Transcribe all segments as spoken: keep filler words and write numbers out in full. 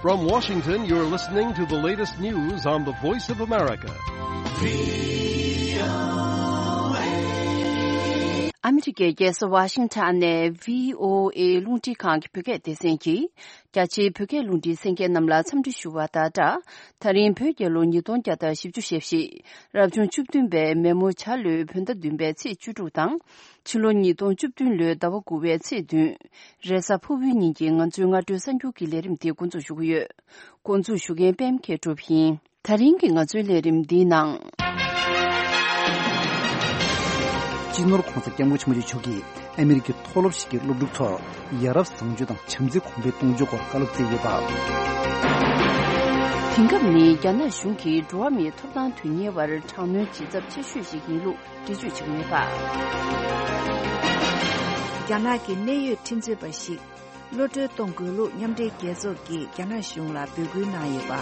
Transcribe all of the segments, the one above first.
From Washington, you're listening to the latest news on the Voice of America. ཨ་མི་རི་ཀའི་རྒྱལ་ས་ཝ་ཤིང་ཊོན་ནས་བྷི་ཨོ་ཨེ་རླུང་འཕྲིན་ཁང་གི་བོད་སྐད་སྡེ་ཚན་གྱིས། རྒྱ་ཆེའི་བོད་སྐད་རླུང་འཕྲིན་གསན་མཁན་རྣམས་ལ་འཚམས་འདྲི་ཞུ་བ་དང་སྦྲགས། ད་རིང་བོད་རྒྱལ་ལོ་ཉིས་སྟོང་བརྒྱ་དང་བཞི་བཅུ་ཞེ་བཞི། རབ་བྱུང་བཅུ་བདུན་པའི་མེ་མོ་བྱ་ལོའི་བོད་ཟླ་བདུན་པའི་ཚེས་བཅུ་དྲུག་དང་། ཕྱི་ལོ་ཉིས་སྟོང་བཅུ་བདུན་ལོའི་ཟླ་བ་དགུ་པའི་ཚེས་བདུན། རེས་གཟའ་ཕུར་བུའི་ཉིན་གྱི་ང་ཚོའི་སྔ་དྲོའི་གསར་འགྱུར་གྱི་ལས་རིམ་དེ་འགོ་འཛུགས་ཞུ་གི་ཡོད། འགོ་འཛུགས་ཞུ་མཁན་པད་མ་མཁས་གྲུབ་ཡིན། ད་རིང་གི་ང་ཚོའི་ལས་རིམ་འདིའི་ནང་། སྤྱི་ནོར་༧གོང་ས་༧སྐྱབས་མགོན་ཆེན་པོ་མཆོག་གིས་ཨ་མི་རི་ཀའི་མཐོ་སློབ་ཞིག་གི་སློབ་ཕྲུག་ཚོར་ཡ་རབས་བཟང་སྤྱོད་དང་བྱམས་བརྩེའི་གོང་འཕེལ་གཏོང་རྒྱུའི་སྐོར་བཀའ་སློབ་སྩལ་ཡོད་པ། དེང་སྐབས་ནི་རྒྱ་ནག་གཞུང་གིས་འགྲོ་བ་མིའི་ཐོབ་ཐང་དོན་གཉེར་བར་དྲག་གནོན་བྱེད་ཚབས་ཆེ་ཤོས་ཤིག་ཡིན་ལུགས་འགྲེལ་བརྗོད་བྱེད་ཀྱི་ཡོད་པ། རྒྱ་ནག་གི་གནད་ཡོད་ཁྲིམས་རྩོད་པ་ཞིག་གློད་གྲོལ་གཏོང་དགོས་ལུགས་མཉམ་འབྲེལ་རྒྱལ་ཚོགས་ཀྱིས་རྒྱ་ནག་གཞུང་ལ་འབོད་སྐུལ་གནང་ཡོད་པ།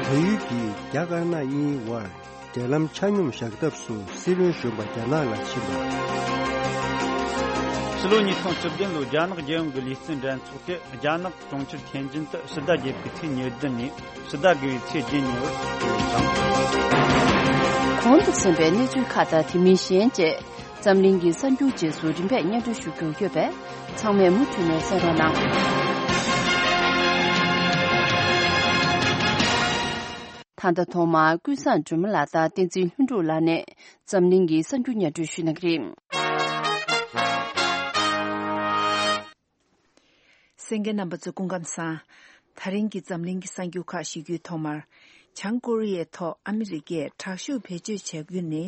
བལ་ཡུལ་གྱིས་རྒྱ་དཀར་ནག་གཉིས་དབར་འབྲེལ་ལམ་ཆ་སྙོམས་བཞག་ཐབས་སུ་སྲིད་བློན་གཞོན་པ་རྒྱ་ནག་ལ་ཕྱིན་པ། ཕྱི་ལོ་ཉིས་སྟོང་བཅུ་བདུན་ལོའི་རྒྱ་ནག་རྒྱལ་ཡོངས་ཀྱི་ལུས་རྩལ་འགྲན་ཚོགས་དེ་རྒྱ་ནག་གྲོང་ཁྱེར་ཐེན་ཅིན་དུ་ཕྱི་ཟླ་བརྒྱད་པའི་ཚེས་ཉེར་བདུན་ནས་ཕྱི་ཟླ་དགུ་བའི་ཚེས་བརྒྱད་ཉིན་བར་སྤེལ་དང་། གོང་དུ་གསན་པའི་གནས་ཚུལ་ཁག་དང་དེ་མིན་གཞན་བཅས་འཛམ་གླིང་གི་གསར་འགྱུར་རྗེས་སུ་རིམ་པས་སྙན་སྒྲོན་ཞུ་རྒྱུ་ཡོད་པས་ཚང་མས་མུ་མཐུད་ནས་གསན་རོགས་གནང་། ད་ལྟ་ཐོག་མར་ཀུན་བཟང་སྒྲོལ་མ་ལགས་དང་བསྟན་འཛིན་ལྷུན་གྲུབ་ལགས་ནས་འཛམ་གླིང་གི་གསར་འགྱུར་སྙན་སྒྲོན་ཞུ་གནང་གི་རེད། གསན་མཁན་རྣམ་པ་ཚོ་སྐུ་ཁམས་བཟང་། ད་རིང་གི་འཛམ་གླིང་གི་གསར་འགྱུར་ཁག་ཞུ་རྒྱུའི་ཐོག་མར། བྱང་ཀོ་རི་ཡའི་ཐོག་ཨ་མི་རི་ཀས་དྲག་ཤུགས་བེད་སྤྱོད་བྱ་རྒྱུ་ནི་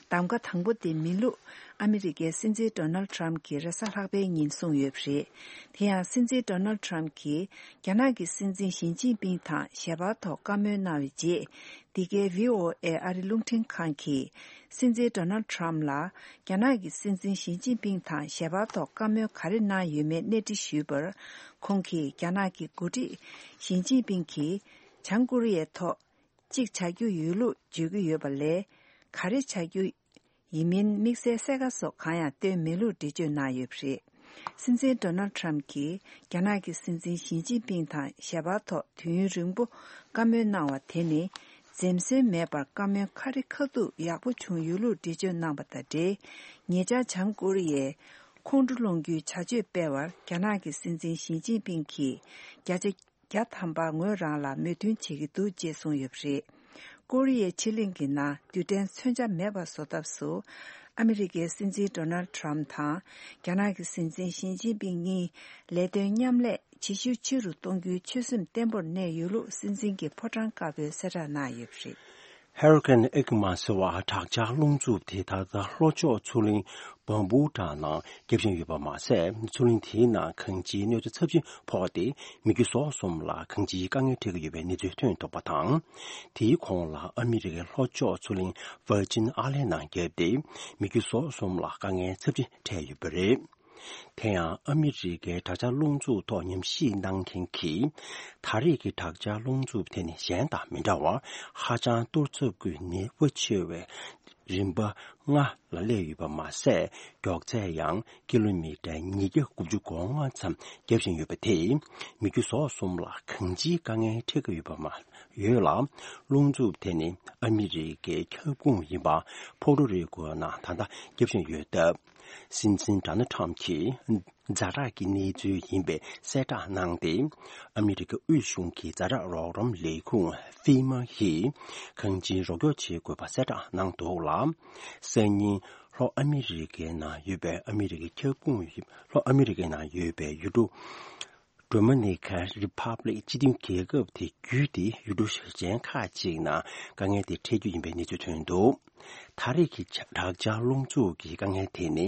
གདམ་ག་དང་པོ་དེ་མིན་ལུགས་ཨ་མི་རི་ཀའི་སྲིད་འཛིན་ཌོ་ནལ་ཊམ་གྱིས་རེས་གཟའ་ལྷག་པའི་ཉིན་གསུངས་ཡོད་པ་རེད། དེ་ཡང་སྲིད་འཛིན་ཌོ་ནལ་ཊམ་གྱིས་རྒྱ་ནག་གི་སྲིད་འཛིན་ཞི་ཅིན་ཕིང་དང་ཞལ་པར་ཐོག་བཀའ་མོལ་གནང་བའི་རྗེས། འདི་གའི་བྷི་ཨོ་ཨེ་ཨ་རི་རླུང་འཕྲིན་ཁང་གིས་སྲིད་འཛིན་ཌོ་ནལ་ཊམ་ལ་རྒྱ་ནག་གི་སྲིད་འཛིན་ཞི་ཅིན་ཕིང་དང་ཞལ་པར་ཐོག་བཀའ་མོལ་ག་རེ་གནང་ཡོད་མེད་གནས་འདྲི་ཞུས་པར། ཁོང་གིས་རྒྱ་ནག་གི་འགོ་ཁྲིད་ཞི་ཅིན་ཕིང་གིས་བྱང་ཀོ་རི་ཡའི་ཐོག་གཅིག་བྱ་རྒྱུ་ཡོད་ལུགས་བརྗོད་ཀྱི་ཡོད་པ་ལས། ག་རེ་བྱ་རྒྱུ་ཡིན་མིན་དམིགས་བསལ་གསལ་ཁ་སོགས་གང་ཡང་བཏོན་མེད་ལུགས་འགྲེལ་བརྗོད་གནང་ཡོད་པ་རེད། སྲིད་འཛིན་ཌོ་ནལ་ཊམ་གྱིས་རྒྱ་ནག་གི་སྲིད་འཛིན་ཞི་ཅིན་ཕིང་དང་ཞལ་པར་ཐོག་དུས་ཡུན་རིང་པོ་བཀའ་མོལ་གནང་བ་དེ་ནི་འཛེམ་ཟོན་མེད་པར་བཀའ་མོལ་ཁ་རི་ཁ་ཐུག་ཡག་པོ་བྱུང་ཡོད་ལུགས་འགྲེལ་བརྗོད་གནང་བ་དང་འབྲེལ། ཉེ་ཆར་བྱང་ཀོ་རི་ཡས་ཁོང་ཁྲོ་སློང་རྒྱུའི་བྱ་སྤྱོད་སྤེལ་བར་རྒྱ་ནག་གི་སྲིད་འཛིན་ཞི་ཅིན་ཕིང་གིས་བརྒྱ་ཆ་བརྒྱ་ཐམ་པ་ངོས་རང་ལ་མོས་མཐུན་བྱེད་ཀྱི་འདུག་ཅེས་གསུངས་ཡོད་པ་རེད། ཀོ་རི་ཡའི་ཕྱེད་གླིང་གི་ནང་རྡུལ་ཕྲན་མཚོན་ཆ་མེད་པ་བཟོ་ཐབས་སུ། ཨ་མི་རི་ཀའི་སྲིད་འཛིན་ཌོ་ནལ་ཊམ་དང་རྒྱ་ནག་གི་སྲིད་འཛིན་ཞི་ཅིན་ཕིང་གཉིས་ལས་དོན་མཉམ་ལས་ཇེ་ཤུགས་ཆེ་རུ་གཏོང་རྒྱུའི་ཆོད་སེམས་བརྟན་པོར་གནས་ཡོད་ལུགས་སྲིད་འཛིན་གྱི་ཕོ་བྲང་དཀར་པོས་གསལ་བསྒྲགས་གནང་ཡོད་པ་རེད། ཧུ་རི་ཀེན་ཨི་ཀི་མ་ཟེར་བ་དྲག་ཆར་རླུང་འཚུབ་དེ་ད་ལྟ་ལྷོ་ཕྱོགས་མཚོ་གླིང་བམ་བུ་ཊ་ནང་རྒྱབ་བཞིན་ཡོད་པ་མ་ཟད། མཚོ་གླིང་དེའི་ནང་གངས་ཅན་གནོད་འཚེ་ཚབས་ཆེན་ཕོག་སྟེ། མི་རྒྱུ་ཟོག་གསུམ་ལ་གངས་ཅན་དཀའ་ངལ་འཕྲད་ཀྱི་ཡོད་པའི་གནས་ཚུལ་ཐོན་ཐུབ་པ་དང་། དེའི་གོང་ལ་ཨ་མི་རི་ཀའི་ལྷོ་ཕྱོགས་མཚོ་གླིང་ཝར་ཇིན་ཨ་ལན་ནང་བརྒྱབ་སྟེ། མི་རྒྱུ་ཟོག་གསུམ་ལ་དཀའ་ངལ་ཚབས་ཆེན་འཕྲད་ཡོད་པ་རེད། དེ་ཡང་ཨ་མི་རི་ཀའི་དྲག་ཆར་རླུང་འཚུབ་ཐོག་ཉམས་ཞིབ་གནང་མཁན་གྱིས། ད་རེས་ཀྱི་དྲག་ཆར་རླུང་འཚུབ་དེ་ནི་གཞན་དང་མི་འདྲ་བར་ཧ་ཅང་གཏོར་ཚབས་ཀྱི་ནུས་པ་ཆེ་བའི་རིམ་པ་ལྔ་ལ་སླེབས་ཡོད་པ་མ་ཟད། མགྱོགས་ཚད་ཡང་ཀི་ལོ་མི་ཊར་ཉིས་བརྒྱ་དགུ་བཅུ་གོ་ལྔ་ཙམ་བརྒྱབ་བཞིན་ཡོད་པ་དེས། མི་རྒྱུ་ཟོག་གསུམ་ལ་གང་ཅིའི་དཀའ་ངལ་འཕྲད་ཀྱི་ཡོད་པ་མ་ཡོད་ལ། རླུང་འཚུབ་དེ་ནི་ཨ་མི་རི་ཀའི་ཁྱབ་ཁོངས་ཡིན་པ་ཕོ་ཊོ་རི་ཀོ་ནང་ད་ལྟ་བརྒྱབ་བཞིན་ཡོད་སྟབས། སྲིད་འཛིན་ཌོ་ནལ་ཊམ་གྱིས་ཛ་དྲག་གི་གནས་ཚུལ་ཡིན་པའི་གསལ་བསྒྲགས་གནང་སྟེ། ཨ་མི་རི་ཀའི་དབུས་གཞུང་གི་ཛ་དྲག་རོགས་རམ་ལས་ཁུངས་ཧྥི་མ་ཡིས་གང་ཅིའི་རོགས་སྐྱོར་བྱེད་དགོས་པ་གསལ་བསྒྲགས་གནང་འདུག་ལ། སང་ཉིན་ལྷོ་ཨ་མི་རི་ཀའི་ནང་ཡོད་པའི་ཨ་མི་རི་ཀའི་ཁྱབ་ཁོངས་ཡིན། ལྷོ་ཨ་མི་རི་ཀའི་ནང་ཡོད་པའི་ཡུལ་གྲུ་ཌོ་མི་ནི་ཀན་རི་ཕབ་ལིག་སྤྱི་མཐུན་རྒྱལ་ཁབ་དེ་བརྒྱུད་དེ་ཡུལ་གྲུ་གཞན་ཁག་ཅིག་ནང་དཀའ་ངལ་དེ་འཕྲད་རྒྱུ་ཡིན་པའི་གནས་ཚུལ་ཐོན་འདུག་ད་རེས་ཀྱི་དྲག་ཆར་རླུང་འཚུབ་ཀྱི་དཀའ་ངལ་དེ་ནི།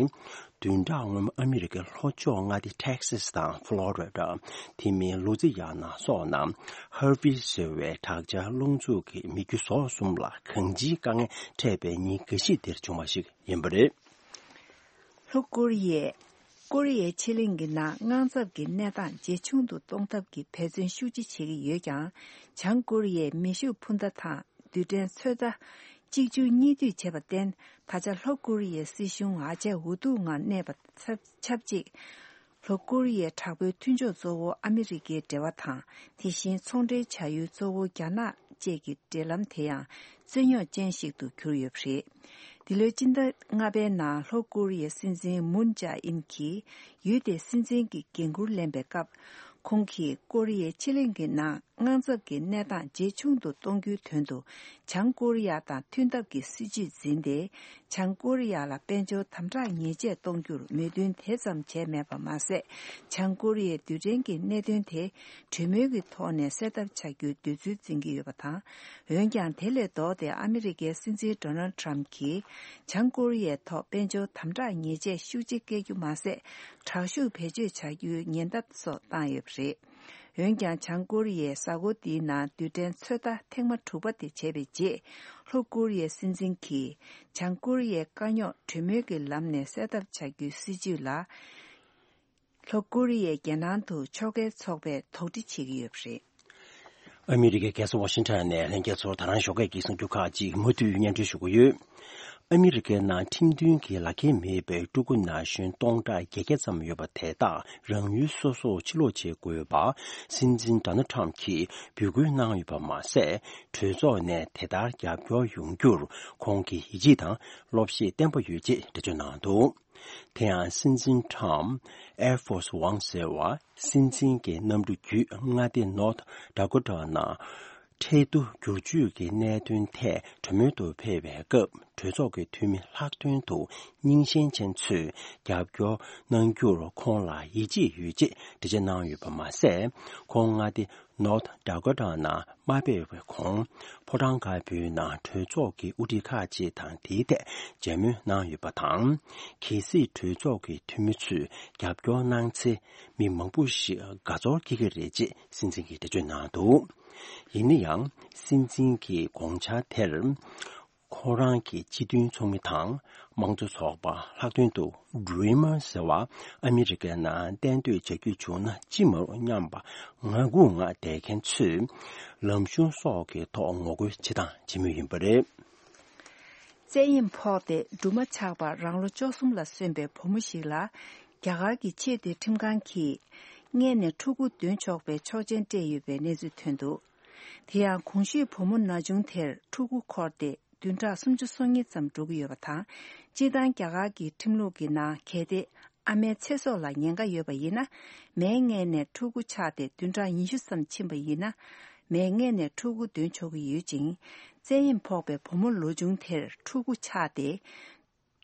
བདུན་ཕྲག་སྔོན་མ་ཨ་མི་རི་ཀའི་ལྷོ་ཕྱོགས་མངའ་སྡེ་ཊེག་སཱས་དང་ཕློ་རི་ཌ། དེ་མིན་ལུ་ཛི་ཡ་ན་སོགས་ནང་ཧར་བྷི་ཟེར་བའི་དྲག་ཆར་རླུང་འཚུབ་ཀྱིས་མི་རྒྱུ་ཟོག་གསུམ་ལ་གང་ཅིའི་དཀའ་ངལ་འཕྲད་པའི་ཉིན་འགའ་ཤས་དེར་བྱུང་བ་ཞིག་ཡིན་པ་རེད། ལྷོ་ཀོ་རི་ཡས་ཀོ་རི་ཡའི་ཕྱེད་གླིང་གི་ནང་དངངས་འཚབ་ཀྱི་གནས་སྟངས་ཇེ་ཆུང་དུ་གཏོང་ཐབས་ཀྱི་འབད་བརྩོན་ཤུགས་ཆེ་བྱེད་ཀྱི་ཡོད་ཀྱང་། བྱང་ཀོ་རི་ཡས་མེ་ཤུགས་འཕུར་མདའ་དང་རྡུལ་ཕྲན་ཚོད་ལྟ་གཅིག་མཇུག་གཉིས་མཐུད་བྱས་པར་བརྟེན། ད་ཆ་ལྷོ་ཀོ་རི་ཡའི་སྲིད་གཞུང་ཨ་ཅག་འུ་ཐུག་ངང་གནས་པ་ཆབས་ཅིག་ལྷོ་ཀོ་རི་ཡའི་དྲག་པོའི་མཐུན་ཕྱོགས་གཙོ་བོ་ཨ་མི་རི་ཀའི་འབྲེལ་བ་དང་། དེ་བཞིན་ཚོང་འབྲེལ་བྱ་ཡུལ་གཙོ་བོ་རྒྱ་ནག་བཅས་ཀྱི་འབྲེལ་ལམ་དེ་ཡང་རྩོད་རྙོག་ཅན་ཞིག་ཏུ་གྱུར་ཡོད་པ་རེད། འདི་ལོའི་སྤྱི་ཟླ་ལྔ་པའི་ནང་ལྷོ་ཀོ་རི་ཡའི་སྲིད་འཛིན་མུན་ཇཱ་ཨིན་གྱིས་ཡུལ་དེའི་སྲིད་འཛིན་གྱི་འགན་འཁུར་ལེན་པའི་སྐབས། ཁོང་གིས་ཀོ་རི་ཡའི་ཕྱེད་གླིང་གི་ནང་དངངས་འཚབ་ཀྱི་གནས་སྟངས་ཇེ་ཆུང་དུ་གཏོང་རྒྱུའི་དོན་དུ། བྱང་ཀོ་རི་ཡ་དང་མཐུན་ཐབས་ཀྱི་སྲིད་ཇུས་འཛིན་ཏེ། བྱང་ཀོ་རི་ཡ་ལ་དཔལ་འབྱོར་དམ་དྲག་ཉེས་ཆད་གཏོང་རྒྱུར་མོས་མཐུན་དེ་ཙམ་བྱས་མེད་པ་མ་ཟད། བྱང་ཀོ་རི་ཡའི་རྡུལ་ཕྲན་གྱི་གནད་དོན་དེ་གྲོས་མོལ་གྱི་ཐོག་ནས་སེལ་ཐབས་བྱ་རྒྱུའི་འདོད་ཚུལ་འཛིན་གྱི་ཡོད་པ་དང་། འོན་ཀྱང་། དེ་ལས་ལྡོག་སྟེ་ཨ་མི་རི་ཀའི་སྲིད་འཛིན་ཌོ་ནལ་ཌི་ཊརམ་གྱིས་བྱང་ཀོ་རི་ཡའི་ཐོག་དཔལ་འབྱོར་དམ་དྲག་ཉེས་ཆད་ཤུགས་ཆེ་བཀལ་རྒྱུ་མ་ཟད། དྲག་ཤུགས་བེད་སྤྱོད་བྱ་རྒྱུའི་ཉེན་བརྡ་སོགས་བཏང་ཡོད་པ་རེད། འོན་ཀྱང་། བྱང་ཀོ་རི་ཡས་གཟའ་འཁོར་འདིའི་ནང་རྡུལ་ཕྲན་ཚོད་ལྟ་ཐེངས་མ་དྲུག་པ་དེ་བྱས་པའི་རྗེས། ལྷོ་ཀོ་རི་ཡའི་སྲིད་འཛིན་གྱིས་བྱང་ཀོ་རི་ཡའི་དཀའ་རྙོག་གྲོས་མོལ་གྱི་ལམ་ནས་སེལ་ཐབས་བྱ་རྒྱུའི་སྲིད་ཇུས་ལ། ལྷོ་ཀོ་རི་ཡའི་རྒྱལ་ནང་དུ་ཕྱོགས་འགལ་ཚོགས་པས་དོགས་འདྲི་བྱེད་ཀྱི་ཡོད་པ་རེད། ཨ་མི་རི་ཀའི་རྒྱལ་ས་ཝ་ཤིང་ཊོན་ནས་ལྷན་རྒྱས་ཚོར་ད་རང་ཞོགས་ཀས་ཀྱི་གསར་འགྱུར་ཁག་ཅིག་མུ་མཐུད་སྙན་སྒྲོན་ཞུ་གི་ཡོད། ཨ་མི་རི་ཀའི་ནང་ཁྲིམས་མཐུན་གྱི་ལག་འཁྱེར་མེད་པའི་ཕྲུ་གུ་ན་གཞོན་སྟོང་ཕྲག་བརྒྱད་བརྒྱ་ཙམ་ཡོད་པ་དེ་དག་རང་ཡུལ་སོ་སོར་ཕྱིར་ལོག་བྱེད་དགོས་པ་སྲིད་འཛིན་ཌོ་ནལ་ཌི་ཊརམ་གྱིས་འབོད་སྐུལ་གནང་ཡོད་པ་མ་ཟད། གྲོས་ཚོགས་ནས་དེ་ལྟར་རྒྱབ་སྐྱོར་ཡོང་རྒྱུར་ཁོང་གིས་ཡིད་ཆེས་དང་བློ་ཤེད་བརྟན་པོ་ཡོད་ཅེས་འགྲེལ་བརྗོད་གནང་འདུག། དེ་ཡང་སྲིད་འཛིན་ཊརམ་ཨེར་ཕོར་སི་ཝན་ཟེར་བ་སྲིད་འཛིན་གྱི་གནམ་གྲུ་བརྒྱུད་མངའ་སྡེ་ནོར་ཐ་ཌ་ཀོ་ཊ་ནང་ཁྲལ་བསྡུ་བསྒྱུར་བཅོས་ཀྱི་གནད་དོན་ཐད་གྲོས་མོལ་དུ་ཕེབས་པའི་སྐབས། གྲོས་ཚོགས་ཀྱི་འཐུས་མི་ལྷག་དོན་དུ་རྙིང་ཞེན་ཅན་ཚོས་རྒྱབ་སྐྱོར་གནང་རྒྱུར་ཁོང་ལ་ཡིད་ཆེས་ཡོད་ཅེས་འགྲེལ་བརྗོད་གནང་ཡོད་པ་མ་ཟད། ཁོང་མངའ་སྡེ་ནོར་ཐ་ཌ་ཀོ་ཊ་ནང་མ་ཕེབས་པའི་གོང་། ཕོ་བྲང་དཀར་པོའི་ནང་གྲོས་ཚོགས་ཀྱི་དབུ་ཁྲིད་ཁག་ཅིག་དང་དེའི་ཐད་མཇལ་མོལ་གནང་ཡོད་པ་དང་། གལ་སྲིད་གྲོས་ཚོགས་ཀྱི་འཐུས་མི་ཚོས་རྒྱབ་སྐྱོར་གནང་ཚེ། མི་མང་པོ་ཞིག་དགའ་ཚོར་སྐྱེ་གི་རེད་ཅེས་སྲིད་འཛིན་གྱིས་འགྲེལ་བརྗོད་གནང་འདུག། ཡིན་ན་ཡང་། སྲིད་འཛིན་གྱི་དགོངས་འཆར་དེར། ཁོ་རང་གི་སྤྱི་མཐུན་ཚོགས་མི་དང་། དམངས་གཙོ་ཚོགས་པ་ལྷག་དོན་དུ། ཌི་རི་མར་ཟེར་བ་ཨ་མི་རི་ཀའི་ནང་གཏན་སྡོད་བྱ་རྒྱུ་བྱུང་ན་ཅི་མ་རུང་སྙམ་པ་ངར་ཁུག་ངང་བསྡད་མཁན་ཚོས་ལམ་གཞུང་སོགས་ཀྱི་ཐོག་ངོ་རྒོལ་བྱེད་སྟངས་བྱེད་མུས་ཡིན་པ་རེད། བཙན་གཡེམ་ཕོག་སྟེ་སྦྲུམ་མ་ཆགས་པར་རང་ལོ་བཅུ་གསུམ་ལ་སོན་པའི་བུ་མོ་ཞིག་ལ། རྒྱ་གར་གྱི་ཆེས་མཐོའི་ཁྲིམས་ཁང་གིས་མངལ་ནས་ཕྲུ་གུ་འདོན་ཆོག་པའི་ཆོག་མཆན་སྤྲད་ཡོད་པའི་གནས་ཚུལ་ཐོན་འདུག། དེ་ཡང་གོང་ཞུས་བུ་མོ་ན་ཆུང་དེར་ཕྲུ་གུ་འཁོར་ཏེ་བདུན་ཕྲག་སུམ་ཅུ་སོ་གཉིས་ཙམ་འགྲོ་གི་ཡོད་པ་དང་། སྤྱིར་བཏང་རྒྱ་གར་གྱི་ཁྲིམས་ལུགས་ཀྱི་ནང་གལ་ཏེ་ཨ་མའི་ཚེ་སྲོག་ལ་ཉེན་ཁ་ཡོད་པ་ཡིན་ན། མའི་མངལ་ནས་ཕྲུ་གུ་ཆགས་ཏེ་བདུན་ཕྲག་ཉི་ཤུ་ཙམ་ཕྱིན་པ་ཡིན་ན། མའི་མངལ་ནས་ཕྲུ་གུ་འདོན་ཆོག་གི་ཡོད་ཅིང་། བཙན་གཡེམ་ཕོག་པའི་བུ་མོ་ལོ་ཆུང་དེར་ཕྲུ་གུ་ཆགས་ཏེ།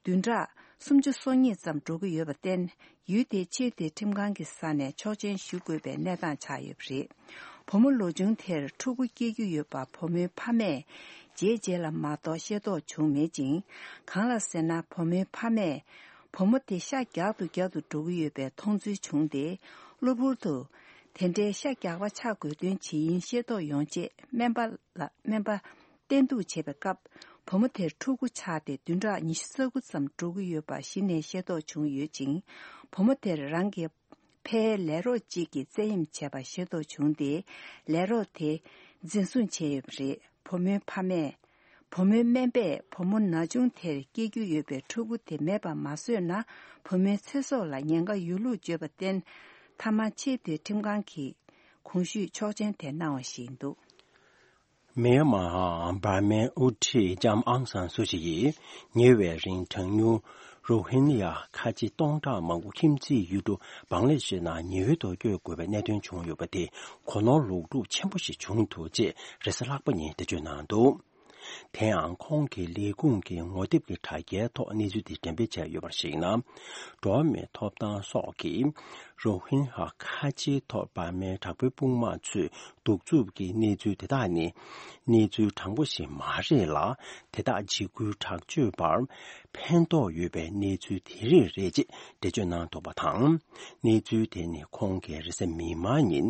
བདུན་ཕྲག་སུམ་ཅུ་སོ་གཉིས་ཙམ་འགྲོ་གི་ཡོད་པར་བརྟེན། ཡུལ་དེའི་ཆེས་མཐོའི་ཁྲིམས་ཁང་གི་ས་ནས་ཆོག་མཆན་ཞུ་དགོས་པའི་གནས་སྟངས་ཆགས་ཡོད་པ་རེད། བུ་མོ་ལོ་ཆུང་དེར་ཕྲུ་གུ་སྐྱེ་རྒྱུ་ཡོད་པ་བུ་མོའི་ཕ་མས་རྗེས་རྗེས་ལ་མ་གཏོགས་ཤེས་རྟོགས་བྱུང་མེད་ཅིང་། གང་ལ་ཟེར་ན། བུ་མོའི་ཕ་མས་བུ་མོ་དེ་ཤ་རྒྱག་ཏུ་རྒྱག་ཏུ་འགྲོ་གི་ཡོད་པའི་མཐོང་ཚུལ་བྱུང་སྟེ། གློ་བུར་དུ་དེ་འདྲའི་ཤ་རྒྱག་པ་ཆགས་དགོས་དོན་ཇི་ཡིན་ཤེས་རྟོགས་ཡོང་ཆེད་སྨན་པ་ལ་སྨན་པ། བསྟེན་གཏུགས་བྱེད་པའི་སྐབས། བུ་མོ་དེར་ཕྲུ་གུ་ཆགས་ཏེ་བདུན་ཕྲག་ཉི་ཤུ་རྩ་དགུ་ཙམ་འགྲོ་གི་ཡོད་པ་གཞི་ནས་ཤེས་རྟོགས་བྱུང་ཡོད་ཅིང་། བུ་མོ་དེར་རང་གི་ཕའི་ལས་རོགས་གཅིག་གིས་བཙན་གཡེམ་བྱས་པ་ཤེས་རྟོགས་བྱུང་སྟེ། ལས་རོགས་དེ་འཛིན་བཟུང་བྱས་ཡོད་པ་རེད། བུ་མོའི་ཕ་མས། བུ་མོའི་སྨན་པས་བུ་མོ་ན་ཆུང་དེར་སྐྱེ་རྒྱུ་ཡོད་པའི་ཕྲུ་གུ་དེ་མེད་པ་མ་བཟོས་ན། བུ་མོའི་ཚེ་སྲོག་ལ་ཉེན་ཁ་ཡོད་ལུགས་བརྗོད་པར་བརྟེན། མཐའ་མ་ཆེས་མཐོའི་ཁྲིམས་ཁང་གིས་གོང་ཞུས་ཆོག་མཆན་དེ་གནང་བ་ཞིག་ཡིན་འདུག། མེན་མར་འབར་མའི་དབུ་ཁྲིད་ལྕམ་ཨང་སན་སུ་ཅི་ཡིས་ཉེ་བའི་རིང་གྲངས་ཉུང་རོ་ཧིན་ཡ་ཁ་ཆེ་སྟོང་ཕྲག་མང་པོ་ཁྱིམ་མཚེས་ཡུལ་གྲུ་བང་ལ་དེ་ཤི་ནང་ཉེ་འོལ་དུ་བསྐྱོད་དགོས་པའི་གནད་དོན་བྱུང་ཡོད་པ་དེ་གོ་ནོར་ལོག་སྒྲུབ་ཆེན་པོ་ཞིག་བྱུང་འདུག་ཅེས་རེས་གཟའ་ལྷག་པ་ཉིན་འགྲེལ་བརྗོད་གནང་འདུག། དེ་ཡང་ཁོང་གི་ལས་ཁུངས་ཀྱི་ངོ་དེབ་ཀྱི་དྲ་རྒྱའི་ཐོག་གནས་ཚུལ་དེ་འགྲེམས་སྤེལ་བྱས་ཡོད་པར་གཞིགས་ན། འགྲོ་བ་མིའི་ཐོབ་ཐང་སོགས་ཀྱིས་རོ་ཧིན་ཧ་ཁ་ཆེའི་ཐོག་འབར་མའི་དྲག་པོའི་དཔུང་དམག་ཚོས་གདུག་རྩུབ་ཀྱི་གནས་ཚུལ་དེ་དག་ནི་གནས་ཚུལ་དྲང་པོ་ཞིག་མ་རེད་ལ། དེ་དག་འཇིགས་སྐུལ་དྲག་སྤྱོད་པར་ཕན་ཐོགས་ཡོད་པའི་གནས་ཚུལ་དེ་རིགས་རེད་ཅེས་འགྲེལ་བརྗོད་གནང་འདུག་པ་དང་། གནས་ཚུལ་དེ་ནི་ཁོང་གིས་རེས་གཟའ་མིག་དམར་ཉིན་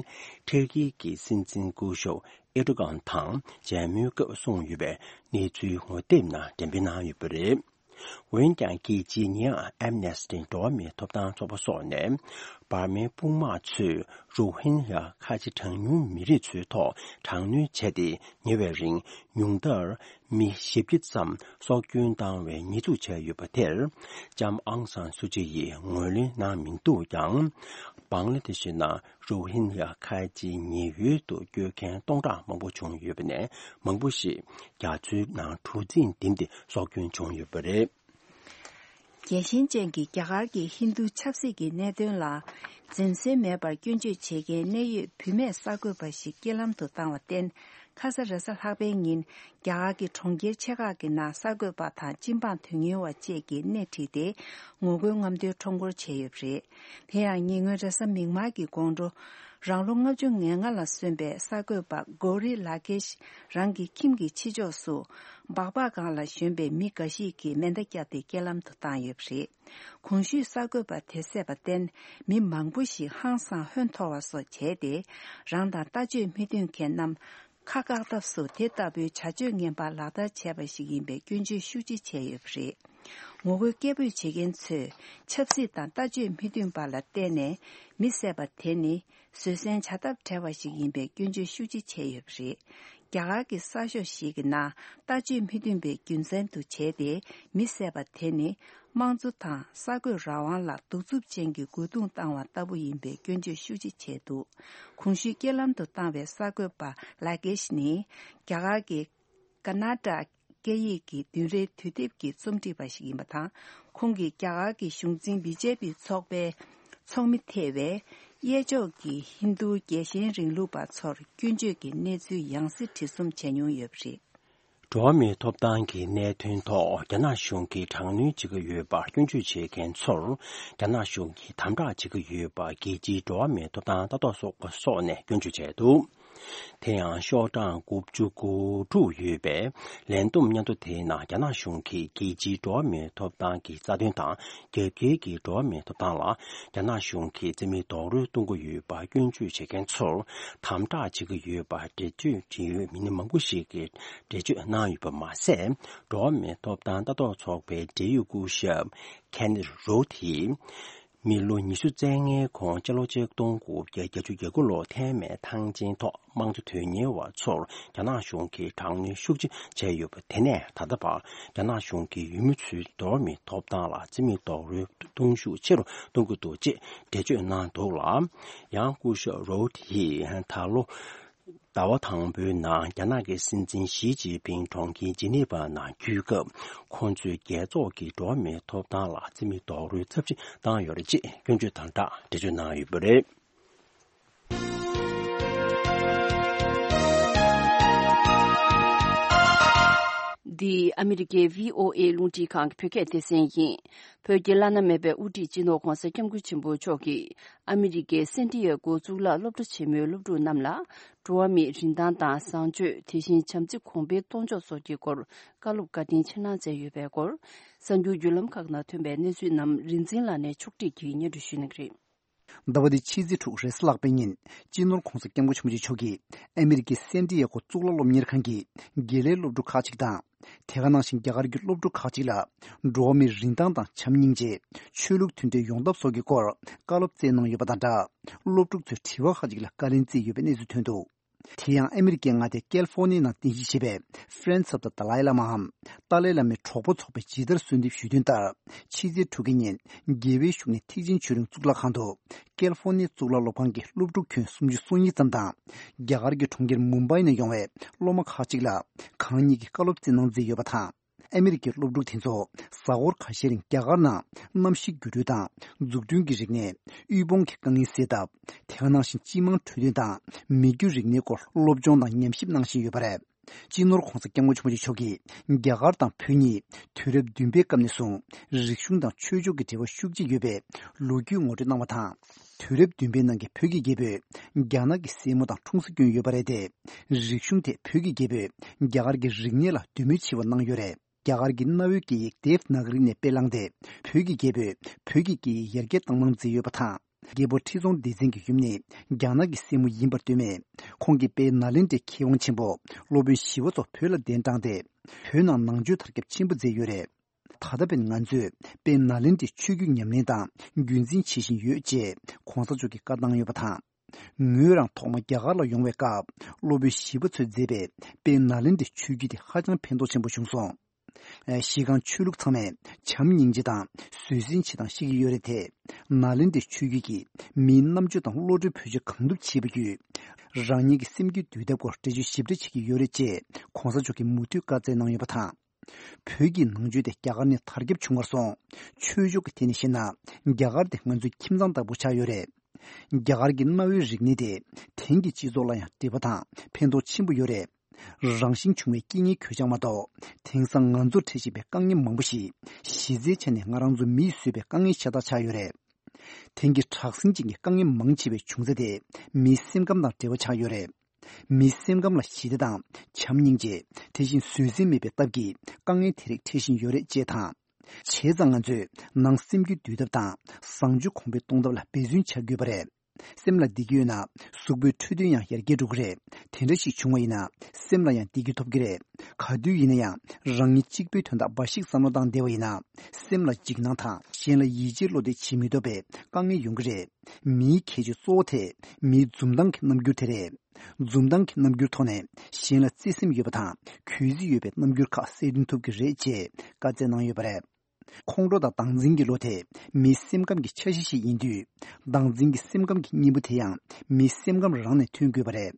ཐེར་ཀི་གི་སྲིད་འཛིན་སྐུ་ཞབས་ཨེར་ཏོ་གྷན་དང་མཇལ་མོལ་སྐབས་གསུངས་ཡོད་པའི་གནས་ཚུལ་ངོ་དེབ་ནང་འགྲེམས་སྤེལ་གནང་ཡོད་པ་རེད། འོན་ཀྱང་རྒྱལ་སྤྱིའི་ཉེ་ཡང་ཨེམ་ནེ་སི་ཊི་འགྲོ་བ་མིའི་ཐོབ་ཐང་ཚོགས་པ་སོགས་ནས། འབར་མའི་དཔུང་དམག་ཚོས་རོ་ཧིན་ཡ་ཁ་ཆེ་གྲངས་ཉུང་མི་རིགས་ཚོའི་ཐོག་དྲག་གནོན་བྱས་ཏེ། ཉེ་བའི་རིང་ཉུང་མཐར་མི་ཞེ་བརྒྱད་ཙམ་སྲོག་སྐྱོན་བཏང་བའི་ཉེས་འཛུགས་བྱས་ཡོད་པ་དེར། ལྕམ་ཨང་སན་སུ་ཅི་ཡིས་ངོས་ལེན་གནང་མི་འདུག་ཀྱང་། བང་ལ་དེ་ཤི་ནང་རོ་ཧིན་ཡ་ཁ་ཆེ་ཉེ་ཡུལ་དུ་སྐྱོད་མཁན་སྟོང་ཕྲག་མང་པོ་བྱུང་ཡོད་པ་ནས། མང་པོ་ཞིག་རྒྱ་མཚོའི་ནང་གྲུ་གཟིངས་ལྡེམ་སྟེ་སྲོག་སྐྱོན་བྱུང་ཡོད་པ་རེད། རྒྱལ་ཞེན་ཅན་གྱི་རྒྱ་གར་གྱི་ཧིན་རྡུ་ཆབ་སྲིད་ཀྱི་གནད་དོན་ལ་འཛེམ་ཟོན་མེད་པར་སྐྱོན་བརྗོད་བྱེད་མཁན་གནད་ཡོད་བུད་མེད་གསར་འགོད་པ་ཞིག་རྐྱེན་ལམ་དུ་བཏང་བར་བརྟེན། ཁ་ས་རེས་གཟའ་ལྷག་པའི་ཉིན་རྒྱ་གར་གྱི་གྲོང་ཁྱེར་ཆེ་ཁག་གི་ནང་གསར་འགོད་པ་དང་སྤྱི་འབངས་དོན་གཉེར་བ་བཅས་ཀྱིས་སྣེ་ཁྲིད་དེ་ངོ་རྒོལ་རྔམ་སྟོན་ཁྲོམ་སྐོར་བྱས་ཡོད་པ་རེད། དེ་ཡང་ཉེ་སྔོན་རེས་གཟའ་མིག་དམར་གྱི་དགོང་དྲོ། རང་ལོ་ལྔ་བཅུ་ང་ལྔ་ལ་སོན་པའི་གསར་འགོད་པ་གོ་རི་ལ་ཀེཤ་རང་གི་ཁྱིམ་གྱི་ཕྱི་ཕྱོགས་སུ་སྦག་སྦག་སྒང་ལ་ཞོན་པའི་མི་འགའ་ཞིག་གིས་མེ་མདའ་བརྒྱབ་སྟེ་རྐྱེན་ལམ་དུ་བཏང་ཡོད་པ་རེད། གོང་ཞུས་གསར་འགོད་པ་དེ་བསད་པར་བརྟེན་མི་མང་པོ་ཞིག་ཧང་སངས་ཧོན་འཐོར་བ་སོགས་བྱས་ཏེ། རང་དང་ལྟ་སྤྱོད་མི་མཐུན་མཁན་རྣམས་ཁ་བཀག་ཐབས་སུ་དེ་ལྟ་བུའི་བྱ་སྤྱོད་ངན་པ་ལག་བསྟར་བྱས་པ་ཞིག་ཡིན་པའི་སྐྱོན་བརྗོད་ཤུགས་ཆེ་བྱས་ཡོད་པ་རེད། ངོ་རྒོལ་སྐད་འབོད་བྱེད་མཁན་ཚོས་ཆབ་སྲིད་དང་ལྟ་སྤྱོད་མི་མཐུན་པ་ལ་བརྟེན་ནས་མི་བསད་པ་དེ་ནི་བཟོད་བསྲན་བྱ་ཐབས་བྲལ་བ་ཞིག་ཡིན་པའི་སྐྱོན་བརྗོད་ཤུགས་ཆེ་བྱས་ཡོད་པ་རེད། རྒྱ་གར་གྱི་གསར་ཤོག་ཞིག་གི་ནང་ལྟ་སྤྱོད་མི་མཐུན་པའི་རྒྱུ་མཚན་དུ་བྱས་ཏེ་མི་བསད་པ་དེ་ནི་དམངས་གཙོ་དང་གསར་འགོད་རང་དབང་ལ་གདུག་རྩུབ་ཅན་གྱི་རྒོལ་རྡུང་བཏང་བ་ལྟ་བུ་ཡིན་པའི་སྐྱོན་བརྗོད་ཤུགས་ཆེ་བྱས་འདུག་གོང་ཞུས་རྐྱེན་ལམ་དུ་བཏང་བའི་གསར་འགོད་པ་ལ་ཀེཤ་ནི་རྒྱ་གར་གྱི་ཀ་ན་ཊ་སྐད་ཡིག་གི་བདུན་རེའི་དུས་དེབ་ཀྱི་རྩོམ་སྒྲིག་པ་ཞིག་ཡིན་པ་དང་། ཁོང་གིས་རྒྱ་གར་གྱི་གཞུང་འཛིན་བི་ཇེ་པི་ཚོགས་པའི་ཚོགས་མི་ཐེ་བའི་གཡས་ཕྱོགས་ཀྱི་ཧིན་རྡུ་རྒྱལ་ཞེན་རིང་ལུགས་པ་ཚོར་སྐྱོན་བརྗོད་ཀྱི་གནས་ཚུལ་ཡང་སེ་བྲིས་རྩོམ་བྱས་མྱོང་ཡོད་པ་རེད། འགྲོ་བ་མིའི་ཐོབ་ཐང་གི་གནད་དོན་ཐོག་རྒྱ་ནག་གཞུང་གིས་དྲག་གནོན་བྱེད་ཀྱི་ཡོད་པར་སྐྱོན་བརྗོད་བྱེད་མཁན་ཚོར་རྒྱ་ནག་གཞུང་གིས་དམ་དྲག་བྱེད་ཀྱི་ཡོད་པ་རྒྱལ་སྤྱིའི་འགྲོ་བ་མིའི་ཐོབ་ཐང་ལྟ་རྟོག་ཚོགས་པ་སོགས་ནས་སྐྱོན་བརྗོད་བྱས་འདུག་དེ་ཡང་ཤོག་གྲངས་དགུ་བཅུ་གོ་དྲུག་ཡོད་པའི་ལས་བསྡོམས་སྙན་ཐོ་དེའི་ནང་རྒྱ་ནག་གཞུང་གིས་རྒྱལ་སྤྱིའི་འགྲོ་བ་མིའི་ཐོབ་ཐང་གི་རྩ་དོན་དང་། རྒྱལ་ཁབ་ཀྱི་འགྲོ་བ་མིའི་ཐོབ་ཐང་ལ་རྒྱ་ནག་གཞུང་གིས་རྩིས་མེད་རྡོག་རོལ་གཏོང་གི་ཡོད་པ་སྐྱོན་བརྗོད་བྱེད་མཁན་ཚོར་དམ་དྲག་བྱེད་ཀྱི་ཡོད་པ་འགྲེལ་བརྗོད་བྱེད་ཡུལ་མི་སྣ་མང་པོ་ཞིག་གིས་འགྲེལ་བརྗོད་གནང་ཡོད་པ་མ་ཟད། འགྲོ་བ་མིའི་ཐོབ་ཐང་ལྟ་རྟོག་ཚོགས་པའི་འབྲེལ་ཡོད་སྐུ་ཞབས་ཁེ་ནེ་རོ་ཐི་ཡིས། མི་ལོ་ཉི་ཤུ་རྩ་ལྔའི་གོང་སྤྱི་ལོ་ཆིག་སྟོང་དགུ་བརྒྱ་བརྒྱད་ཅུ་གྱ་དགུ་ལོར་ཐའེ་མེན་ཐང་ཆེན་ཐོག་དམངས་གཙོ་དོན་གཉེར་བ་ཚོར་རྒྱ་ནག་གཞུང་གིས་དྲག་གནོན་ཤུགས་ཆེ་བྱས་ཡོད་པ་དེ་ནས་ད་ལྟ་བར་རྒྱ་ནག་གཞུང་གིས་ཡུལ་མི་ཚོའི་འགྲོ་བ་མིའི་ཐོབ་ཐང་ལ་རྩིས་མེད་རྡོག་རོལ་གཏོང་ཤུགས་ཆེ་རུ་གཏོང་གི་འདུག་ཅེས་འགྲེལ་བརྗོད་གནང་འདུག་ལ། ཡང་སྐུ་ཞབས་རོ་ཐི་ཡིས་ད་ལོ། ཟླ་བ་དང་པོའི་ནང་རྒྱ་ནག་གི་སྲིད་འཛིན་ཞི་ཅིན་ཕིང་གྲོང་ཁྱེར་ཇི་ནི་ཝ་ནང་འཁྱུད་སྐབས། ཁོང་ཚོས་རྒྱལ་ཚོགས་ཀྱི་འགྲོ་བ་མིའི་ཐོབ་ཐང་ལ་རྩིས་མེད་རྡོག་རོལ་ཚབས་ཆེ་བཏང་ཡོད་རེད་ཅེས་སྐྱོན་བརྗོད་དང་སྦྲགས་འགྲེལ་བརྗོད་གནང་ཡོད་པ་རེད། འདི་ཨ་མི་རི་ཀའི་བྷི་ཨོ་ཨེ་རླུང་འཕྲིན་ཁང་གི་བོད་སྐད་སྡེ་ཚན་ཡིན། བོད་ཀྱི་བླ་ན་མེད་པའི་དབུ་ཁྲིད་སྤྱི་ནོར་༧གོང་ས་༧སྐྱབས་མགོན་ཆེན་པོ་མཆོག་གིས་ཨ་མི་རི་ཀའི་སན་ཏི་ཡ་གོ་གཙུག་ལག་སློབ་གྲྭ་ཆེན་མོའི་སློབ་ཕྲུག་རྣམས་ལ། འགྲོ་བ་མིའི་རིན་ཐང་དང་བཟང་སྤྱོད། དེ་བཞིན་བྱམས་བརྩེ་གོང་འཕེལ་གཏོང་ཕྱོགས་སོགས་ཀྱི་སྐོར་བཀའ་སློབ་བཀའ་དྲིན་ཆེ་གནང་མཛད་ཡོད་པའི་སྐོར། གསར་འགྱུར་བརྒྱུད་ལམ་ཁག་ནང་ཐོན་པའི་གནས་ཚུལ་རྣམས་རིག་འཛིན་ལགས་ནས་ཕྱོགས་སྒྲིག་གིས་སྙན་སྒྲོན་ཞུ་གནང་གི་རེད། ཟླ་བ་འདིའི་ཕྱི་ཚེས་དྲུག་རེས་གཟའ་ལྷག་པའི་ཉིན་སྤྱི་ནོར་༧གོང་ས་༧སྐྱབས་མགོན་ཆེན་པོ་མཆོག་གིས་ཨ་མི་རི་ཀའི་སན་ཏི་ཡ་གོ་གཙུག་ལག་སློབ་གཉེར་ཁང་གི་དགེ་ལས་སློབ་ཕྲུག་ཁག་ཅིག་དང་། དེ་ག་ནང་བཞིན་རྒྱ་གར་གྱི་སློབ་ཕྲུག་ཁག་ཅིག་ལ་འགྲོ་བ་མིའི་རིན་ཐང་དང་བྱམས་སྙིང་རྗེ། ཆོས་ལུགས་མཐུན་འབྲེལ་ཡོང་ཐབས་སོགས་ཀྱི་སྐོར་བཀའ་སློབ་སྩལ་གནང་ཡོད་པ་དང་སྦྲགས། སློབ་ཕྲུག་ཚོས་དྲི་བ་ཁག་ཅིག་ལ་བཀའ་ལན་བསྩལ་ཡོད་པའི་གནས་ཚུལ་ཐོན་འདུག་དེ་ཡང་ཨ་མི་རི་ཀའི་མངའ་སྡེ་ཀལ་ཧྥོར་ནི་ཡའི་ནང་རྟེན་གཞི་བྱས་པའི་Friends of the Dalai Lamaའམ་ཏཱ་ལའི་བླ་མའི་གྲོགས་པོ་ཚོགས་པས་ཇི་ལྟར་གསོལ་འདེབས་ཞུས་དོན་ལྟར། ཕྱི་ཚེས་དྲུག་གི་ཉིན་རྒྱལ་བའི་བཞུགས་གནས་ཐེག་ཆེན་ཆོས་གླིང་གཙུག་ལག་ཁང་དུ་ཀལ་ཧྥོར་ནི་ཡའི་གཙུག་ལག་སློབ་ཁང་གི་སློབ་ཕྲུག་ཁྱོན་སུམ་ཅུ་སོ་གཉིས་ཙམ་དང་། རྒྱ་གར་གྱི་གྲོང་ཁྱེར་མུམ་བྷའི་ནས་ཡོང་བའི་སློབ་མ་ཁག་ཅིག་ལ་གང་ཉིད་ཀྱིས་བཀའ་སློབ་སྩལ་གནང་མཛད་ཡོད་པ་དང་། ཨ་མི་རི་ཀའི་སློབ་ཕྲུག་དེ་ཚོ་གཟའ་འཁོར་ཁ་ཤས་རིང་རྒྱ་གར་ནང་གནམ་གཤིས་འགྱུར་འགྲོས་དང་འཛུགས་སྐྲུན་གྱི་རིག་གནས། དབུལ་ཕོངས་ཀྱི་དཀའ་ངལ་སེལ་ཐབས། དེ་ག་ནང་བཞིན་སྤྱི་དམངས་འཕྲོད་བསྟེན་དང་མི་རྒྱུ་རིག་གནས་སྐོར་སློབ་སྦྱོང་དང་ཉམས་ཞིབ་གནང་བཞིན་ཡོད་པ་རེད། སྤྱི་ནོར་༧གོང་ས་༧སྐྱབས་མགོན་ཆེན་པོ་མཆོག་གིས་རྒྱ་གར་དང་བོད་གཉིས་དུས་རབས་བདུན་པའི་སྐབས་ནས་བཟུང་རིག་གཞུང་དང་ཆོས་ཕྱོགས་ཀྱི་འབྲེལ་བ་ཤུགས་ཆེ་ཡོད་པའི་ལོ་རྒྱུས་ངོ་སྤྲོད་གནང་བ་དང་། དུས་རབས་བདུན་པའི་ནང་གི་བོད་ཀྱི་རྒྱལ་པོས་རྒྱ་ནག་གི་སྲས་མོ་དང་འཁྲུངས་ས་བསྐྱོན་ཡོད་པ་རེད་དེ། རིག་གཞུང་ཐད་བོད་ཀྱི་རྒྱལ་པོས་རྒྱ་གར་གྱི་རིག་གནས་ལ་འདོད་མོས་ཆེ་བ་གནང་ཡོད་རེད། རྒྱ་གར་གྱི་གནའ་བོའི་སྐད་ཡིག་དེབ་ནཱ་ག་རི་ནས་དཔེ་བླངས་ཏེ། བོད་ཀྱི་རྒྱལ་པོས་བོད་ཀྱི་སྐད་ཡིག་ཡར་རྒྱས་གཏོང་གནང་མཛད་ཡོད་པ་དང་། རྒྱལ་པོ་ཁྲི་སྲོང་ལྡེ་བཙན་གྱི་ཡུམ་ནི་རྒྱ་ནག་གི་སྲས་མོ་ཡིན་པར་འདོད་མས། ཁོང་གིས་དཔལ་ནཱ་ལེནྡྲའི་མཁས་དབང་ཆེན་པོ་སློབ་དཔོན་ཞི་བ་འཚོ་བོད་ལ་གདན་དྲངས་ཏེ། བོད་ནང་ནང་ཆོས་དར་ཁྱབ་ཆེན་པོ་མཛད་ཡོད་རེད། ད་ལྟ་བར་ང་ཚོས་དཔལ་ནཱ་ལེནྡྲའི་ཆོས་བརྒྱུད་ཉམས་ལེན་དང་རྒྱུན་འཛིན་བྱེད་བཞིན་ཡོད་ཅེས་གོང་ས་མཆོག་གིས་བཀའ་བཏང་ཡོད་པ་དང་། ངོས་རང་ཐོག་མ་རྒྱ་གར་ལ་ཡོང་བའི་སྐབས་སློབ་དཔོན་ཞི་བ་འཚོས་མཛད་པའི་དཔལ་ནཱ་ལེནྡྲའི་ཆོས་བརྒྱུད་དེ་ཧ་ཅང་ཕན་ཐོགས་ཆེན་པོ་བྱུང་སོང་། གཞི་རྐང་ཆོས་ལུགས་ཚང་མས་བྱམས་སྙིང་རྗེ་དང་བཟོད་བསྲན་བྱེད་སྟངས་ཤེས་ཀྱི་ཡོད་རེད་དེ། ནཱ་ལེནྡྲའི་ཆོས་བརྒྱུད་ཀྱིས་མིའི་རྣམ་དཔྱོད་དང་བློ་གྲོས་བེད་སྤྱོད་གང་ཐུབ་བྱས་པ་བརྒྱུད། རང་ཉིད་ཀྱི་སེམས་རྒྱུད་འདུལ་ཐབས་སྐོར་འགྲེལ་བརྗོད་ཞིབ་ཕྲ་བྱེད་ཀྱི་ཡོད་རེད་ཅེས་གོང་ས་མཆོག་གིས་མུ་མཐུད་བཀའ་སྩལ་གནང་ཡོད་པ་དང་། བོད་ཀྱི་ནང་ཆོས་དེ་རྒྱ་གར་ནས་དར་ཁྱབ་བྱུང་བར་སོང་། ཆོས་ཕྱོགས་ཀྱི་ཐད་ནས་བཤད་ན། རྒྱ་གར་དེ་ང་ཚོའི་ཁྱིམ་ཚང་ལྟ་བུ་ཆགས་ཡོད་རེད། རྒྱ་གར་གྱི་གནའ་བོའི་རིག་གནས་དེ་དེང་གི་སྤྱི་ཚོགས་ལ་ཡང་འབྲེལ་བ་དང་ཕན་ཐོགས་ཆེན་པོ་ཡོད་རེད། རང་བཞིན་བྱུང་བའི་རྐྱེན་ངན་གོད་ཆག་མ་གཏོགས། དེང་སང་ང་ཚོར་འཕྲད་བཞིན་པའི་དཀའ་ངལ་མང་པོ་ཞིག་གཞི་རྩའི་ཆ་ནས་ང་རང་ཚོ་མིས་བཟོས་པའི་དཀའ་ངལ་ཤ་སྟག་ཆགས་ཡོད་རེད། དེང་གི་དྲག་ཟིང་ཅན་གྱི་དཀའ་ངལ་མང་ཆེ་བའི་བྱུང་ཚད་དེ་མིའི་སེམས་ཁམས་དང་འབྲེལ་བ་ཆགས་ཡོད་རེད། མིའི་སེམས་ཁམས་ལ་ཞི་བདེ་དང་བྱམས་སྙིང་རྗེ། དེ་བཞིན་བཟོད་བསྲན་མེད་པའི་སྟབས་ཀྱིས་དཀའ་ངལ་དེ་རིགས་འཕྲད་བཞིན་ཡོད་རེད་ཅེས་དང་། བྱས་ཙང་ང་ཚོས་ནང་སེམས་རྒྱུད་འདུལ་ཐབས་དང་བཟང་སྤྱོད་གོང་འཕེལ་གཏོང་ཐབས་ལ་འབད་བརྩོན་བྱ་དགོས་པ་རེད། སེམས་ལ་བདེ་སྐྱིད་ཡོད་ན་གཟུགས་པོའི་འཕྲོད་བསྟེན་ཡང་ཡར་རྒྱས་འགྲོ་གི་རེད། དེ་འདྲ་ཞིག་བྱུང་བ་ཡིན་ན་སེམས་ལ་ཡང་བདེ་སྐྱིད་ཐོབ་ཀྱི་རེད། ག་དུས་ཡིན་ན་ཡང་རང་ཉིད་གཅིག་པུའི་དོན་དག་འབའ་ཞིག་བསམ་བློ་བཏང་བསྡད་པ་ཡིན་ན་སེམས་ལ་འཇིགས་སྣང་དང་གཞན་ལ་ཡིད་ཆེས་བློ་གཏད་བྱེད་མི་ཐུབ་པའི་དཀའ་ངལ་ཡོང་གི་རེད། མིའི་ཁྱད་ཆོས་གཙོ་བོ་དེ་མིའི་འཛུམ་མདངས་ཀྱི་རྣམ་འགྱུར་དེ་རེད། འཛུམ་མདངས་ཀྱི་རྣམ་འགྱུར་ཐོག་ནས་གཞན་ལ་བརྩེ་སེམས་ཡོད་པ་དང་གུས་བརྩི་ཡོད་པའི་རྣམ་འགྱུར་ཁག་གསལ་སྟོན་ཐུབ་ཀྱི་རེད་ཅེས་བཀའ་སྩལ་གནང་ཡོད་པ་རེད། ཁོང་ཁྲོ་དང་བདག་འཛིན་གྱི་བློ་དེ་མིའི་སེམས་ཁམས་ཀྱི་ཆ་ཤས་ཤིག་ཡིན་དུས། བདག་འཛིན་གྱི་སེམས་ཁམས་ཀྱི་གཉེན་པོ་དེ་ཡང་མིའི་སེམས་ཁམས་རང་ནས་ཐོན་དགོས་པ་རེད།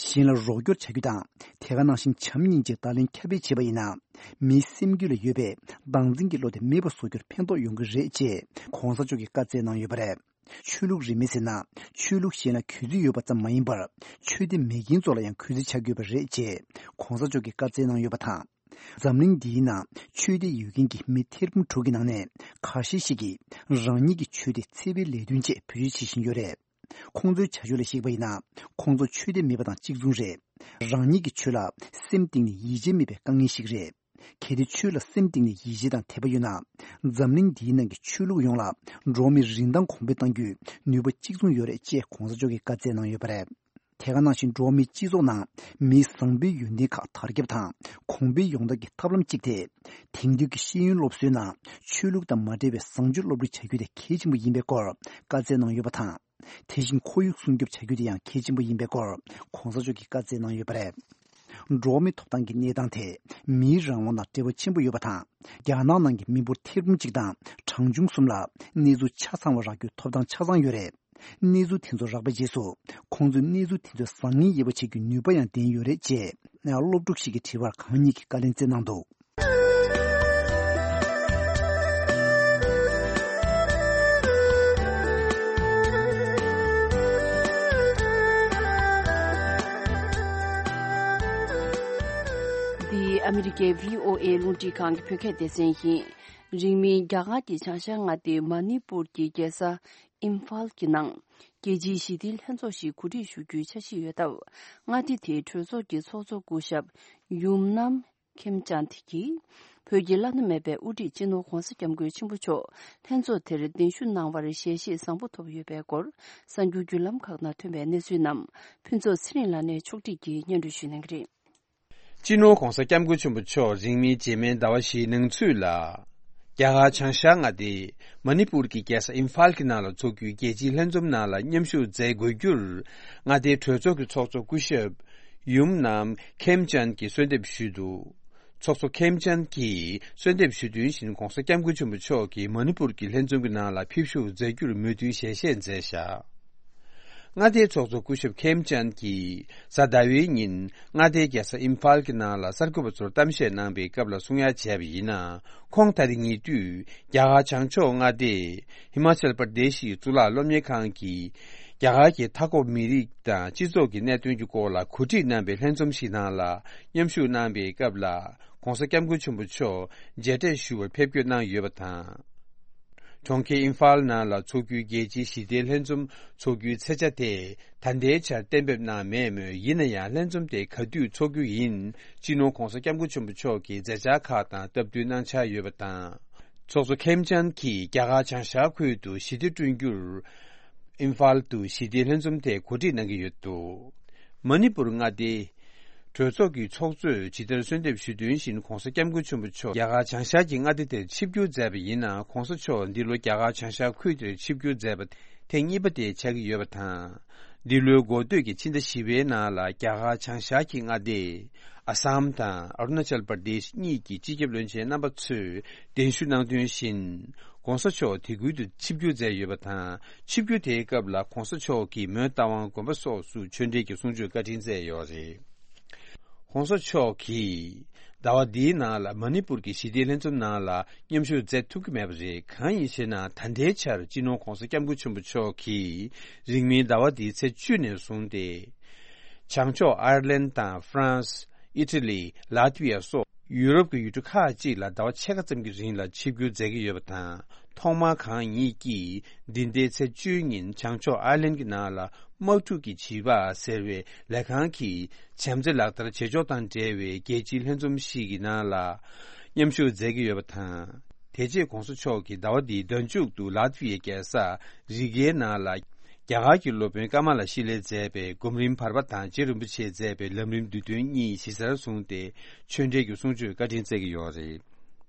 གཞན་ལ་རོགས་སྐྱོར་བྱ་རྒྱུ་དང་དེ་ག་ནང་བཞིན་བྱམས་སྙིང་རྗེ་བརྡ་ལན་ཁྱབ་སྤེལ་བྱེད་པ་ཡིན་ན། མིའི་སེམས་རྒྱུད་ལ་ཡོད་པའི་བདག་འཛིན་གྱི་བློ་དེ་མེད་པ་བཟོ་རྒྱུར་ཕན་ཐོགས་ཡོང་གི་རེད་ཅེས་གོང་ས་མཆོག་གིས་བཀའ་སྩལ་གནང་ཡོད་པ་རེད། ཆོས་ལུགས་རིས་མེད་ཟེར་ན་ཆོས་ལུགས་གཞན་ལ་གུས་བརྩི་ཡོད་པ་ཙམ་མ་ཡིན་པར་ཆོས་དད་མེད་མཁན་ཚོ་ལ་ཡང་གུས་བརྩི་བྱ་དགོས་པ་རེད་ཅེས་གོང་ས་མཆོག་གིས་བཀའ་སྩལ་གནང་ཡོད་པ་དང་། འཛམ་གླིང་འདིའི་ནང་ཆོས་དད་ཡོད་མཁན་གྱི་མི་ཐེར་འབུམ་དྲུག་གི་ནང་ནས་ཁ་ཤས་ཤིག་གིས་རང་ཉིད་ཀྱི་ཆོས་དེ་འཚེ་བའི་ལས་དོན་ཆེད་བེད་སྤྱོད་བྱེད་བཞིན་ཡོད་རེད། ཁོང་ཚོའི་བྱ་སྤྱོད་ལ་གཞིགས་པ་ཡིན་ན་ཁོང་ཚོ་ཆོས་དད་མེད་པ་དང་གཅིག་མཚུངས་རེད། རང་ཉིད་ཀྱི་ཆོས་ལ་སེམས་གཏིང་ནས་ཡིད་ཆེས་མེད་པའི་དཀའ་ངལ་ཞིག་རེད། གལ་ཏེ་ཆོས་ལ་སེམས་གཏིང་ནས་ཡིད་ཆེས་དང་དད་པ་ཡོད་ན། འཛམ་གླིང་འདིའི་ནང་གི་ཆོས་ལུགས་ཡོངས་ལ་འགྲོ་བ་མིའི་རིན་ཐང་གོང་འཕེལ་གཏང་རྒྱུའི་ནུས་པ་གཅིག་མཚུངས་ཡོད་རེད་ཅེས་གོང་ས་མཆོག་གིས་བཀའ་སྩལ་གནང་ཡོད་པ་རེད། དེ་ག་ནང་བཞིན་འགྲོ་བ་མིའི་སྤྱི་ཚོགས་ནང་མིའི་བཟང་པོའི་ཡོན་ཏན་ཁག་དར་ཁྱབ་དང་གོང་འཕེལ་ཡོང་ཐབས་ཀྱི་ཐབས་ལམ་གཅིག་དེ། དེང་དུས་ཀྱི་ཤེས་ཡོན་སློབ་གསོའི་ནང་ཆོས་ལུགས་དང་མ་འབྲེལ་བའི་བཟང་སྤྱོད་སློབ་ཁྲིད་བྱ་རྒྱུ་དེ་གལ་ཆེན་པོ་ཡིན་པའི་སྐོར་བཀའ་སྩལ་གནང་ཡོད་པ་དང་། དེ་བཞིན་ཁོར་ཡུག་སྲུང་སྐྱོབ་བྱ་རྒྱུ་དེ་ཡང་གལ་ཆེན་པོ་ཡིན་པའི་སྐོར་གོང་ས་མཆོག་གིས་བཀའ་སྩལ་གནང་ཡོད་པ་རེད། འགྲོ་བ་མིའི་ཐོབ་ཐང་གི་གནས་སྟངས་དེ་མིའི་རང་དབང་དང་འབྲེལ་བ་ཆེན་པོ་ཡོད་པ་དང་། རྒྱ་ནག་ནང་གི་མི་འབོར་ཐེར་འབུམ་གཅིག་དང་གྲངས་ཆུང་གསུམ་ལ་གནས་ཚུལ་ཆ་ཚང་བ་རག་རྒྱུའི་ཐོབ་ཐང་ཆ་ཚང་ཡོད་རེད། གནས་ཚུལ་དེ་ཚོ་རག་པའི་རྗེས་སུ་ཁོང་ཚོས་གནས་ཚུལ་དེ་ཚོའི་བཟང་ངན་དབྱེ་བ་ཕྱེ་རྒྱུའི་ནུས་པ་ཡང་ལྡན་ཡོད་རེད་ཅེས་སློབ་ཕྲུག་ཞིག་གིས་དྲིས་པར་གང་ཉིད་ཀྱིས་བཀའ་ལན་སྩལ་གནང་འདུག། འདི་ཨ་མི་རི་ཀའི་བྷི་ཨོ་ཨེ་རླུང་འཕྲིན་ཁང་གི་བོད་སྐད་སྡེ་ཚན་ཡིན། རིང་མིན་རྒྱ་གར་གྱི་བྱང་ཤར་མངའ་སྡེ་མ་ནི་པུར་གྱི་རྒྱལ་ས་ཨིམ་ཕཱལ་གྱི་ནང་རྒྱལ་སྤྱིའི་ཞི་བདེའི་ལྷན་ཚོགས་ཤིག་གོ་སྒྲིག་ཞུ་རྒྱུའི་འཆར་གཞི་ཡོད་སྟབས། མངའ་སྡེ་དེའི་གྲོས་ཚོགས་ཀྱི་ཚོགས་གཙོ་སྐུ་ཞབས་ཡུམ་ནམ་ཁེམ་ཅན་གྱིས་བོད་ཀྱི་བླ་ན་མེད་པའི་དབུ་ཁྲིད་སྤྱི་ནོར་༧གོང་ས་༧སྐྱབས་མགོན་ཆེན་པོ་མཆོག་ལྷན་ཚོགས་དེར་གདན་ཞུ་གནང་བར་ཞལ་བཞེས་བཟང་པོ་ཐོབ་ཡོད་པའི་སྐོར་གསར་འགྱུར་བརྒྱུད་ལམ་ཁག་ནང་ཐོན་པའི་གནས་ཚུལ་རྣམས་ཕུན་ཚོགས་ཚེ་རིང་ལགས་ནས་ཕྱོགས་སྒྲིག་གིས་སྙན་སྒྲོན་ཞུ་གནང་གི་རེད། སྤྱི་ནོར་༧གོང་ས་༧སྐྱབས་མགོན་ཆེན་པོ་མཆོག་རིང་མིན་རྗེས་མའི་ཟླ་བ་བཞིའི་ནང་ཚུད་ལ། རྒྱ་གར་བྱང་ཤར་མངའ་སྡེ་མ་ནི་པུར་གྱི་རྒྱལ་ས་ཨིམ་ཕཱལ་གྱི་ནང་ལ་འཚོགས་རྒྱུའི་རྒྱལ་སྤྱིའི་ལྷན་འཛོམས་ནང་ལ་མཉམ་ཞུགས་མཛད་དགོས་རྒྱུར། མངའ་སྡེའི་གྲོས་ཚོགས་ཀྱི་ཚོགས་གཙོ་སྐུ་ཞབས་ཡུམ་ནམ་ཁེམ་ཅན་གྱིས་གསོལ་འདེབས་ཞུས་འདུག། ཚོགས་གཙོ་ཁེམ་ཅན་གྱིས་གསོལ་འདེབས་ཞུ་དོན་བཞིན་༧གོང་ས་༧སྐྱབས་མགོན་ཆེན་པོ་མཆོག་གིས་མ་ནི་པུར་གྱི་ལྷན་འཛོམས་ཀྱི་ནང་ལ་ཕེབས་ཞུགས་མཛད་རྒྱུར་མོས་མཐུན་ཞལ་བཞེས་མཛད་བཞག། མངའ་སྡེའི་ཚོགས་གཙོ་སྐུ་ཞབས་ཁེམ་ཅན་གྱིས་གཟའ་ཟླ་བའི་ཉིན་མངའ་སྡེའི་རྒྱལ་ས་ཨིམ་ཕཱལ་གྱི་ནང་ལ་གསར་འགོད་པ་ཚོར་གཏམ་བཤད་གནང་པའི་སྐབས་ལ་གསུང་ཡ་བྱས་པ་ཡིན་ན། ཁོང་ད་རེས་ཉེ་དུས་རྒྱ་གར་བྱང་ཕྱོགས་མངའ་སྡེ་ཧི་མ་ཅལ་པར་དེ་ཤི་གཙུག་ལག་སློབ་གཉེར་ཁང་གིས་རྒྱ་གར་གྱི་མཐའ་འཁོབ་མི་རིགས་དང་སྤྱི་ཚོགས་ཀྱི་གནད་དོན་གྱི་སྐོར་ལ་གོ་སྒྲིག་གནང་པའི་ལྷན་འཛོམས་ཤིག་ནང་ལ་མཉམ་ཞུགས་གནང་པའི་སྐབས་ལ། ༧གོང་ས་༧སྐྱབས་མགོན་ཆེན་པོ་མཆོག་མཇལ་འཕྲད་ཞུ་བར་ཕེབས་སྐྱོད་གནང་ཡོད་པ་དང་། གྲོང་ཁྱེར་ཨིམ་ཕཱལ་ནང་ལ་འཚོགས་རྒྱུའི་རྒྱལ་སྤྱིའི་ཞི་བདེའི་ལྷན་འཛོམས་འཚོགས་རྒྱུའི་ཚེས་ཆ་དེ་ད་ལྟའི་ཆར་གཏན་འབེབས་གནང་མེད་མོད། ཡིན་ན་ཡང་ལྷན་འཛོམས་དེ་ག་དུས་འཚོགས་རྒྱུ་ཡིན་སྤྱི་ནོར་༧གོང་ས་༧སྐྱབས་མགོན་ཆེན་པོ་མཆོག་གིས་མཛད་འཆར་ཁག་དང་སྟབས་བསྟུན་གནང་འཆར་ཡོད་པ་དང་། ཚོགས་གཙོ་ཁེམ་ཅན་གྱིས་རྒྱ་གར་བྱང་ཤར་ཁུལ་དུ་ཞི་བདེ་བསྐྲུན་རྒྱུར། ཨིམ་ཕཱལ་དུ་ཞི་བདེའི་ལྷན་འཛོམས་དེ་གོ་སྒྲིག་གནང་གི་ཡོད་འདུག། མ་ནི་པུར་མངའ་སྡེ་ གྲོས་ཚོགས་ཀྱི་ཚོགས་གཙོས་ཇི་ལྟར་གསོལ་འདེབས་ཞུས་དོན་བཞིན་༧གོང་ས་༧སྐྱབས་མགོན་ཆེན་པོ་མཆོག་རྒྱ་གར་བྱང་ཤར་གྱི་མངའ་སྡེ་དེར་ཆིབས་བསྒྱུར་མཛད་པ་ཡིན་ན། ༧གོང་ས་མཆོག་འདི་ལོ་རྒྱ་གར་བྱང་ཤར་ཁུལ་དེར་ཆིབས་བསྒྱུར་མཛད་པ་ཐེངས་གཉིས་པ་དེ་ཆགས་ཀྱི་ཡོད་པ་དང་། འདི་ལོའི་འགོ་སྟོད་ཀྱི་ཕྱི་ཟླ་བཞི་པའི་ནང་ལ་རྒྱ་གར་བྱང་ཤར་གྱི་མངའ་སྡེ་ཨ་སམ་དང་ཨ་རུ་ན་ཅལ་པར་དེཤ་གཉིས་ཀྱི་སྤྱི་ཁྱབ་བློན་ཆེན་རྣམ་པ་ཚོས་གདན་ཞུ་གནང་དོན་བཞིན། ༸གོང་ས་མཆོག་དེ་ཁུལ་དུ་ཆིབས་བསྒྱུར་མཛད་ཡོད་པ་དང་། ཆིབས་བསྒྱུར་དེའི་སྐབས་ལ་༸གོང་ས་མཆོག་གིས་མོན་རྟ་དབང་དགོན་པ་སོགས་སུ་ཆོས་འབྲེལ་གྱི་གསུང་ཆོས་བཀའ་དྲིན་སྩལ་ཡོད་རེད། ༸གོང་ས་མཆོག་གིས་ཟླ་བ་འདིའི་ནང་ལ་མ་ཎི་པུར་གྱི་ཞི་བདེའི་ལྷན་འཛོམས་ནང་ལ་མཉམ་ཞུགས་མཛད་ཐུབ་ཀྱི་མེད་པ་རེད། གང་ཡིན་ཞེ་ན། ད་ལྟའི་ཆར་སྤྱི་ནོར་༸གོང་ས་༸སྐྱབས་མགོན་ཆེན་པོ་མཆོག་གིས་རིང་མིན་ཟླ་བ་འདིའི་ཚེས་བཅུ་ནས་བཟུང་སྟེ། བྱང་ཕྱོགས་ཨའི་ལན་དང་ཧྥ་རན་སི། ཨི་ཊ་ལི། ལཱ་ཏི་ཝི་ཡ་སོགས་ཡུ་རོབ་ཀྱི་ཡུལ་གྲུ་ཁག་ཅིག་ལ་ཟླ་བ་ཕྱེད་ཀ་ཙམ་གྱི་རིང་ལ་ཆིབས་བསྒྱུར་མཛད་ཀྱི་ཡོད་པ་དང་། ཐོག་མར་གང་ཉིད་ཀྱིས་འདི་ཟླའི་ཚེས་བཅུའི་ཉིན་བྱང་ཕྱོགས་ཨའི་ལན་གྱི་ནང་ལ་དམག་འཁྲུག་གི་བྱིས་པ་ཟེར་བའི་ལས་ཁང་གི་བྱམས་བརྩེ་ལག་བསྟར་བྱེད་ཕྱོགས་དང་འབྲེལ་བའི་རྒྱལ་སྤྱིའི་ལྷན་འཛོམས་ཤིག་གི་ནང་ལ་མཉམ་ཞུགས་མཛད་ཀྱི་ཡོད་པ་དང་། དེ་རྗེས་༸གོང་ས་མཆོག་གིས་ཟླ་བ་འདིའི་ཟླ་མཇུག་ཏུ་ལཱ་ཏི་ཝི་ཡའི་རྒྱལ་ས་རི་གའི་ནང་ལ། རྒྱ་གར་གྱི་སློབ་དཔོན་ཀ་མ་ལ་ཤི་ལས་མཛད་པའི་སྒོམ་རིམ་བར་པ་དང་རྗེ་རིན་པོ་ཆེས་མཛད་པའི་ལམ་རིམ་བསྡུས་དོན་གཉིས་གཞི་རྩར་བཟུང་སྟེ་ཆོས་འབྲེལ་གྱི་གསུང་ཆོས་བཀའ་དྲིན་སྩལ་གྱི་ཡོད་རེད།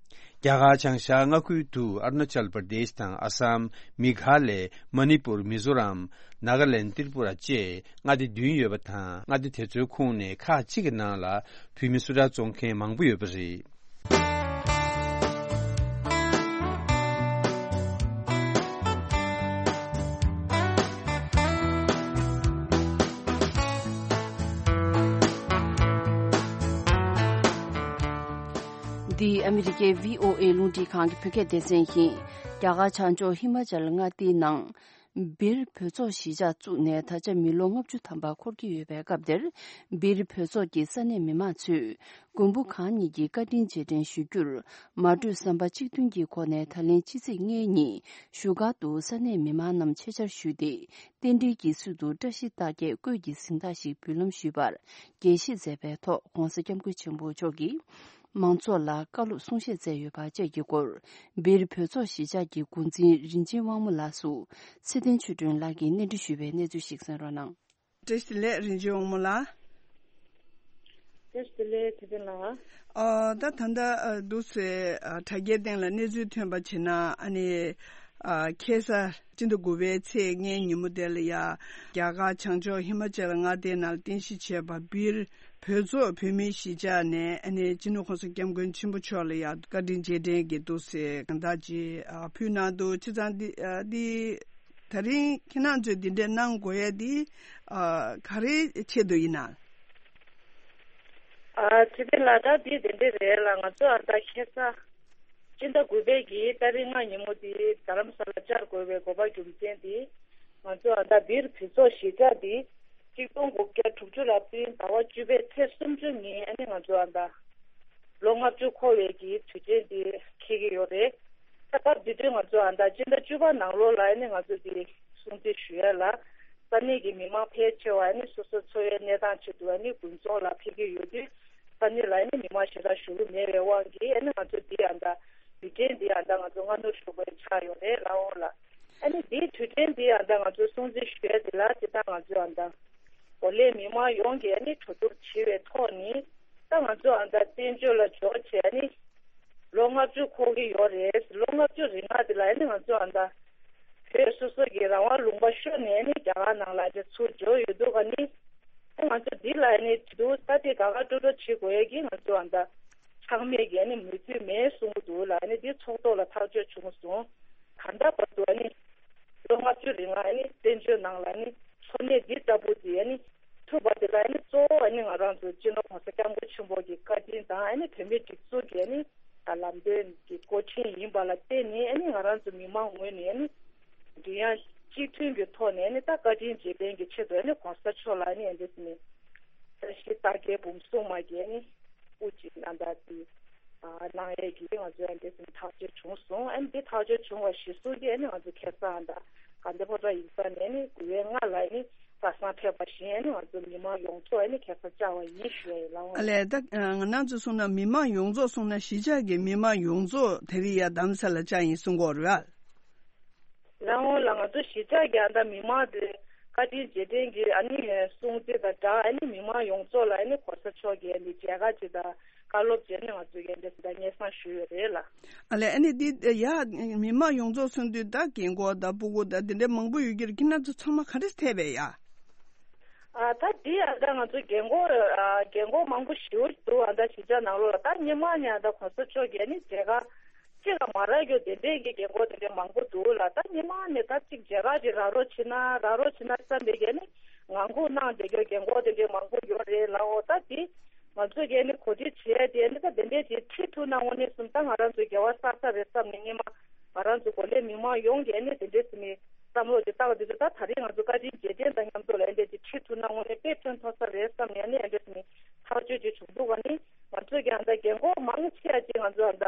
རྒྱ་གར་བྱང་ཤར་མངའ་ཁུལ་དུ་ཨ་རུ་ན་ཅལ་པར་དེཤ་དང་ཨ་སམ། མེ་གྷ་ལེ། མ་ཎི་པུར། མི་ཛོ་རམ། ནཱ་ག་ལེན། ཏྲི་པུ་ར་བཅས་མངའ་སྡེ་བདུན་ཡོད་པ་དང་། མངའ་སྡེ་དེ་ཚོའི་ཁོངས་ནས་ཁག་ཅིག་གི་ནང་ལ་བོད་མི་སུ་འདྲ་བཙོང་མཁན་མང་པོ་ཡོད་པ་རེད། འདི་ཨ་མི་རི་ཀའི་བྷི་ཨོ་ཨེ་རླུང་འཕྲིན་ཁང་གི་བོད་སྐད་སྡེ་ཚན་ཡིན། རྒྱ་གར་བྱང་ཕྱོགས་ཧི་མ་ཅལ་མངའ་སྡེའི་ནང་སྦིར་བོད་ཚོགས་གཞིས་ཆགས་བཙུགས་ནས་ད་ཆ་མི་ལོ་ལྔ་བཅུ་ཐམ་པ་འཁོར་གྱི་ཡོད་པའི་སྐབས་དེར། སྦིར་བོད་ཚོགས་ཀྱི་ས་གནས་མི་མང་ཚོས་མགོན་པོ་གང་ཉིད་ཀྱི་བཀའ་དྲིན་རྗེས་དྲན་ཞུ་རྒྱུར། མ་གྲོས་བསམ་པ་གཅིག་མཐུན་གྱི་སྒོ་ནས་ད་ལན་ཕྱི་ཚེས་ལྔའི་ཉིན་བཞུགས་སྒར་དུ་ས་གནས་མི་མང་རྣམས་ཆེད་བཅར་ཞུས་ཏེ། རྟེན་འབྲེལ་གྱི་ཚུལ་དུ་བཀྲ་ཤིས་རྟགས་བརྒྱད་བཀོད་ཀྱི་གཟེངས་རྟགས་ཤིག་འབུལ་ལམ་ཞུས་པར་དགྱེས་བཞེས་མཛད་པའི་ཐོག ༸གོང་ས་༸སྐྱབས་མགོན་ཆེན་པོ་མཆོག་གིས། མང་ཚོགས་ལ་བཀའ་སློབ་གསུང་བཤད་མཛད་ཡོད་པ་བཅས་ཀྱི་སྐོར། སྦིར་བོད་ཚོགས་གཞིས་ཆགས་ཀྱི་འགོ་འཛིན་རིན་ཆེན་དབང་མོ་ལགས་སུ་ཚེ་བརྟན་ཆོས་སྒྲོན་ལགས་ཀྱིས་སྙན་སྒྲོན་ཞུས་པའི་གནས་ཚུལ་ཞིག་གསན་རོགས་གནང་། བཀྲ་ཤིས་བདེ་ལེགས། རིན་ཆེན་དབང་མོ་ལགས། བཀྲ་ཤིས་བདེ་ལེགས་ཚེ་བརྟན་ལགས། ཨ། ད་ད་ལྟ་ཨ་འདུག་སེ་ཨ་དྲ་རྒྱའི་སྟེང་ལ་གནས་ཚུལ་ཐོན་པ་བྱས་ན། ཨ་ནི་ཨ་ཁ་སང་སྤྱི་ཟླ་དགུ་པའི་ཚེས་ལྔའི་ཉིན་མོ་དེ་ལ་ཡ། རྒྱ་གར་བྱང་ཕྱོགས་ཧི་མ་ཅལ་མངའ་སྡེའི་ནང་རྟེན་གཞི་བྱས་པ་སྦིར་བོད་ཚོགས་བོད་མིའི་གཞིས་ཆགས་ནས། ཨ་ནི་སྤྱི་ནོར་༸གོང་ས་༸སྐྱབས་མགོན་ཆེན་པོ་མཆོག་ལ་ཡ་བཀའ་དྲིན་རྗེས་དྲན་གྱི་འདུག་སེ་གཟེངས་རྟགས་ཅིག་ཨ་ཕུལ་གནང་འདུག་བྱས་ཙང་འདི་ཨ་འདི་ད་རིང་ཁྱེད་རང་ཚོས་འདི་འདྲས་གནང་དགོས་ཡས་འདི་ཨ་ག་རེ་ཆེད་དུ་ཡིན་ན། ཨ་ཚེ་བརྟན་ལགས། ད་འདི་དེ་འདྲས་རེད་ལ། ང་ཚོ་ཨ་ད་ཁ་སང་སྤྱི་ཟླ་དགུ་པའི་གི་ཏ་རིག་ལྔ་ཉིན་མོ་འདི་རྡ་རམ་ས་ལ་བཅར་དགོས་པའི་དགོས་པ་རྒྱུ་མཚན་འདི། ང་ཚོ་ཨ་ད་སྦིར་བོད་ཚོགས་གཞིས་ཆགས་འདི་གཅིག་སྟོང་དགུ་བརྒྱ་དྲུག་ཅུ་ལ་སྤྱི་ཟླ་བ་བཅུ་པའི་ཚེས་སུམ་ཅུ་ཉིན་ཨ་ནི་ང་ཚོ་ཨ་ད་ལོ་ལྔ་བཅུ་འཁོར་བའི་གི་དུས་ཆེན་འདི་འཁེལ་གྱི་ཡོད་རེད། ད་སྐབས་འདི་དུས་ང་ཚོ་ཨ་ད་སྤྱི་ཟླ་བཅུ་པ་ནང་ལོགས་ལ་ཨ་ནི་ང་ཚོ་འདི་སྲུང་བརྩི་ཞུ་ཡ་ལ། ས་གནས་ཀྱི་མི་མང་ཕལ་ཆེ་བ་ཨ་ནི་སོ་སོ་འཚོ་བའི་གནས་སྟངས་ཆེད་དུ་ཨ་ནི་དགོན་ཚོགས་ལ་ཕེབས་ཀྱི་ཡོད་དུས། ས་གནས་ལ་ཨ་ནི་མི་མང་ཞེ་དྲག་བཞུགས་ཀྱི་མེད་པའི་དབང་གིས། ཨ་ནི་ང་ཚོ་འདི་ཨ་ད་དུས་ཆེན་འདི་ཨ་ད་ང་ཚོ་སྔ་སྣུར་ཞུ་དགོས་ཆགས་ཡོད་རེད་ལགས་འོང་ལགས། ཨ་ནི་འདིའི་དུས་དྲན་འདི་ཨ་ད་ང་ཚོ་སྲུང་བརྩི་ཞུ་ཡ་འདི་ལ་སྤྱིར་བཏང་ང་ཚོ་ཨ་ད་གོ་ལའི་མི་མང་ཡོངས་ཀྱིས་ཨ་ནི་གྲོས་བསྡུར་བྱས་པའི་ཐོག་ནས། ད་ང་ཚོ་ཨ་ད་བཙན་བྱོལ་ལ་འབྱོར་བྱས་ཨ་ནི་ལོ་ལྔ་བཅུ་འཁོར་གྱི་ཡོད་རེད། ལོ་ལྔ་བཅུ་རིང་ལ་འདི་ལ་ཨ་ནི་ང་ཚོ་ཨ་ད་བོད་སོ་སོ་གི་རང་དབང་ལུང་པ་ཤོར་ནས་ཨ་ནི་རྒྱ་གར་ནང་ལ་ཨ་ད་ཚུར་འབྱོར་ཡོད་འདུག་ག་ནི། ཨ་ང་ཚོ་འདི་ལ་ཨ་ནི་དུས་ད་ལྟའི་དགའ་དགའ་སྤྲོ་སྤྲོ་བྱེད་དགོས་ཡས་ཀྱི་ང་ཚོ་ཨ་ད་ཆག་མེད་ཀྱི་ཨ་ནི་མོས་མཐུན་མེད་གསུང་གི་འདུག་ལ། ཨ་ནི་འདི་ཚོགས་ཐོག་ལ་ཐག་གཅོད་བྱུང་སོང་། ད་ལྟ་བར་དུ་ཨ་ནི་ལོ་ལྔ་བཅུ་རིང་ལ་ཨ་ནི་བཙན་བྱོལ་ནང་ལ་ཨ་ནི་འཚོ་གནས་འདི་ལྟ་བུ་འདི་ཨ་ནི་ཐུབ་པ་དེ་ལ་ཨ་ནི་གཙོ་བོ་ཨ་ནི་ང་རང་ཚོ་སྤྱི་ནོར་༸གོང་ས་༸སྐྱབས་མགོན་ཆེན་པོ་གི་བཀའ་དྲིན་དང་། ཨ་ནི་བོད་མིའི་སྒྲིག་འཛུགས་ཀྱི་ཨ་ནི་ད་ལམ་སྟོན་གྱི་འགོ་འདྲེན་ཡིན་པ་ལ་བརྟེན་ནས། ཨ་ནི་ང་རང་ཚོ་མི་མང་ངོས་ནས་ཨ་ནི་མགྲིན་དབྱངས་གཅིག་མཐུན་གྱི་ཐོག་ནས་ཨ་ནི་ད་བཀའ་དྲིན་རྗེས་དྲན་གྱི་ཆེད་དུ་ཨ་ནི་༸གོང་ས་མཆོག་ལ་ཨ་ནི་ཨ་འདྲས་ནས་བཀྲ་ཤིས་རྟགས་བརྒྱད་འབུམ་སྲུང་མ་གི་ཨ་ནི་དབུ་ཅིག་ནང་ད་དེ་ཨ་གནང་ཡས་ཀྱི་ང་ཚོའི་ཨ་འདྲས་ནས་ཐག་གཅོད་བྱུང་སོང་། ཨ་ནི་འདི་ཐག་གཅོད་བྱུང་བ་གཞིར་བཟུང་གིས་ཨ་ནི་ང་ཚོ་ཁ་སང་ཨ་ད་དགའ་ལྡན་ཕོ་བྲང་ཡིག་ཚང་ནས་ཨ་ནི་དགུ་པའི་ལྔ་ལ་ཨ་ནི་གར་སོང་ཕེབས་པ་བཞིན་ཨ་ནི་ང་ཚོ་མི་མང་ཡོངས་རྫོགས་ཨ་ནི་ཁ་སང་བཅར་བ་ཡིན་ཞུ་ཡ་ཡིན་ལགས་འོང་། ཨ་ལས། ད་ང་རང་ཚོ་གསུངས་ན་མི་མང་ཡོངས་རྫོགས། གསུངས་ན་གཞིས་ཆགས་ཀྱི་མི་མང་ཡོངས་རྫོགས་དེ་རིང་ཡ་རྡ་རམ་ས་ལ་བཅར་ཡིན་གསུང་གི་ཡོད་རེད་པ། ལགས་འོང་ལགས། ང་ཚོ་གཞིས་ཆགས་ཀྱི་ཨ་ད་མི་མང་དེ་ བཀའ་དྲིན་རྗེས་དྲན་གྱི་ཨ་ནི་སྲུང་བརྩི་དང་སྦྲགས། ཨ་ནི་མི་མང་ཡོངས་རྫོགས་ལ་ཨ་ནི་གོང་ས་མཆོག་གིས་ཨ་ནི་མཇལ་ཁ་ཅིག་དང་བཀའ་སློབ་བྱས་ནས་ང་ཚོས་ཀྱི་འདི་འདྲ་སྙན་སེང་ཞུས་ཡོད་རེད་ལགས། ཨ་ལས། ཨ་ནི་འདི་ཡ་མི་མང་ཡོངས་རྫོགས་གསུང་དུས་ད་རྒན་གོག་དང་སྤུ་གུ་དང་འདི་འདྲའི་མང་པོ་ཡོད་ཀྱི་རེད། ཁྱེད་རྣམ་ཚོ་ཚང་མ་ག་འདྲས་ཕེབས་པས་ཡ། ཨ་ད་འདི་ཨ་ད་ང་ཚོ་རྒན་གོག་ཨ་རྒན་གོག་མང་པོ་ཞེ་པོ་འདུག་ཨ་ད་གཞིས་ཆགས་ནང་ལོགས་ལ། ད་སྔོན་མ་ནས་ཨ་ད་གོང་ས་མཆོག་གིས་ཨ་ནི་མཇལ་ཁ་གཅིག་ལ་མ་རག་རྒྱུ་དེ་འདྲས་ཀྱི་རྒན་གོག་དེ་འདྲས་མང་པོ་འདུག་ལགས། ད་སྔོན་མ་ནས་ད་གཅིག་མཇལ་ཁ་ཅིག་རག་རོགས་བྱེད་ན་རག་རོགས་བྱེད་ན་བསམ་པའི་གི་ཨ་ནི་ངང་སྒུག་གནང་བསྡད་རྒྱུ་རྒན་གོག་དེ་འདྲས་མང་པོ་ཡོད་རེད་ལགས། འོ་ད་འདི་ང་ཚོས་ཀྱི་ཨ་ནི་གོ་སྒྲིག་བྱས་ཏེ་ཨ་ནི་ད་དེ་འདྲས་ཅིག་ཁྲིད་ཐུབ་ན་དངོས་གནས་སོང་ད་ང་རང་ཚོའི་དགེ་བ་བསགས་ས་རེད་བསམ་ནས་སྔོན་མ་ང་རང་ཚོ་གོ་ལའི་མི་མང་ཡོངས་ཀྱིས་ཨ་ནི་དེ་འདྲས་ཟེར་ནས་བསམ་བློ་ཅིག་བཏང་། དེ་ཚོ་ད་ད་རེས་ང་ཚོ་བཀའ་དྲིན་རྗེས་དྲན་དང་མཉམ་དུ་ལ་ཨ་འདྲས་ཅིག་ཁྲིད་ཐུབ་ན་དངོས་གནས་དཔེ་ཕན་ཐོགས་ས་རེད་བསམ་ནས་ཨ་ནི་ཨ་འདྲས་ཟེར་ནས་ཐག་གཅོད་ཅིག་བྱུང་འདུག་ཨ་ནི་ང་ཚོས་ཀྱི་ཨ་ད་རྒན་གོག་མང་ཆེ་བ་ཅིག་ང་ཚོ་ཨ་ད་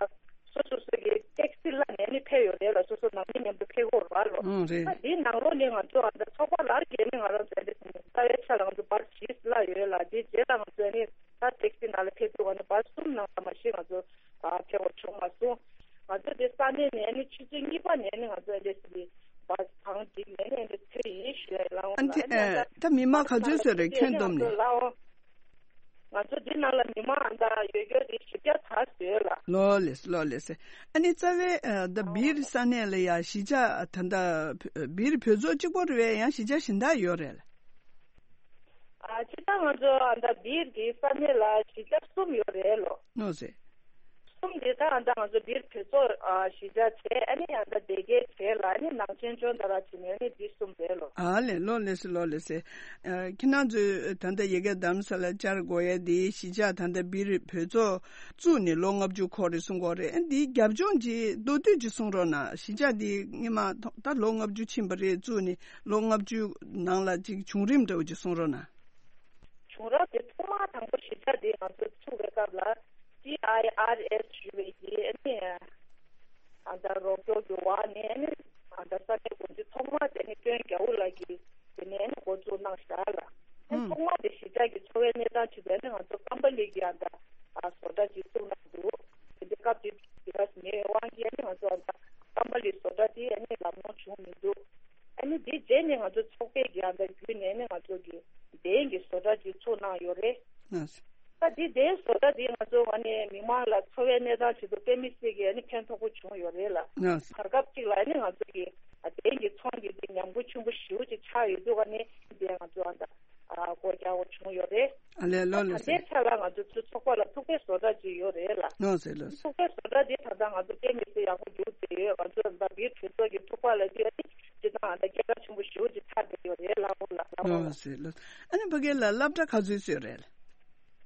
སོ་སོ་སོ་གི་ཊེག་སི་ལ་ནས་ཨ་ནི་ཕེབས་ཡོད་རེད་ལགས། སོ་སོ་ནང་མི་མཉམ་དུ་ཕེབས་ཀྱི་ཡོད་རེད་ལགས། ཨང་རེད། ད་འདིའི་ནང་ལོགས་ནས་ང་ཚོ་ཨ་ད་ཚོགས་པ་ལ་ཨ་ནི་ང་རང་ཚོ་ཨ་འདྲས་ཟེར་ནས་རྩ་བའི་ཆ་ལ་ང་ཚོ་བར་བཞི་ལ་ཡོད་ལགས། དེའི་རྗེས་ལ་ང་ཚོ་ཨ་ནི་ད་ཊེག་སི་ནང་ལ་ཕེབས་དུས་ང་ཚོ་བར་གསུམ་ནང་ལ་མ་གཞི་ང་ཚོ་ཨ་ཕེབས་པ་བྱུང་མ་སོང་། ང་ཚོ་དེ་ས་གནས་ནས་ནི་ཆུ་ཚོད་གཉིས་པ་ནས་ནི་ང་ཚོ་ཨ་འདྲས་ཟེར་བའི་བར་བང་སྒྲིག་ནས་ནི་ཨ་འདྲས་ཚུད་ཡིན་ཞུ་ཡ་ལགས། ཨ་འདི་ཨ་ད་མི་མང་ག་ཚོད་ཙམ་རེད་ཁྱོན་བསྡོམས་ནས། ང་ཚོ་འདི་ནང་ལ་མི་མང་ཨ་ད་ཡོད་རྒྱུ་དེ་བཞི་བརྒྱ་ཙམ་ཡོད་ལགས། ལགས་ལེགས་ལགས་ལེགས། ཨ་ནི་རྩ་བའི་ཨ་ད་སྦིར་ས་གནས་ལ་ཡ་གཞིས་ཆགས་ད་ལྟ་སྦིར་བོད་ཚོགས་གཅིག་པོ་རེད་པས་ཡང་གཞིས་ཆགས་གཞན་དག་ཡོད་རེད་ལགས། ཨ་སྤྱིར་བཏང་ང་ཚོ་ཨ་ད་སྦིར་གྱི་ས་གནས་ལ་གཞིས་ཆགས་གསུམ་ཡོད་རེད་ལོ། ནོ་ཟེར། གསུམ་དེ་ད་ཨ་ད་ང་ཚོ་སྦིར་བོད་ཚོགས་ཨ་གཞིས་ཆགས་བྱས། ཨ་ནི་ཨ་ད་སྡེ་དགེ་བྱས་ལ། ཨ་ནི་ནང་ཆེན་ལྗོངས་མཐར་བྱས་ནས་ཨ་ནི་འདི་གསུམ་རེད་ལོ། ཨ་ལས། ལགས་ལེགས་སེ་ལགས་ལེགས་སེ། ཨ་ཁྱེད་རྣམ་ཚོས་ད་ལྟ་ཡ་གི་རྡ་རམ་ས་ལ་བཅར་དགོས་ཡ་དེ་གཞིས་ཆགས་ད་ལྟ་སྦིར་བོད་ཚོགས་བཙུགས་ནས་ལོ་ལྔ་བཅུ་འཁོར་རེད་གསུང་གི་ཡོད་རེད། ཨ་འདིའི་རྒྱབ་ལྗོངས་ཀྱི་མདོར་བསྡུས་ཅིག་གསུང་རོགས་གནང་། གཞིས་ཆགས་འདི་སྔོན་མ་ད་ལོ་ལྔ་བཅུ་ཕྱིན་པ་རེད་བཙུགས་ནས། ལོ་ལྔ་བཅུ་ནང་ལ་ཅིག་བྱུང་རིམ་འདྲ་བོ་ཅིག་གསུང་རོགས་གནང་། བྱུང་རབས་དེ་ཐོག་མ་དང་པོ་གཞིས་ཆགས་འདི་ང་ཚོ་ཚུགས་པའི་སྐབས་ལ་ཊི་ཨའི་ཨར་ཨེས་ཞུ་བའི་གི་ཨ་ནི་ཨ་ད་རོགས་སྐྱོར་གྱི་འོག་ནས་ཨ་ནི་ཨ་ད་ས་གནས་འགོ་འཛིན་ཐོག་མ་དེ་ནི་ཀྲོན་རྒྱལ་པོ་ལགས་ཀྱིས་དེ་ནས་ཨ་ནི་འགོ་བཙུགས་གནང་བཞག་ལགས། ཨ་ནི་ཐོག་མ་དེ་གཞིས་ཆགས་ཀྱི་འཚོ་བའི་གནས་སྟངས་ཆེད་དུ་ཨ་ནི་ང་ཚོ་ཀམ་པ་ལི་གི་ཨ་ད་ཨ་བཟོ་གྲྭ་ཅིག་བཙུགས་གནང་འདུག་དེ་འདྲའི་སྐབས་དེ་དུས་ཀྱི་ཨ་མེད་པའི་དབང་གིས་ཨ་ནི་ང་ཚོ་ཨ་ད་ཀམ་པ་ལི་བཟོ་གྲྭ་དེ་ཨ་ནི་ལམ་ལྷོང་བྱུང་མི་འདུག་ཨ་ནི་དེའི་རྗེས་ནས་ང་ཚོ་ཚོགས་པའི་གི་ཨ་ད་བརྒྱུད་ནས་ཨ་ནི་ང་ཚོ་གི་གདན་གྱི་བཟོ་གྲྭ་ཅིག་བཙུགས་གནང་ཡོད་རེད། ད་དེ་གདན་བཟོ་གྲྭ་དེ་ང་ཚོ་ཨ་ནི་མི་མང་ལ་འཚོ་བའི་གནས་སྟངས་ཆེད་དུ་དཔེ་མི་སྲིད་ཀྱི་ཨ་ནི་ཕན་ཐོགས་པོ་བྱུང་ཡོད་རེད་ལགས། བར་སྐབས་གཅིག་ལ་ཨ་ནི་ང་ཚོ་གི་ཨ་གདན་གྱི་ཚོང་གི་དེ་ཉམས་མགོ་ཆེན་པོ་ཞེ་པོ་ཅིག་ཆགས་ཡོད་དུས་ཨ་ནི་དེ་ང་ཚོ་ཨ་ད་ཨ་སྒོ་རྒྱག་པ་བྱུང་ཡོད་རེད། ཨ་ལས། ལགས་ད་ལགས་ལྟའི་ཆ་ལ་ང་ཚོ་ཚོགས་པ་ལ་ཐུག་པའི་བཟོ་གྲྭ་ཅིག་ཡོད་རེད་ལགས། ལགས་སེ་ལགས་སེ། ཐུག་པའི་བཟོ་གྲྭ་དེ་ད་ལྟ་ང་ཚོ་དཔེ་མི་སྲིད་ཡག་པོ་འགྱུར་བསྡད་ཡོད། ང་ཚོ་ད་སྦིར་གྲོས་ཚོགས་ཀྱི་ཐུག་པ་ལ་དེ་ཨ་ནི་སྤྱིར་བཏང་ཨ་ད་སྐད་གྲགས་ཆེན་པོ་ཞེ་པོ་ཅིག་ཆགས་བསྡད་ཡོད་རེད་ལགས། འོ་ལགས་ལགས། ལགས་སེ་ལགས། ཨ་ནི་ཕ་གི་ལ་སློབ་གྲྭ་ག་ཚོད་ཚོད་རེད་ལགས།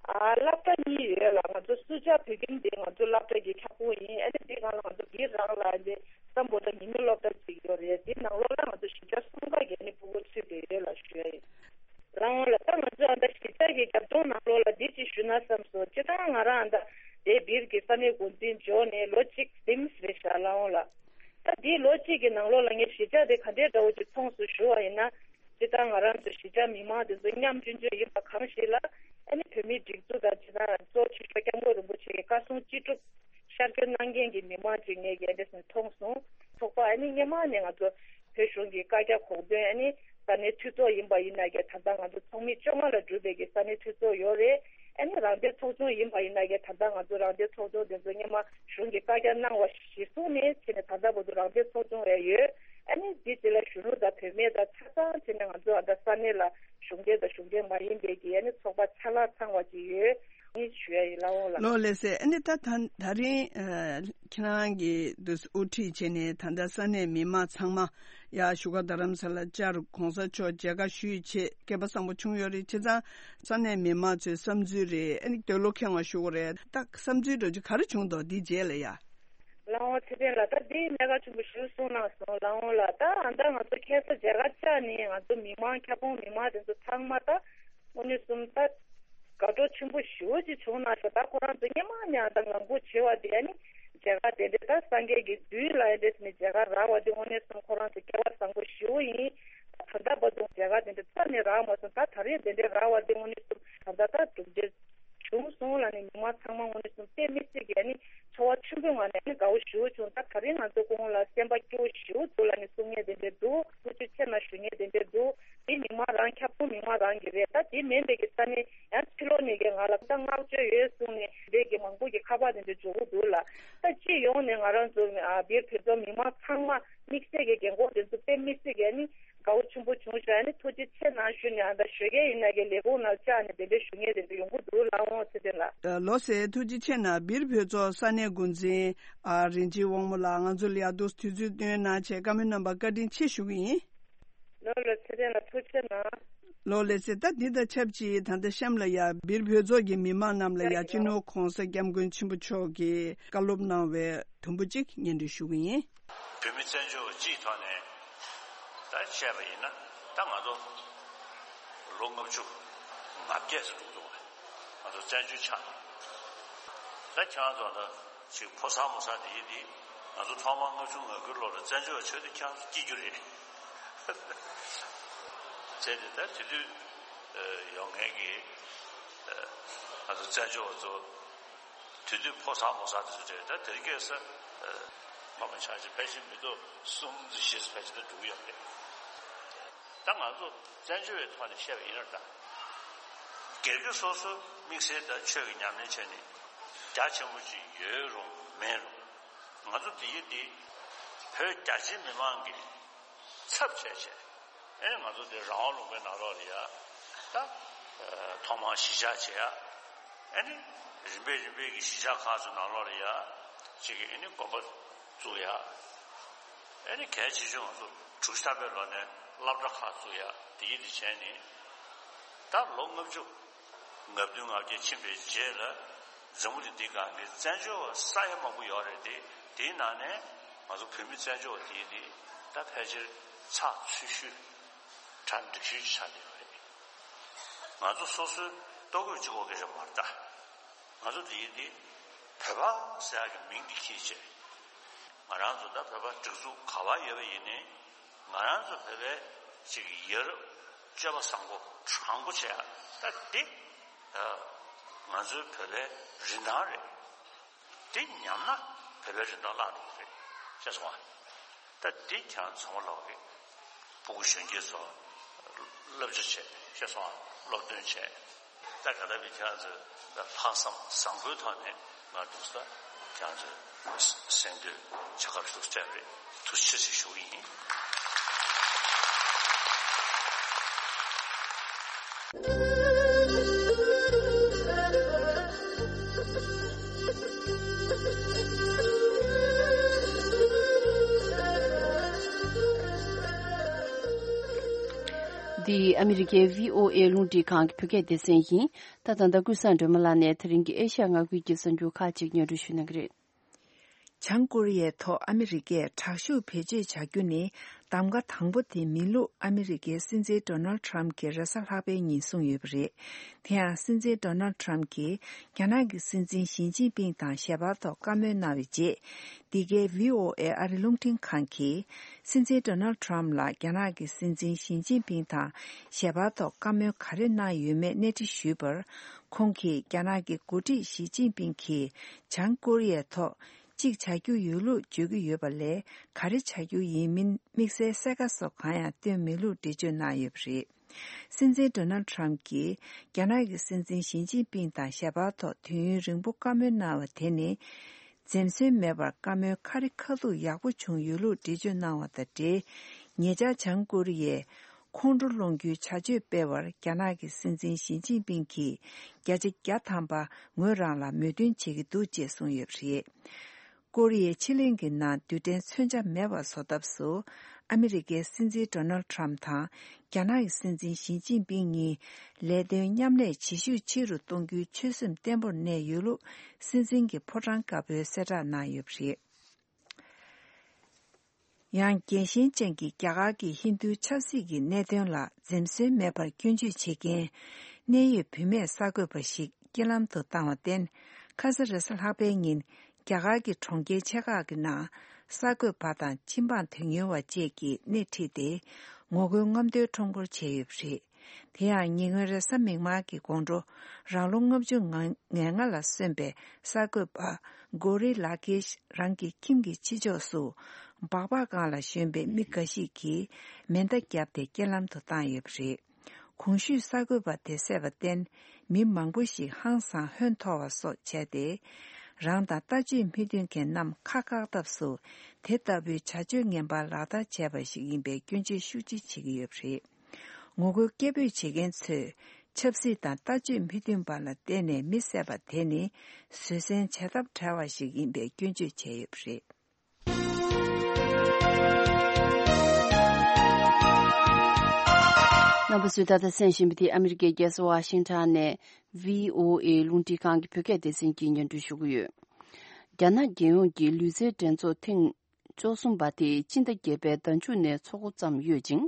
ཨ་སློབ་གྲྭ་གཉིས་ཡོད་ལགས། ང་ཚོ་སུ་ཇཱ་བོད་ཁྱིམ་དེ་ང་ཚོ་སློབ་གྲྭ་གི་ཁྱབ་ཁོངས་ཡིན། ཨ་ནི་དེ་སྒང་ལ་ང་ཚོ་སྦིར་རང་ལ་དེ་སམ་བྷོ་ཊ་ཉིན་མོའི་སློབ་གྲྭ་ཅིག་ཡོད་རེད། དེ་ནང་ལོགས་ལ་ང་ཚོ་གཞིས་ཆགས་གསུམ་ཀ་གི་ཨ་ནི་ཕྲུ་གུ་ཚུད་བསྡད་ཡོད་ལགས་ཞུ་ཡ་ཡིན། ལགས་འོང་ལགས། ད་ང་ཚོ་ཨ་ད་གཞིས་ཆགས་ཀྱི་རྒྱབ་ལྗོངས་ནང་ལོགས་ལ་འདི་ཅིག་ཞུས་ན་བསམ་སོང་། སྤྱིར་བཏང་ང་རང་ཨ་ད་དེ་སྦིར་གྱི་ས་གནས་འགོ་འཛིན་འབྱོར་ནས་ལོ་གཅིག་ཟིན་རེད་ཤག་ལགས་འོང་ལགས། ད་འདིའི་ལོ་གཅིག་གི་ནང་ལོགས་ལ་ངས་གཞིས་ཆགས་དེ་ག་འདྲའི་འདྲ་བོ་ཅིག་མཐོང་སོང་ཞུ་བ་ཡིན་ན། སྤྱིར་བཏང་ང་རང་ཚོ་གཞིས་ཆགས་མི་མང་དེ་ཚོ་མཉམ་སྤྱོད་སྤྱོད་ཡིན་པ་གང་ཞིག་ལ། ཨ་ནི་བོད་མིའི་སྒྲིག་འཛུགས་དང་། སྤྱིར་བཏང་གཙོ་ཆེ་ཤོས་སྐྱབས་མགོན་རིན་པོ་ཆེ་གི་བཀའ་གསུང་ཅི་སྒྲུབ་ཤར་བསྐྱོད་གནང་མཁན་གྱི་མི་མང་ཅིག་ངས་ཀྱི་ཨ་འདྲ་སེ་མཐོང་སོང་། ཚོགས་པ་ཨ་ནི་སྔོན་མ་ནས་ང་ཚོ་བོད་གཞུང་གི་བཀའ་རྒྱ་གོང་དོན། ཨ་ནི་ས་གནས་འཐུས་ཚོགས་ཡིན་པ་ཡིན་ན་ཀྱང་ད་ལྟ་ང་ཚོ་ཚོགས་མི་བཅོ་ལྔ་ལ་གྲུབ་པའི་གི་ས་གནས་འཐུས་ཚོགས་ཡོད་རེད། ཨ་ནི་རང་བདེན་ཚོགས་ཆུང་ཡིན་པ་ཡིན་ན་ཀྱང་ད་ལྟ་ང་ཚོ་རང་བདེན་ཚོགས་ཆུང་དེ་ཚོ་སྔོན་མ་གཞུང་གི་བཀའ་རྒྱ་གནང་བ་གཞིར་བཟུང་ནས་བྱས་ནས་ད་ལྟ་བར་དུ་རང་བདེན་ཚོགས་ཆུང་རེད་ཡོད། ཨ་ནི་འདི་དེ་ལ་གཞོན་ནུ་དང་བུད་མེད་དང་ཆ་ཚང་བྱས་ནས་ང་ཚོ་ཨ་ད་ས་གནས་ལ་གཞུང་འབྲེལ་དང་གཞུང་འབྲེལ་མ་ཡིན་པའི་གི་ཨ་ནི་ཚོགས་པ་ཆ་ལག་ཚང་བ་ཅིག་ཡོད། ཨ་ནི་ཞུ་ཡ་ཡིན་ལགས་འོང་ལགས། ལགས་ལེགས་སེ། ཨ་ནི་ད་ད་ད་རིང་ཨ་ཁྱེད་རང་གིས་འདུག་སེ་དབུ་ཁྲིད་བྱས་ནས་ད་ལྟ་ས་གནས་མི་མང་ཚང་མ་ཡ་བཞུགས་སྒར་རྡ་རམ་ས་ལ་བཅར། གོང་ས་མཆོག་མཇལ་ཁ་ཞུས་བྱས་སྐལ་པ་བཟང་པོ་བྱུང་ཡོད་རེད། བྱས་ཙང་ས་གནས་མི་མང་ཚོའི་བསམ་ཚུལ་རེད། ཨ་ནི་འདོད་བློ་ཁེངས་པ་ཞུ་དགོས་རེད། ད་བསམ་ཚུལ་འདྲ་ཅིག་ག་རེ་བྱུང་འདུག་འདིའི་རྗེས་ལ་ཡ། ལགས་འོང་། ཚེ་བརྟན་ལགས། ད་འདི་གནད་འགག་ཆེན་པོ་ཞིག་གསུངས་གནང་སོང་། ལགས་འོང་ལགས། ད་ཨ་ད་ང་ཚོ་ཁ་སང་མཇལ་ཁ་བཅར་ནས་ང་ཚོ་མི་མང་ཁྱབ་ཁོངས་མི་མང་དེ་ཚོ་ཚང་མ་ད་དངོས་གནས་གསུམ་ད་དགའ་སྤྲོ་ཆེན་པོ་ཞེ་པོ་ཅིག་བྱུང་གནང་ཤག་ད་ཁོ་རང་ཚོ་སྔོན་མ་ནས་ཨ་ད་ངང་སྒུག་བྱས་པ་དེ་ཨ་ནི་མཇལ་ཁ་དེ་འདྲ་ད་སངས་རྒྱས་ཀྱི་མདུན་ལ་ཨ་འདྲས་ནས་མཇལ་ཁ་རག་པ་དེ་དངོས་གནས་གསུམ་ཁོ་རང་ཚོ་སྐལ་བ་བཟང་པོ་ཞེ་པོ་ཡིན། ད་ད་ལྟ་བར་དུ་མཇལ་ཁ་དེ་འདྲ་རྩ་ནས་རག་མ་སོང་། ད་ད་རེས་དེ་འདྲ་རག་པ་དེ་དངོས་གནས་གསུམ་ད་ད་ད་གྲུབ་འབྲས་བྱུང་སོང་ལབ་ནས་མི་མང་ཚང་མ་དངོས་གནས་གསུམ་དཔེ་མི་སྲིད་ཀྱི་ཨ་ནི་ཚོར་བ་ཆེན་པོའི་ངང་ནས་ཨ་ནི་དགའ་བོ་ཞེ་པོ་བྱུང་། ད་ད་རིང་ང་ཚོ་སྐུ་ངོ་ལ་སེམས་པ་སྐྱིད་པོ་ཞེ་པོ་འདུག་ལབ་ནས་གསུང་མཁན་དེ་འདྲས་འདུག་ཐུགས་རྗེ་ཆེ་གནང་ཞུ་མཁན་དེ་འདྲས་འདུག་འདི་མི་ མིན་པའི་གི་ས་ནས་ཡང་ཕྱི་ལོགས་ནས་གི་ང་ལ་ད་བསྔགས་བརྗོད་ཡོད་གསུངས་ནས་དེ་གི་མང་པོ་གི་ཁ་པར་དེ་འདྲ་འབྱོར་གི་འདུག་ལ། ད་སྤྱི་ཡོངས་ནས་ང་རང་ཚོ་ཨ་བིར་བོད་ཚོ་མི་མང་ཚང་མ་དམིགས་བསལ་གི་རྒན་གོག་དེ་ཚོ་དཔེ་མི་སྲིད་གི་ནི་དགའ་བོ་ཆེན་པོ་བྱུང་ཤག་ནི་ཐུགས་རྗེ་ཆེ་གནང་ཞུ་ནས་ཨ་ད་ཞོགས་ཀས་ཡིན་ན་གི་ལས་ཁུངས་ནང་བཅར་ནས་དེ་འདྲ་ཞུ་མཁན་དེ་འདྲ་ཡོང་གི་འདུག་ལ། འོང་ཚེ་བརྟན་ལགས། ལགས་སོ། ཐུགས་རྗེ་ཆེ་གནང་། བིར་བོད་ཚོ་ས་གནས་འགོ་འཛིན་ཨ་རིན་ཆེན་དབང་མོ་ལགས། ང་ཚོ་ལ་ཡར་དུ་དུས་ཚོད་བཏོན་གནང་བྱས་བཀའ་མོལ་གནང་བར་བཀའ་དྲིན་ཆེ་ཞུ་གི་ཡིན། ལགས་ལགས། ཚེ་བརྟན་ལགས་ཐུགས་རྗེ་གནང་། ལགས་ལགས་སེ། ད་འདི་དང་ཆབས་ཅིག་ད་ལྟ་གཤམ་ལ་ཡ་བིར་བོད་ཚོགས་ཀྱི་མི་མང་རྣམས་ལ་ཡ་སྤྱི་ནོར་༸གོང་ས་༸སྐྱབས་མགོན་ཆེན་པོ་མཆོག་གིས་བཀའ་སློབ་གནང་བའི་དུམ་བུ་གཅིག་སྙན་སྒྲོན་ཞུ་གི་ཡིན། བོད་མི་བཙན་བྱོལ་བ་སྤྱིའི་ཐོག་ནས་ད་བཤད་པ་ཡིན་ན། ད་ང་ཚོ་ལོ་ལྔ་བཅུ་ང་བརྒྱད་ཙམ་འགྲོ་འདུག་བ། ང་ཚོ་བཙན་བྱོལ་ཆགས། ད་ཁྱེད་རང་ཚོ་ད་ཅིག་ཕོ་གསར་མོ་གསར་དེ་ཡིན་དེ། ང་ཚོ་ཐོག་མར་ལྔ་བཅུ་ང་དགུའི་ལོ་ལ་བཙན་བྱོལ་བ་ཆགས་དུས་ཁྱེད་རང་ཚོ་སྐྱིད་རྒྱུ་རེད། བྱས་ཏེ་ད་དེ་དུས་ཡོང་མཁན་གྱི་ང་ཚོ་བཙན་བྱོལ་བ་ཚོ་དེ་དུས་ཕོ་གསར་མོ་གསར་དེ་ཚོ་རེད། ད་དེ་རིང་ཁ་སང་མ་མ་ཆགས་ཅིག་ཕལ་ཆེར་མི་ཐོབ་གསུམ་ཙམ་བཞི་ཙམ་ཕལ་ཆེར་ད་འགྲོ་གི་ཡོད་རེད། ད་ང་ཚོ་བཙན་བྱོལ་བའི་ཐོག་ནས་བཤད་པ་ཡིན་ན། ད་སྒེར་གྱི་སོ་སོའི་དམིགས་བསལ་དང་ཆོས་ཀྱི་ཉམས་ལེན་བྱས་ནས་རྒྱ་ཆེན་པོ་ཅིག་ཡོད་རུང་མེད་རུང་། ང་ཚོ་དེ་ཡི་དེ་བོད་རྒྱ་ཆེའི་མི་མང་གི་ཚབ་བྱས་བྱས། ཨེ་ནི་ང་ཚོ་དེ་རང་དབང་ལུང་པའི་ནང་ལོགས་ལ་ཡ་ད་ཐོག་མར་གཞིས་ཆགས་བྱེད་ཡ། ཨེ་ནི་རིམ་པས་རིམ་པས་ཀྱི་གཞིས་ཆགས་ཁག་ཚོའི་ནང་ལོགས་ལ་ཡ་ཅིག་གི་ཨེ་ནི་དགོན་པ་བཙུགས་ཡ། ཨེ་ནི་གལ་ཆེ་ཤོས་ང་ཚོ་དྲུག་ཅུ་ཐམ་པའི་ལོ་ནས་སློབ་གྲྭ་ཁག་བཙུགས་ཡ། དེ་ཡི་དེ་བྱས་ནས་ད་ལོ་ལྔ་བཅུ་ང་བདུན་ང་བརྒྱད་ཕྱིན་པའི་རྗེས་ལ་འཛམ་བུ་གླིང་འདི་སྒང་གི་བཙན་བྱོལ་བ་ས་ཡ་མང་པོ་ཡོད་རེད་དེ། དེའི་ནང་ནས་ང་ཚོ་བོད་མི་བཙན་བྱོལ་བ་དེ་ཡི་དེ་ད་ཕལ་ཆེར་ཚགས་ཚུད་ཤོས་གྲ་འགྲིག་ཤོས་ཅིག་ཆགས་བསྡད་ཡོད་རེད། ང་ཚོ་སོ་སོའི་ལྟོ་གོས་གཅིག་པོ་གི་རེད་མ་རེད་ད། ང་ཚོ་འདི་ཡིན་ཏེ་བོད་པ་ཟེར་ཡག་གི་མིང་འདི་ཁྱེར་བྱས། ང་རང་ཚོ་ད་བོད་པ་སྒྲིག་འཛུགས་ག་པར་ཡོད་པ་ཡིན་ནའི་ང་རང་ཚོ་བོད་པའི་ཅིག་ཡ་རབས་སྤྱོད་པ་བཟང་པོ་དྲང་པོ་བྱས་ཡག་ད་འདི་ང་ཚོའི་བོད་པའི་རིན་ཐང་རེད། འདི་ཉམས་ན་བོད་པའི་རིན་ཐང་བརླག་འགྲོ་གི་རེད། ཤེས་སོང་ཨ། ད་འདི་ཁྱེད་རང་ཚང་མ་ལོག་གི་སྤུ་གུ་གཞོན་སྐྱེས་ཚོ་བསླབ་བྱ་བྱས། ཤེས་སོང་ཨ། སློབ་སྟོན་བྱས། ད་ག་ད་བི་ཁྱེད་རང་ཚོས་ད་ལྷག་བསམ་བཟང་པོའི་ཐོག་ནས་ང་འདུག་ས་ཁྱེད་རང་ཚོས་གསན་དུས་བྱ་དགའ་ཞིག་སྤྲད་པས་ཐུགས་རྗེ་ཆེ་ཞུ་གི་ཡིན། འདི་ཨ་མི་རི་ཀའི་བྷི་ཨོ་ཨེ་རླུང་འཕྲིན་ཁང་གི་བོད་སྐད་སྡེ་ཚན་ཡིན། ད་ད་ལྟ་ཀུན་བཟང་སྒྲོལ་མ་ལགས་ནས་དེ་རིང་གི་ཨེ་ཤ་ཡ་མངའ་ཁུལ་གྱི་གསར་འགྱུར་ཁག་ཅིག་སྙན་སྒྲོན་ཞུ་གནང་གི་རེད། བྱང་ཀོ་རི་ཡའི་ཐོག་ཨ་མི་རི་ཀས་དྲག་ཤུགས་བེད་སྤྱོད་བྱ་རྒྱུ་ནི་གདམ་ག་དང་པོ་དེ་མིན་ལུགས་ཨ་མི་རི་ཀའི་སྲིད་འཛིན་ཌོ་ནལ་ཊམ་གྱིས་རེས་གཟའ་ལྷག་པའི་ཉིན་གསུངས་ཡོད་པ་རེད། དེ་ཡང་སྲིད་འཛིན་ཌོ་ནལ་ཊམ་གྱིས་རྒྱ་ནག་གི་སྲིད་འཛིན་ཞི་ཅིན་ཕིང་དང་ཞལ་པར་ཐོག་བཀའ་མོལ་གནང་བའི་རྗེས། འདི་གའི་བྷི་ཨོ་ཨེ་ཨ་རི་རླུང་འཕྲིན་ཁང་གིས་སྲིད་འཛིན་ཌོ་ནལ་ཊམ་ལ་རྒྱ་ནག་གི་སྲིད་འཛིན་ཞི་ཅིན་ཕིང་དང་ཞལ་པར་ཐོག་བཀའ་མོལ་ག་རེ་གནང་ཡོད་མེད་གནས་འདྲི་ཞུས་པར། ཁོང་གིས་རྒྱ་ནག་གི་འགོ་ཁྲིད་ཞི་ཅིན་ཕིང་གིས་བྱང་ཀོ་རི་ཡའི་ཐོག་གཅིག་བྱ་རྒྱུ་ཡོད་ལུགས་བརྗོད་ཀྱི་ཡོད་པ་ལས། ག་རེ་བྱ་རྒྱུ་ཡིན་མིན་དམིགས་བསལ་གསལ་ཁ་སོགས་གང་ཡང་བཏོན་མེད་ལུགས་འགྲེལ་བརྗོད་གནང་ཡོད་པ་རེད། སྲིད་འཛིན་ཌོ་ནལ་ཊམ་གྱིས་རྒྱ་ནག་གི་སྲིད་འཛིན་ཞི་ཅིན་ཕིང་དང་ཞལ་པར་ཐོག་དུས་ཡུན་རིང་པོ་བཀའ་མོལ་གནང་བ་དེ་ནི། འཛེམ་ཟོན་མེད་པར་བཀའ་མོལ་ཁ་རི་ཁ་ཐུག་ཡག་པོ་བྱུང་ཡོད་ལུགས་འགྲེལ་བརྗོད་གནང་བ་དང་འབྲེལ། ཉེ་ཆར་བྱང་ཀོ་རི་ཡས་ཁོང་ཁྲོ་སློང་རྒྱུའི་བྱ་སྤྱོད་སྤེལ་བར་རྒྱ་ནག་གི་སྲིད་འཛིན་ཞི་ཅིན་ཕིང་གིས་བརྒྱ་ཆ་བརྒྱ་ཐམ་པ་ངོས་རང་ལ་མོས་མཐུན་བྱེད་ཀྱི་འདུག་ཅེས་གསུངས་ཡོད་པ་རེད། ཀོ་རི་ཡའི་ཕྱེད་གླིང་གི་ནང་རྡུལ་ཕྲན་མཚོན་ཆ་མེད་པ་བཟོ་ཐབས་སུ་ཨ་མི་རི་ཀའི་སྲིད་འཛིན་ཌོ་ནལ་ཊམ་དང་རྒྱ་ནག་གི་སྲིད་འཛིན་ཞི་ཅིན་ཕིང་གཉིས་ལས་དོན་མཉམ་ལས་བྱེད་ཤུགས་ཆེ་རུ་གཏོང་རྒྱུའི་ཆོད་སེམས་བརྟན་པོར་གནས་ཡོད་ལུགས་སྲིད་འཛིན་གྱི་ཕོ་བྲང་དཀར་པོས་གསལ་བསྒྲགས་གནང་ཡོད་པ་རེད། ཡང་རྒྱལ་ཞེན་ཅན་གྱི་རྒྱ་གར་གྱི་ཧིན་རྡུའི་ཆབ་སྲིད་ཀྱི་གནད་དོན་ལ་འཛེམ་ཟོན་མེད་པར་སྐྱོན་བརྗོད་བྱེད་མཁན་གནད་ཡོད་བུད་མེད་གསར་འགོད་པ་ཞིག་རྐྱེན་ལམ་དུ་བཏང་བར་བརྟེན། ཁ་ས་རེས་གཟའ་ལྷག་པའི་ཉིན་རྒྱ་གར་གྱི་གྲོང་ཁྱེར་ཆེ་ཁག་གི་ནང་གསར་འགོད་པ་དང་སྤྱི་འབངས་དོན་གཉེར་བ་བཅས་ཀྱིས་སྣེ་ཁྲིད་དེ་ངོ་རྒོལ་རྔམ་སྟོན་ཁྲོམ་སྐོར་བྱས་ཡོད་པ་རེད། དེ་ཡང་ཉེ་སྔོན་རེས་གཟའ་མིག་དམར་གྱི་དགོང་དྲོ་རང་ལོ་ལྔ་བཅུ་ང་ལྔ་ལ་སོན་པའི་གསར་འགོད་པ་གོ་རི་ལ་ཀེཤ་རང་གི་ཁྱིམ་གྱི་ཕྱི་ཕྱོགས་སུ་སྦག་སྦག་སྒང་ལ་ཞོན་པའི་མི་འགའ་ཞིག་གིས་མེ་མདའ་བརྒྱབ་སྟེ་རྐྱེན་ལམ་དུ་བཏང་ཡོད་པ་རེད། གོང་ཞུས་གསར་འགོད་པ་དེ་བསད་པར་བརྟེན། མི་མང་པོ་ཞིག་ཧང་སང་ཧོན་འཐོར་བ་སོགས་བྱས་ཏེ། རང་དང་ལྟ་སྤྱོད་མི་མཐུན་མཁན་རྣམས་ཁ་བཀག་ཐབས་སུ། དེ་ལྟ་བུའི་བྱ་སྤྱོད་ངན་པ་ལག་བསྟར་བྱས་པ་ཞིག་ཡིན་པའི་སྐྱོན་བརྗོད་ཤུགས་ཆེ་བྱེད་ཀྱི་ཡོད་པ་རེད། ངོ་རྒོལ་སྐད་འབོད་བྱེད་མཁན་ཚོས། ཆབ་སྲིད་དང་ལྟ་སྤྱོད་མི་མཐུན་པ་ལ་བརྟེན་ནས་མི་བསད་པ་དེ་ནི། བཟོད་བསྲན་བྱ་ཐབས་བྲལ་བ་ཞིག་ཡིན་པའི་སྐྱོན་བརྗོད་བྱས་ཡོད་པ་རེད། རྣམ་པ་ཚོས་ད་ལྟ་གསན་བཞིན་པ་དེ་ཨ་མི་རི་ཀའི་རྒྱལ་ས་ཝ་ཤིང་ཊོན་ནས་བྷི་ཨོ་ཨེ་རླུང་འཕྲིན་ཁང་གི་བོད་སྐད་སྡེ་ཚན་གྱིས་སྙན་སྒྲོན་ཞུ་གི་ཡོད། རྒྱ་ནག་རྒྱལ་ཡོངས་ཀྱི་ལུས་རྩལ་འགྲན་ཚོགས་ཐེངས་བཅུ་གསུམ་པ་དེ་སྤྱི་ཟླ་བརྒྱད་པའི་ཟླ་མཇུག་ནས་འཚོགས་འགོ་བརྩམས་ཡོད་ཅིང་།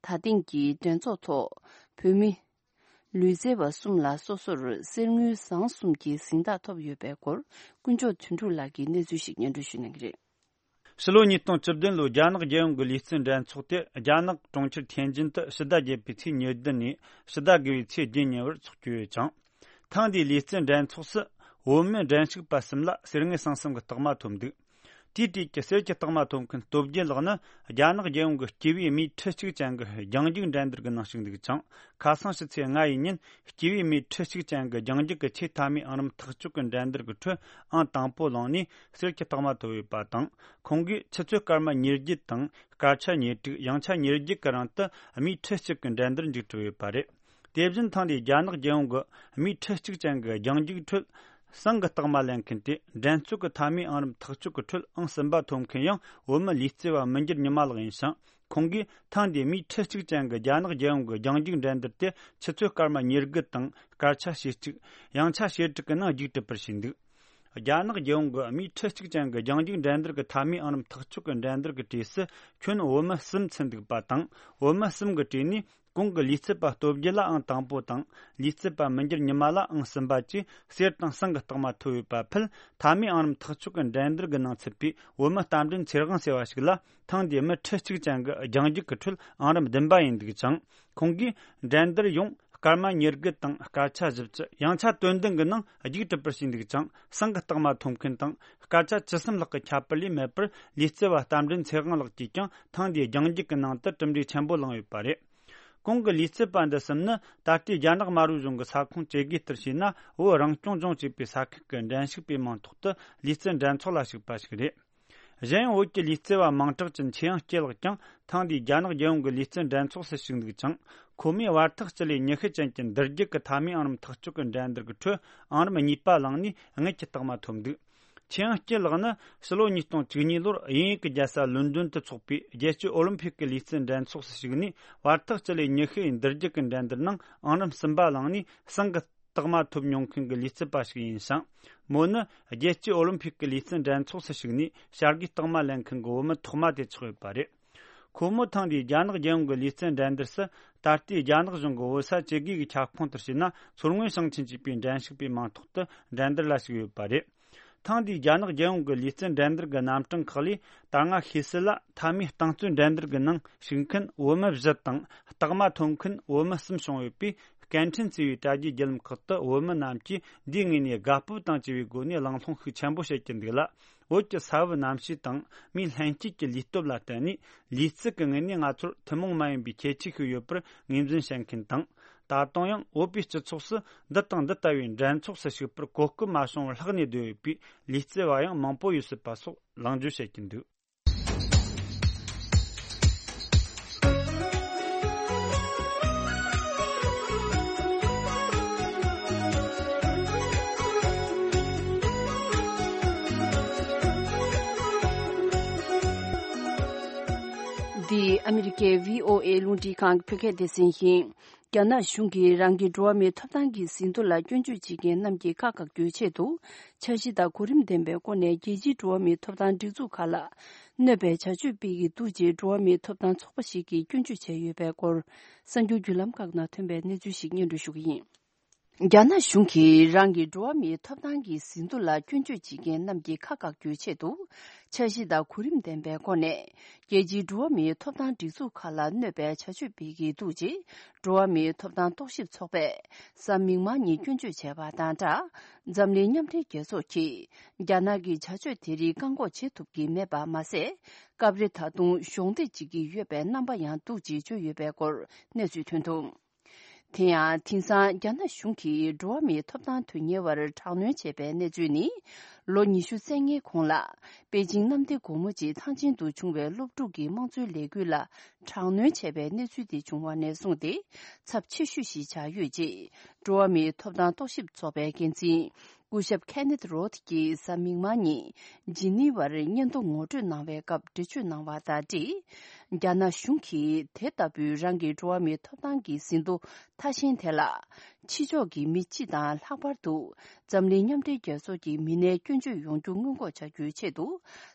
ད་ཐེངས་ཀྱི་འགྲན་ཚོགས་ཐོག་བོད་མི། ལུས་རྩལ་བ་གསུམ་ལ་སོ་སོར་གསེར་དངུལ་ཟངས་གསུམ་གྱི་གཟེངས་རྟགས་ཐོབ་ཡོད་པའི་སྐོར། དཀོན་མཆོག་དོན་གྲུབ་ལགས་ཀྱིས་གནས་ཚུལ་ཞིག་སྙན་སྒྲོན་ཞུ་གནང་གི་རེད། ཕྱི་ལོ་ཉིས་སྟོང་བཅུ་བདུན་ལོའི་རྒྱ་ནག་རྒྱལ་ཡོངས་ཀྱི་ལུས་རྩལ་འགྲན་ཚོགས་དེ་རྒྱ་ནག་གྲོང་ཁྱེར་ཐེན་ཅིན་དུ་ཕྱི་ཟླ་བརྒྱད་པའི་ཚེས་ཉེར་བདུན་ནས་ཕྱི་ཟླ་དགུ་པའི་ཚེས་བརྒྱད་ཉིན་བར་འཚོགས་ཀྱི་ཡོད་ཅིང་། ཐེངས་འདིའི་ལུས་རྩལ་འགྲན་ཚོགས་སུ་བོད་མི་འགྲན་ཞུགས་པ་གསུམ་ལ་གསེར་དངུལ་ཟངས་གསུམ་གྱི་རྟགས་མ་ཐོབ་འདུག་དེའི་གྲས་ཀྱི་གསེར་གྱི་རྟགས་མ་ཐོབ་མཁན་སྟོབས་རྒྱལ་ལགས་ནི་རྒྱ་ནག་རྒྱལ་ཡོངས་ཀྱི་སྐྱེས་པའི་མིའི་ཁྲི་གཅིག་ཅན་གྱི་རྒྱང་རྒྱུག་འགྲན་བསྡུར་གྱི་ནང་ཞུགས་འདུག་ཅིང་། ཁ་སང་ཕྱི་ཚེས་ལྔ་ཡི་ཉིན་སྐྱེས་པའི་མིའི་ཁྲི་གཅིག་ཅན་གྱི་རྒྱང་རྒྱུག་གི་ཆེས་མཐའ་མའི་ཨང་རིམ་ཐག་གཅོད་ཀྱི་འགྲན་བསྡུར་གྱི་ཁྲོད་ཨང་དང་པོ་ལངས་ནས་གསེར་གྱི་རྟགས་མ་ཐོབ་ཡོད་པ་དང་། ཁོང་གིས་ཆུ་ཚོད་སྐར་མ་ཉེར་བརྒྱད་དང་སྐར་ཆ་ཉེར་དྲུག་ཡང་ཆ་ཉེར་བརྒྱད་ཀྱི་རིང་དུ་མིའི་ཁྲི་གཅིག་གི་འགྲན་བསྡུར་མཇུག་གྲུབ་ཡོད་པ་རེད། དེ་བཞིན་ཐེངས་འདིའི་རྒྱ་ནག་རྒྱལ་ཡོངས་ཀྱི་མིའི་ཁྲི་གཅིག་ཅན་གྱི་རྒྱང་རྒྱུག་ཁྲོད་ཟངས་ཀྱི་རྟགས་མ་ལེན་མཁན་དེ་འགྲན་རྩོད་ཀྱི་མཐའ་མའི་ཨང་རིམ་ཐག་གཅོད་ཀྱི་ཁྲོད་ཨང་གསུམ་པ་ཐོབ་མཁན་ཡང་བོད་མི་ལུས་རྩལ་བ་མི་འགྱུར་ཉི་མ་ལགས་ཡིན་ཞིང་། ཁོང་གིས་ཐེངས་འདིའི་མིའི་ཁྲི་གཅིག་ཅན་གྱི་རྒྱ་ནག་རྒྱལ་ཡོངས་ཀྱི་རྒྱང་རྒྱུག་འགྲན་བསྡུར་དེ་ཆུ་ཚོད་སྐར་མ་ཉེར་དགུ་དང་སྐར་ཆ་ཞེ་གཅིག་ཡང་ཆ་ཞེ་དྲུག་གི་ནང་རྒྱུགས་གྲུབ་པར་བྱས་འདུག་རྒྱ་ནག་རྒྱལ་ཡོངས་ཀྱི་མིའི་ཁྲི་གཅིག་ཅན་གྱི་རྒྱང་རྒྱུག་འགྲན་བསྡུར་གྱི་མཐའ་མའི་ཨང་རིམ་ཐག་གཅོད་ཀྱི་འགྲན་བསྡུར་གྱི་གྲས་སུ་ཁྱོན་བོད་མི་གསུམ་ཚུད་འདུག་པ་དང་། བོད་མི་གསུམ་གྱི་གྲས་ནས་གོང་གི་ལུས་རྩལ་པ་སྟོབས་རྒྱལ་ལ་ཨང་དང་པོ་དང་། ལུས་རྩལ་པ་མི་འགྱུར་ཉི་མ་ལ་ཨང་གསུམ་པ་བཅས་གསེར་དང་ཟངས་ཀྱི་རྟགས་མ་ཐོབ་ཡོད་པ་ཕུད། མཐའ་མའི་ཨང་རིམ་ཐག་གཅོད་ཀྱི་འགྲན་བསྡུར་གྱི་ནང་ཚུད་པའི་བོད་མི་རྟ་མགྲིན་ཚེ་དབང་ཟེར་བ་ཞིག་ལ། ཐེངས་འདིའི་མི་ཁྲི་གཅིག་ཅན་གྱི་རྒྱང་རྒྱུག་གི་ཁྲོད་ཨང་རིམ་བདུན་པ་ཡིན་འདུག་ཅིང་། ཁོང་གིས་འགྲན་བསྡུར་ཡོངས་སྐར་མ་ཉེར་དགུ་དང་སྐར་ཆ་བཞི་བཅུ་ཡང་ཆ་དོན་བདུན་གྱི་ནང་རྒྱུགས་གྲུབ་པར་བྱས་འདུག་ཅིང་། ཟངས་ཀྱི་རྟགས་མ་ཐོབ་མཁན་དང་སྐར་ཆ་བཅུ་གསུམ་ལྷག་གི་ཁྱད་པར་ལས་མེད་པར། ལུས་རྩལ་བ་རྟ་མགྲིན་ཚེ་དབང་ལགས་ཀྱིས་ཀྱང་ཐེངས་འདིའི་རྒྱང་རྒྱུག་གི་ནང་དུ་གྲུབ་འབྲས་ཆེན་པོ་བླངས་ཡོད་པ་རེད། གོང་གི་ལུས་རྩལ་པ་འདི་གསུམ་ནི་ད་ལྟའི་རྒྱ་ནག་དམར་པོའི་གཞུང་གི་ས་ཁོངས་བཅས་དགོས་ལྟར་བྱས་ན། བོད་རང་སྐྱོང་ལྗོངས་ཞེས་པའི་ས་ཁུལ་གྱི་འགྲན་ཞུགས་པའི་མིང་ཐོག་ཏུ་ལུས་རྩལ་འགྲན་ཚོགས་ལ་ཞུགས་པ་ཞིག་རེད། གཞན་ཡང་བོད་ཀྱི་ལུས་རྩལ་བ་མིང་གྲགས་ཅན་ཆོས་དབྱངས་སྐྱིད་ལགས་ཀྱང་ཐེངས་འདིའི་རྒྱ་ནག་རྒྱལ་ཡོངས་ཀྱི་ལུས་རྩལ་འགྲན་ཚོགས་སུ་ཞུགས་འདུག་ཅིང་། ཁོ་མོས་བར་ཐག་སྤྱི་ལེ་ཉི་ཤུ་ཅན་གྱི་འདུར་རྒྱུག་གི་མཐའ་མའི་ཨང་རིམ་ཐག་གཅོད་ཀྱི་འགྲན་བསྡུར་གྱི་ཁྲོད་ཨང་རིམ་གཉིས་པ་ལངས་ནས་དངུལ་གྱི་རྟགས་མ་ཐོབ་འདུག་ཆོས་དབྱངས་སྐྱིད་ལགས་ནི་ཕྱི་ལོ་ཉིས་སྟོང་བཅུ་གཉིས་ལོར་དབྱིན་ཡུལ་གྱི་རྒྱལ་ས་ལོན་ཌོན་དུ་འཚོགས་པའི་རྒྱལ་སྤྱིའི་ཨོ་ལིམ་ཕིག་གི་ལུས་རྩལ་འགྲན་ཚོགས་སུ་ཞུགས་ནས། བར་ཐག་སྤྱི་ལེ་ཉི་ཤུ་ཡི་འདུར་རྒྱུག་གི་འགྲན་བསྡུར་ནང་ཨང་རིམ་གསུམ་པ་ལངས་ནས་ཟངས་ཀྱི་རྟགས་མ་ཐོབ་མྱོང་མཁན་གྱི་ལུས་རྩལ་པ་ཞིག་ཡིན་ཞིང་། མོ་ནི་རྒྱལ་སྤྱིའི་ཨོ་ལིམ་ཕིག་གི་ལུས་རྩལ་འགྲན་ཚོགས་སུ་ཞུགས་ནས་བྱ་དགའི་རྟགས་མ་ལེན་མཁན་གྱི་བུད་མེད་ཐོག་མ་དེ་ཆགས་ཡོད་པ་རེད། ཁོ་མོ་ཐེངས་འདིའི་རྒྱ་ནག་རྒྱལ་ཡོངས་ཀྱི་ལུས་རྩལ་འགྲན་བསྡུར་སུ། ད་ལྟའི་རྒྱ་ནག་གཞུང་གི་བོད་ས་བཅད་བགོས་ཀྱི་ཁྱབ་ཁོངས་ལྟར་བྱས་ན། མཚོ་སྔོན་ཞིང་ཆེན་ཞེས་པའི་འགྲན་ཞུགས་པའི་མིང་ཐོག་ཏུ་འགྲན་བསྡུར་ལ་ཞུགས་ཡོད་པ་རེད། ཐེངས་འདིའི་རྒྱ་ནག་རྒྱལ་ཡོངས་ཀྱི་ལུས་རྩལ་འགྲན་བསྡུར་གྱི་རྣམ་གྲངས་ཁག་ལས། ད་སྔ་ཤེས་གསལ་ལ་མཐའ་མའི་རྟིང་རྩོད་འགྲན་བསྡུར་གྱི་ནང་ཞུགས་མཁན་བོད་མི་བཞི་དང་། རྟགས་མ་ཐོབ་མཁན་བོད་མི་གསུམ་བྱུང་ཡོད་པས། སྐད་འཕྲིན་བརྩི་བའི་དྲ་རྒྱའི་བརྒྱུད་ལམ་ཁག་ཏུ་བོད་མི་རྣམས་ཀྱིས་འདིའི་ངོས་ནས་དགའ་སྤོབས་དང་བཅས་པའི་སྒོ་ནས་གླེང་སློང་ཤུགས་ཆེན་པོ་བྱེད་ཀྱི་འདུག་ལ། བོད་ཀྱི་ས་བབ་གནམ་གཤིས་དང་མིའི་ལྷན་སྐྱེས་ཀྱི་ལུས་སྟོབས་ལ་བརྟེན་ནས། ལུས་རྩལ་གྱི་ངོས་ནས་ང་ཚོར་ཐུན་མོང་མ་ཡིན་པའི་ཁྱད་ཆོས་ཤིག་ཡོད་པར་ངོས་འཛིན་བྱེད་མཁན་དང་། ད་དུང་ཡང་བོད་པའི་སྤྱི་ཚོགས་སུ་འདི་དང་འདི་ལྟ་བུའི་འགྲན་ཚོགས་སུ་ཞུགས་པར་གོ་སྐབས་མ་བྱུང་བར་ལྷག་ནས་བསྡད་ཡོད་པའི་ལུས་རྩལ་བ་ཡང་མང་པོ་ཡོད་སྲིད་པ་སོགས་ལངས་བརྗོད་བྱེད་ཀྱིན་འདུག་འདི་ཨ་མི་རི་ཀའི་བྷི་ཨོ་ཨེ་རླུང་འཕྲིན་ཁང་གི་བོད་སྐད་སྡེ་ཚན་ཡིན། རྒྱ་ནག་གཞུང་གིས་རང་གི་འགྲོ་བ་མིའི་ཐོབ་ཐང་གི་ཟིན་ཐོ་ལ་སྐྱོན་བརྗོད་བྱེད་མཁན་རྣམས་ཀྱི་ཁ་བཀག་རྒྱུའི་ཆེད་དུ། འཆར་གཞི་དང་གོ་རིམ་ལྡན་པའི་སྒོ་ནས་རྒྱལ་སྤྱིའི་འགྲོ་བ་མིའི་ཐོབ་ཐང་སྒྲིག་འཛུགས་ཁག་ལ་གནོད་པའི་བྱ་སྤྱོད་སྤེལ་གྱི་འདུག་ཅེས་འགྲོ་བ་མིའི་ཐོབ་ཐང་ཚོགས་པ་ཞིག་གིས་སྐྱོན་བརྗོད་བྱས་ཡོད་པའི་སྐོར། གསར་འགྱུར་བརྒྱུད་ལམ་ཁག་ནང་ཐོན་པའི་གནས་ཚུལ་ཞིག་སྙན་སྒྲོན་ཞུ་གི་ཡིན། རྒྱ་ནག་གཞུང་གིས་རང་གི་འགྲོ་བ་མིའི་ཐོབ་ཐང་གི་ཟིན་ཐོ་ལ་སྐྱོན་བརྗོད་བྱེད་མཁན་རྣམས་ཀྱི་ཁ་བཀག་རྒྱུའི་ཆེད་དུ། འཆར་གཞི་དང་གོ་རིམ་ལྡན་པའི་སྒོ་ནས། རྒྱལ་སྤྱིའི་འགྲོ་བ་མིའི་ཐོབ་ཐང་སྒྲིག་འཛུགས་ཁག་ལ་གནོད་པའི་བྱ་སྤྱོད་སྤེལ་གྱི་འདུག་ཅེས། འགྲོ་བ་མིའི་ཐོབ་ཐང་རྟོག་ཞིབ་ཚོགས་པས་གཟའ་མིག་དམར་ཉིན་སྐྱོན་བརྗོད་བྱས་པ་དང་སྦྲགས། འཛམ་གླིང་མཉམ་འབྲེལ་རྒྱལ་ཚོགས་ཀྱིས། རྒྱ་ནག་གི་བྱ་སྤྱོད་དེ་རིགས་བཀག་འགོག་བྱེད་ཐུབ་ཀྱི་མེད་པ་མ་ཟད། སྐབས་རེ་ད་དུང་གཞོགས་འདེགས་བྱེད་ཀྱི་ཡོད་པའི་རྣམ་པ་ཡང་འདུག་ཅེས་བརྗོད་ཡོད་པའི་སྐོར་གནས་ཚུལ་ཐོན་འདུག་དེ་ཡང་དེང་སང་རྒྱ་ནག་གཞུང་གིས་འགྲོ་བ་མིའི་ཐོབ་ཐང་དོན་གཉེར་བར་དྲག་གནོན་བྱས་པའི་གནས་ཚུལ་ནི། ལོ་ཉི་ཤུ་རྩ་ལྔའི་གོང་ལ་པེ་ཅིང་གནམ་བདེ་སྒོ་མོ་ཆེའི་ཐང་ཆེན་དུ་བྱུང་བའི་སློབ་ཕྲུག་གི་དམངས་གཙོའི་ལས་འགུལ་ལ་དྲག་གནོན་བྱས་པའི་གནས་ཚུལ་དེ་བྱུང་བ་ནས་བཟུང་སྟེ་ཚབས་ཆེ་ཤོས་ཤིག་ཆགས་ཡོད་ཅེས་འགྲོ་བ་མིའི་ཐོབ་ཐང་རྟོག་ཞིབ་ཚོགས་པའི་འགན་འཛིན་སྐུ་ཞབས་ཁེ་ནེད་རོད་ཀྱིས་གཟའ་མིག་དམར་ཉིན་ཇི་ནི་ཝར་སྙན་ཐོ་ངོ་སྤྲོད་གནང་བའི་སྐབས་འགྲེལ་བརྗོད་གནང་བ་དང་འབྲེལ། རྒྱ་ནག་གཞུང་གིས་དེ་ལྟ་བུའི་རང་གི་འགྲོ་བ་མིའི་ཐོབ་ཐང་གི་ཟིན་ཐོ་མཐའ་གཞན་དེ་ལ། ཕྱི་ཕྱོགས་ཀྱི་མི་སྤྱི་དང་ལྷག་པར་དུ་འཛམ་གླིང་མཉམ་འབྲེལ་རྒྱལ་ཚོགས་ཀྱི་མི་སྣའི་སྐྱོན་བརྗོད་ཡོང་རྒྱུ་སྔོན་འགོག་བྱ་རྒྱུའི་ཆེད་དུ་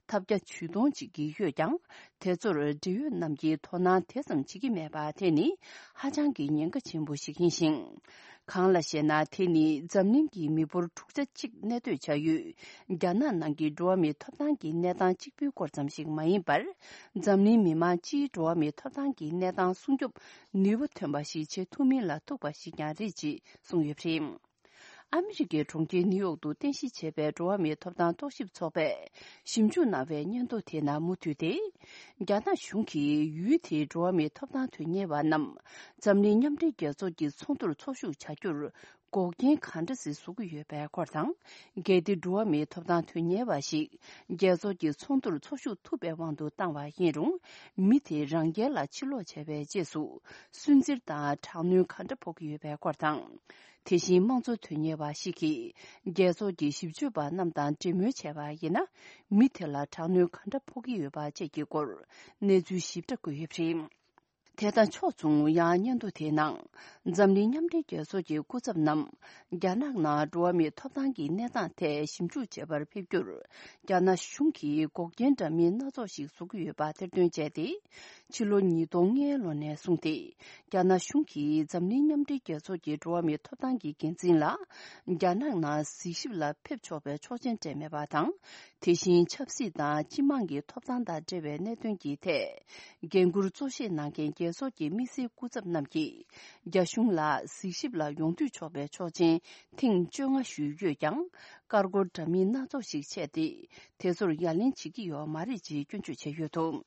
ཐབས་བརྒྱ་ཇུས་སྟོང་བྱེད་ཀྱི་ཡོད་ཀྱང་། དེ་ཚོར་འབྲེལ་ཡོད་རྣམས་ཀྱིས་དོ་སྣང་དེ་ཙམ་བྱེད་ཀྱི་མེད་པ་དེ་ནི་ཧ་ཅང་གི་ཉེན་ཁ་ཆེན་པོ་ཞིག་ཡིན་ཞིང་། གང་ལ་ཞེ་ན། དེ་ནི་འཛམ་གླིང་གི་མི་འབོར་དྲུག་ཆ་གཅིག་གནས་སྡོད་བྱ་ཡུལ་རྒྱ་ནག་ནང་གི་འགྲོ་བ་མིའི་ཐོབ་ཐང་གི་གནས་སྟངས་གཅིག་པུའི་སྐོར་ཙམ་ཞིག་མ་ཡིན་པར། འཛམ་གླིང་མི་མང་སྤྱིའི་འགྲོ་བ་མིའི་ཐོབ་ཐང་གི་གནས་སྟངས་སྲུང་སྐྱོབ་ནུས་པ་ཐོན་པ་ཞིག་བྱེད་ཐུབ་མིན་ལ་ཐུག་པ་ཞིག་ཀྱང་རེད་ཅེས་གསུངས་ཡོད་པ་རེད། ཨ་མི་རི་ཀའི་གྲོང་ཁྱེར་ནིའུ་ཡོག་ཏུ་རྟེན་གཞི་བྱས་པའི་འགྲོ་བ་མིའི་ཐོབ་ཐང་རྟོག་ཞིབ་ཚོགས་པས་ཞིབ་འཇུག་གནང་བའི་སྙན་ཐོ་དེ་ནང་མུ་མཐུད་དེ། རྒྱ་ནག་གཞུང་གིས་ཡུལ་དེའི་འགྲོ་བ་མིའི་ཐོབ་ཐང་དོན་གཉེར་བ་རྣམས་འཛམ་གླིང་མཉམ་འབྲེལ་རྒྱལ་ཚོགས་ཀྱི་ཚོགས་འདུར་ཚོགས་ཞུགས་བྱ་རྒྱུར་འགོག་རྐྱེན་གང་འདྲ་ཞིག་བཟོ་གི་ཡོད་པའི་སྐོར་དང་། གལ་ཏེ་འགྲོ་བ་མིའི་ཐོབ་ཐང་དོན་གཉེར་བ་ཞིག་རྒྱལ་ཚོགས་ཀྱི་ཚོགས་འདུར་ཚོགས་ཞུགས་ཐུབ་པའི་དབང་དུ་བཏང་བ་ཡིན་རུང་། མི་དེ་རང་རྒྱལ་ལ་ཕྱིར་ལོག་བྱས་པའི་རྗེས་སུ་སུན་གཙེར་དང་དྲག་གནོན་ག་འདྲ་ཕོག་གི་ཡོད་པའི་སྐོར་དང་། དེ་བཞིན་དམངས་གཙོ་དོན་གཉེར་བ་ཞིག་གིས་རྒྱལ་ཚོགས་ཀྱི་ཞིབ་དཔྱོད་པ་རྣམས་དང་འབྲེལ་མོལ་བྱས་པ་ཡིན་ན། མི་དེ་ལ་དྲག་གནོན་ག་འདྲ་ཕོག་གི་ཡོད་པ་བཅས་ཀྱི་སྐོར་གནས་ཚུལ་ཞིབ་ཕྲ་བཀོད་ཡོད་པ་རེད། དེ་དང་ཕྱོགས་མཚུངས། ཡང་སྙན་ཐོ་དེའི་ནང་། འཛམ་གླིང་མཉམ་འབྲེལ་རྒྱལ་ཚོགས་ཀྱི་སྐུ་ཚབ་རྣམས་རྒྱ་ནག་ནང་འགྲོ་བ་མིའི་ཐོབ་ཐང་གི་གནས་སྟངས་ཐད་ཞིབ་འཇུག་བྱེད་པར་ཕེབས་རྒྱུར། རྒྱ་ནག་གཞུང་གིས་འགོག་རྐྱེན་འདྲ་མིན་སྣ་ཚོགས་ཤིག་བཟོ་གི་ཡོད་པ་ཐེར་འདོན་བྱས་ཏེ། ཕྱི་ལོ་ཉིས་སྟོང་ལྔའི་ལོ་ནས་བཟུང་སྟེ། རྒྱ་ནག་གཞུང་གིས་འཛམ་གླིང་མཉམ་འབྲེལ་རྒྱལ་ཚོགས་ཀྱི་འགྲོ་བ་མིའི་ཐོབ་ཐང་གི་འགན་འཛིན་ལ། རྒྱ་ནག་ནང་གཟིགས་ཞིབ་ལ་ཕེབས་ཆོག་པའི་ཆོག་མཆན་སྤྲད་མེད་པ་དང་། དེ་བཞིན་ཆབ་སྲིད་དང་སྤྱི་དམངས་ཀྱི་ཐོབ་ཐང་དང་འབྲེལ་བའི་གནད་དོན་གྱི་ཐད། འགན་འཁུར་གཙོ་བཞེས་གནང་མཁན་རྒྱལ་ཚོགས་ཀྱི་དམིགས་བསལ་སྐུ་ཚབ་རྣམས་ཀྱིས། རྒྱ་གཞུང་ལ་གཟིགས་ཞིབ་ལ་ཡོང་འདོད་ཆོག་པའི་ཆོག་མཆན་ཐེངས་བཅོ་ལྔ་ཞུས་ཡོད་ཀྱང་། ཀར་ཀོར་འདྲ་མིན་སྣ་ཚོགས་ཤིག་ཆད་དེ། དེ་ཚོར་ཡ་ལན་བྱེད་ཀྱི་ཡོད་མ་རེད་ཅེས་སྐྱོན་བརྗོད་བྱས་ཡོད་འདུག་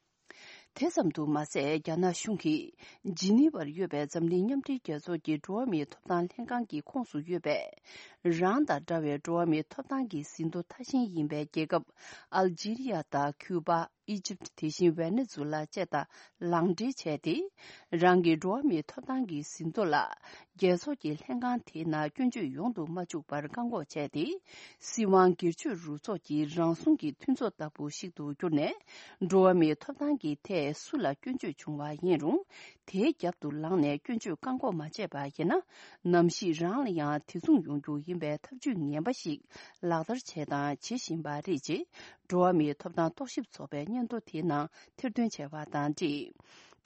དེ་ཙམ་དུ་མ་ཟད། རྒྱ་ནག་གཞུང་གིས་ཇི་ནི་ཝར་ཡོད་པའི་འཛམ་གླིང་མཉམ་འབྲེལ་རྒྱལ་ཚོགས་ཀྱི་འགྲོ་བ་མིའི་ཐོབ་ཐང་ལྷན་ཁང་གི་ཁོངས་སུ་ཡོད་པའི། རང་དང་འདྲ་བའི་འགྲོ་བ་མིའི་ཐོབ་ཐང་གི་ཟིན་ཐོ་མཐའ་གཞན་ཡིན་པའི་རྒྱལ་ཁབ་ཨལ་ཇི་རི་ཡ་དང་ཁུ་པ། ཨི་ཇིབ། དེ་བཞིན་ཝེ་ནེ་ཛུ་ལ་བཅས་དང་ལག་འབྲེལ་བྱས་ཏེ། རང་གི་འགྲོ་བ་མིའི་ཐོབ་ཐང་གི་ཟིན་ཐོ་ལ། རྒྱལ་ཚོགས་ཀྱི་ལྷན་ཁང་དེའི་ནང་སྐྱོན་བརྗོད་ཡོང་དུ་མ་བཅུག་པར་བཀག་འགོག་བྱས་ཏེ། སྲིད་དབང་སྒེར་གཅོད་རུ་ཚོགས་ཀྱི་རང་སྲུང་གི་མཐུན་ཚོགས་ལྟ་བུ་ཞིག་ཏུ་གྱུར་ནས། འགྲོ་བ་མིའི་ཐོབ་ཐང་གི་ཐད་སུ་ལ་སྐྱོན་བརྗོད་བྱུང་བ་ཡིན་རུང་། དེའི་རྒྱབ་ཏུ་ལངས་ནས་སྐྱོན་བརྗོད་བཀག་འགོག་མ་བྱས་པ་ཡིན་ན། ནམ་ཞིག་རང་ལ་ཡང་དེ་མཚུངས་ཡོང་རྒྱུ་ཡིན་པའི་ཐབས་ཇུས་ངན་པ་ཞིག་ལག་བསྟར་བྱས་དང་བྱེད་བཞིན་པ་རེད་ཅེས། འགྲོ་བ་མིའི་ཐོབ་ཐང་རྟོག་ཞིབ་ཚོགས་པའི་སྙན་ཐོ་དེའི་ནང་ཐེར་འདོན་བྱས་པ་དང་འབྲེལ།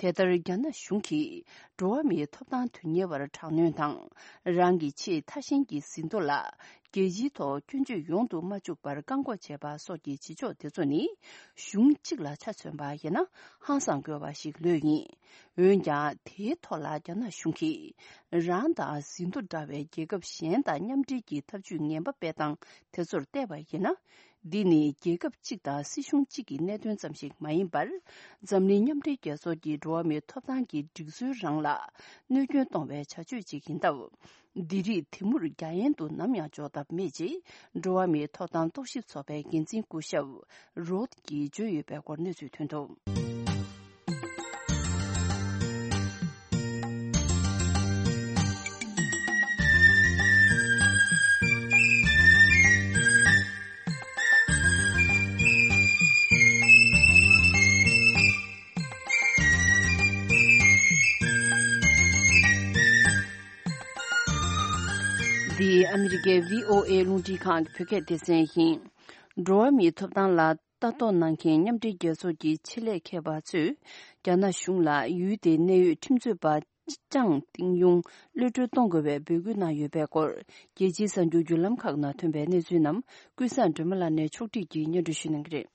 དེ་ལྟར་རྒྱ་ནག་གཞུང་གིས་འགྲོ་བ་མིའི་ཐོབ་ཐང་དོན་གཉེར་བར་དྲག་གནོན་དང་། རང་གི་ཆེས་མཐའ་གཞན་གྱི་ཟིན་ཐོ་ལ་རྒྱལ་སྤྱིའི་ཐོག་སྐྱོན་བརྗོད་ཡོང་དུ་མ་བཅུག་པར་བཀག་འགོག་བྱས་པ་སོགས་ཀྱི་བྱེད་ཕྱོགས་དེ་ཚོ་ནི། གཞུང་གཅིག་ལ་ཆ་མཚོན་པ་ཡིན་ན་ཧང་སང་དགོས་པ་ཞིག་ལོས་ཡིན། འོན་ཀྱང་། དེའི་ཐོག་ལ་རྒྱ་ནག་གཞུང་གིས་རང་དང་ཟིན་ཐོ་འདྲ་བའི་རྒྱལ་ཁབ་གཞན་དང་མཉམ་འབྲེལ་གྱི་ཐབས་ཇུས་ངན་པ་སྤེལ་སྟངས་དེ་ཚོར་བལྟས་པ་ཡིན་ན། འདི་ནི་རྒྱལ་ཁབ་གཅིག་དང་སྲིད་གཞུང་གཅིག་གི་གནད་དོན་ཙམ་ཞིག་མ་ཡིན་པར། འཛམ་གླིང་མཉམ་འབྲེལ་རྒྱལ་ཚོགས་ཀྱི་འགྲོ་བ་མིའི་ཐོབ་ཐང་གི་སྒྲིག་སྲོལ་རང་ལ་གནོད་སྐྱོན་གཏོང་བའི་བྱ་སྤྱོད་ཅིག་ཡིན་སྟབས། འདི་རིགས་དེ་མུར་རྒྱ་ཡན་དུ་ནམ་ཡང་འཇོག་ཐབས་མེད་ཅེས། འགྲོ་བ་མིའི་ཐོབ་ཐང་རྟོག་ཞིབ་ཚོགས་པའི་འགན་འཛིན་སྐུ་ཞབས་རོད་ཀྱིས་བརྗོད་ཡོད་པའི་སྐོར་གནས་ཚུལ་ཐོན་འདུག་འདི་ཨ་མི་རི་ཀའི་བྷི་ཨོ་ཨེ་རླུང་འཕྲིན་ཁང་གི་བོད་སྐད་སྡེ་ཚན་ཡིན། འགྲོ་བ་མིའི་ཐོབ་ཐང་ལ་ལྟ་རྟོག་གནང་མཁན་མཉམ་འབྲེལ་རྒྱལ་ཚོགས་ཀྱི་ཆེད་ལས་མཁས་པ་ཚོས་རྒྱ་ནག་གཞུང་ལ་ཡུལ་དེའི་གནད་ཡོད་ཁྲིམས་རྩོད་པ་ཅང་ཏིང་ཡུང་གློད་གྲོལ་གཏོང་དགོས་པའི་འབོད་སྐུལ་གནང་ཡོད་པའི་སྐོར། རྒྱལ་སྤྱིའི་གསར་འགྱུར་བརྒྱུད་ལམ་ཁག་ནང་ཐོན་པའི་གནས་ཚུལ་རྣམས་ཀུན་བཟང་སྒྲོལ་མ་ལགས་ནས་ཕྱོགས་སྒྲིག་གིས་སྙན་སྒྲོན་ཞུ་གནང་གི་རེད།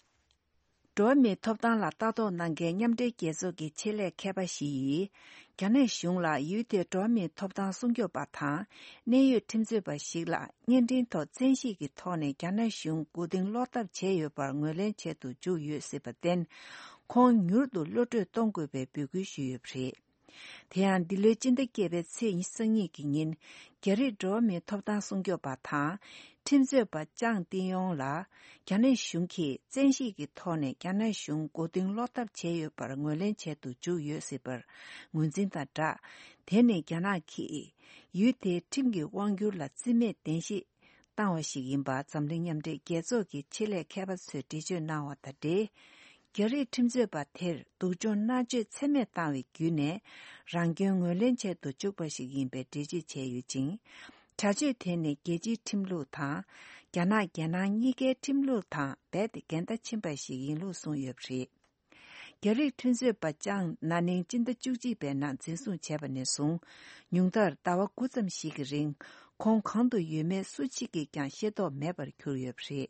འགྲོ་བ་མིའི་ཐོབ་ཐང་ལ་ལྟ་རྟོག་གནང་མཁན་མཉམ་འབྲེལ་རྒྱལ་ཚོགས་ཀྱི་ཆེད་ལས་མཁས་པ་ཞིག་གིས། རྒྱ་ནག་གཞུང་ལ་ཡུལ་དེའི་འགྲོ་བ་མིའི་ཐོབ་ཐང་སྲུང་སྐྱོབ་པ་དང་། གནད་ཡོད་ཁྲིམས་རྩོད་པ་ཞིག་ལ་བརྙན་འཕྲིན་ཐོག་བཙན་ཤེད་ཀྱི་ཐོག་ནས་རྒྱ་ནག་གཞུང་མགོ་རྟིང་སློག་ཐབས་བྱས་ཡོད་པར་ངོས་ལེན་བྱེད་དུ་བཅུག་ཡོད་སྲིད་པར་བརྟེན། ཁོང་མྱུར་དུ་གློད་གྲོལ་གཏོང་དགོས་པའི་འབོད་སྐུལ་ཞུས་ཡོད་པ་རེད། དེ་ཡང་འདི་ལོའི་སྤྱི་ཟླ་བརྒྱད་པའི་ཚེས་ཉི་ཤུ་རྩ་གཉིས་ཀྱི་ཉིན། རྒྱ་རིགས་འགྲོ་བ་མིའི་ཐོབ་ཐང་སྲུང་སྐྱོབ་པ་དང་། ཁྲིམས་རྩོད་པ་ལྕང་ཏི་ཡོང་ལ། རྒྱ་ནག་གཞུང་གིས་བཙན་ཤེད་ཀྱི་ཐོག་ནས་རྒྱ་ནག་གཞུང་མགོ་རྟིང་སློག་ཐབས་བྱས་ཡོད་པར་ངོས་ལེན་བྱེད་དུ་འཇུག་ཡོད་སྲིད་པར་ངོས་འཛིན་དང་སྦྲགས། དེ་ནི་རྒྱ་ནག་གིས་ཡུལ་དེའི་ཁྲིམས་ཀྱི་དབང་སྒྱུར་ལ་རྩིས་མེད་བདེན་བཞི་བཏང་བ་ཞིག་ཡིན་པ་འཛམ་གླིང་མཉམ་འབྲེལ་རྒྱལ་ཚོགས་ཀྱི་ཆེད་ལས་མཁས་པ་ཚོས་འགྲེལ་བརྗོད་གནང་བ་དང་འབྲེལ། རྒྱ་རིགས་ཁྲིམས་རྩོད་པ་དེར་སྡུག་སྦྱོང་མནར་གཅོད་ཚད་མེད་བཏང་བའི་བརྒྱུད་ནས་རང་སྐྱོན་ངོས་ལེན་བྱེད་དུ་བཅུག་པ་ཞིག་ཡིན་པའི་འགྲེལ་བརྗོད་བྱས་ཡོད་ཅིང་། བྱ་སྤྱོད་དེ་ནི་རྒྱལ་སྤྱིའི་ཁྲིམས་ལུགས་དང་། རྒྱ་ནག་རྒྱལ་ནང་གཉིས་ཀའི་ཁྲིམས་ལུགས་དང་རྦད་དེ་འགལ་ཟླ་ཕྱིན་པ་ཞིག་ཡིན་ལུགས་གསུངས་ཡོད་པ་རེད། རྒྱ་རིགས་ཁྲིམས་རྩོད་པ་ལྕང་ན་ནིང་སྤྱི་ཟླ་བཅུ་གཅིག་པའི་ནང་འཛིན་བཟུང་བྱས་པ་ནས་བཟུང་། ཉུང་མཐར་ཟླ་བ་དགུ་ཙམ་ཞིག་གི་རིང་ཁོང་གང་དུ་ཡོད་མེད་སུ་གཅིག་གིས་ཀྱང་ཤེས་རྟོགས་མེད་པར་གྱུར་ཡོད་པ་རེད།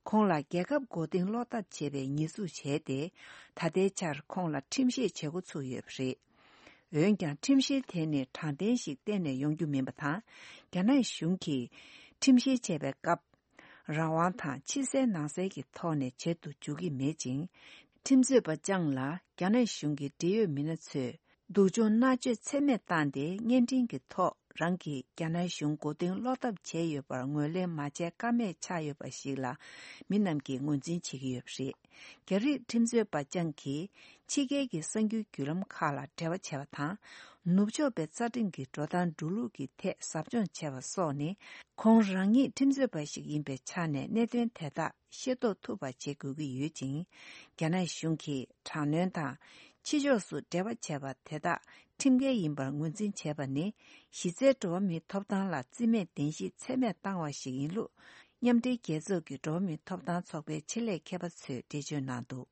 ཁོང་ལ་རྒྱལ་ཁབ་མགོ་རྟིང་སློག་ཐབས་བྱས་པའི་ཉེས་འཛུགས་བྱས་ཏེ། ད་ལྟའི་ཆར་ཁོང་ལ་ཁྲིམས་བཤེར་བྱེད་འགོ་ཚུགས་ཡོད་པ་རེད། འོན་ཀྱང་ཁྲིམས་བཤེར་དེ་ནི་དྲང་བདེན་ཞིག་གཏན་ནས་ཡོང་རྒྱུ་མིན་པ་དང་། རྒྱ་ནག་གཞུང་གིས་ཁྲིམས་བཤེར་བྱས་པའི་སྐབས། རང་དབང་དང་ཕྱི་གསལ་ནང་གསལ་གྱི་ཐོག་ནས་བྱེད་དུ་འཇུག་གི་མེད་ཅིང་། ཁྲིམས་རྩོད་པ་ལྕང་ལ་རྒྱ་ནག་གཞུང་གི་འབྲེལ་ཡོད་མི་སྣ་ཚོས་སྡུག་སྦྱོང་མནར་གཅོད་ཚད་མེད་བཏང་སྟེ། བརྙན་འཕྲིན་གྱི་ཐོག་རང་གིས་རྒྱ་ནག་གཞུང་མགོ་རྟིང་སློག་ཐབས་བྱས་ཡོད་པར་ངོས་ལེན་མ་བྱས་ཀ་མེད་ཆགས་ཡོད་པ་ཞིག་ལ། མི་རྣམས་ཀྱིས་ངོས་འཛིན་བྱེད་ཀྱི་ཡོད་པ་རེད། རྒྱ་རིགས་ཁྲིམས་རྩོད་པ་ལྕང་གིས་ཕྱི་རྒྱལ་གྱི་གསར་འགྱུར་བརྒྱུད་ལམ་ཁག་ལ་འབྲེལ་བ་བྱས་པ་དང་། ནུབ་ཕྱོགས་པའི་རྩ་ཁྲིམས་ཀྱི་འགྲོ་སྟངས་འགྲོ་ལུགས་ཀྱི་ཐད་ཟབ་སྦྱོང་བྱས་པ་སོགས་ནི། ཁོང་རང་ཉིད་ཁྲིམས་རྩོད་པ་ཞིག་ཡིན་པའི་ཆ་ནས་གནད་དོན་དེ་དག་ཤེས་རྟོགས་ཐུབ་པ་བྱེད་དགོས་ཀྱི་ཡོད་ཅིང་། རྒྱ་ནག་གཞུང་གིས་དྲག་གནོན་དང་། ཕྱི་ཕྱོགས་སུ་འབྲེལ་བ་བྱས་པ་དེ་དག་ཁྲིམས་འགལ་ཡིན་པར་ངོས་འཛིན་བྱས་པ་ནི། གཞི་རྩའི་འགྲོ་བ་མིའི་ཐོབ་ཐང་ལ་རྩིས་མེད་བདེན་བཞི་ཚད་མེད་བཏང་བ་ཞིག་ཡིན་ལུགས། མཉམ་འབྲེལ་རྒྱལ་ཚོགས་ཀྱི་འགྲོ་བ་མིའི་ཐོབ་ཐང་ཚོགས་པའི་ཆེད་ལས་མཁས་པ་ཚོས་འགྲེལ་བརྗོད་གནང་འདུག།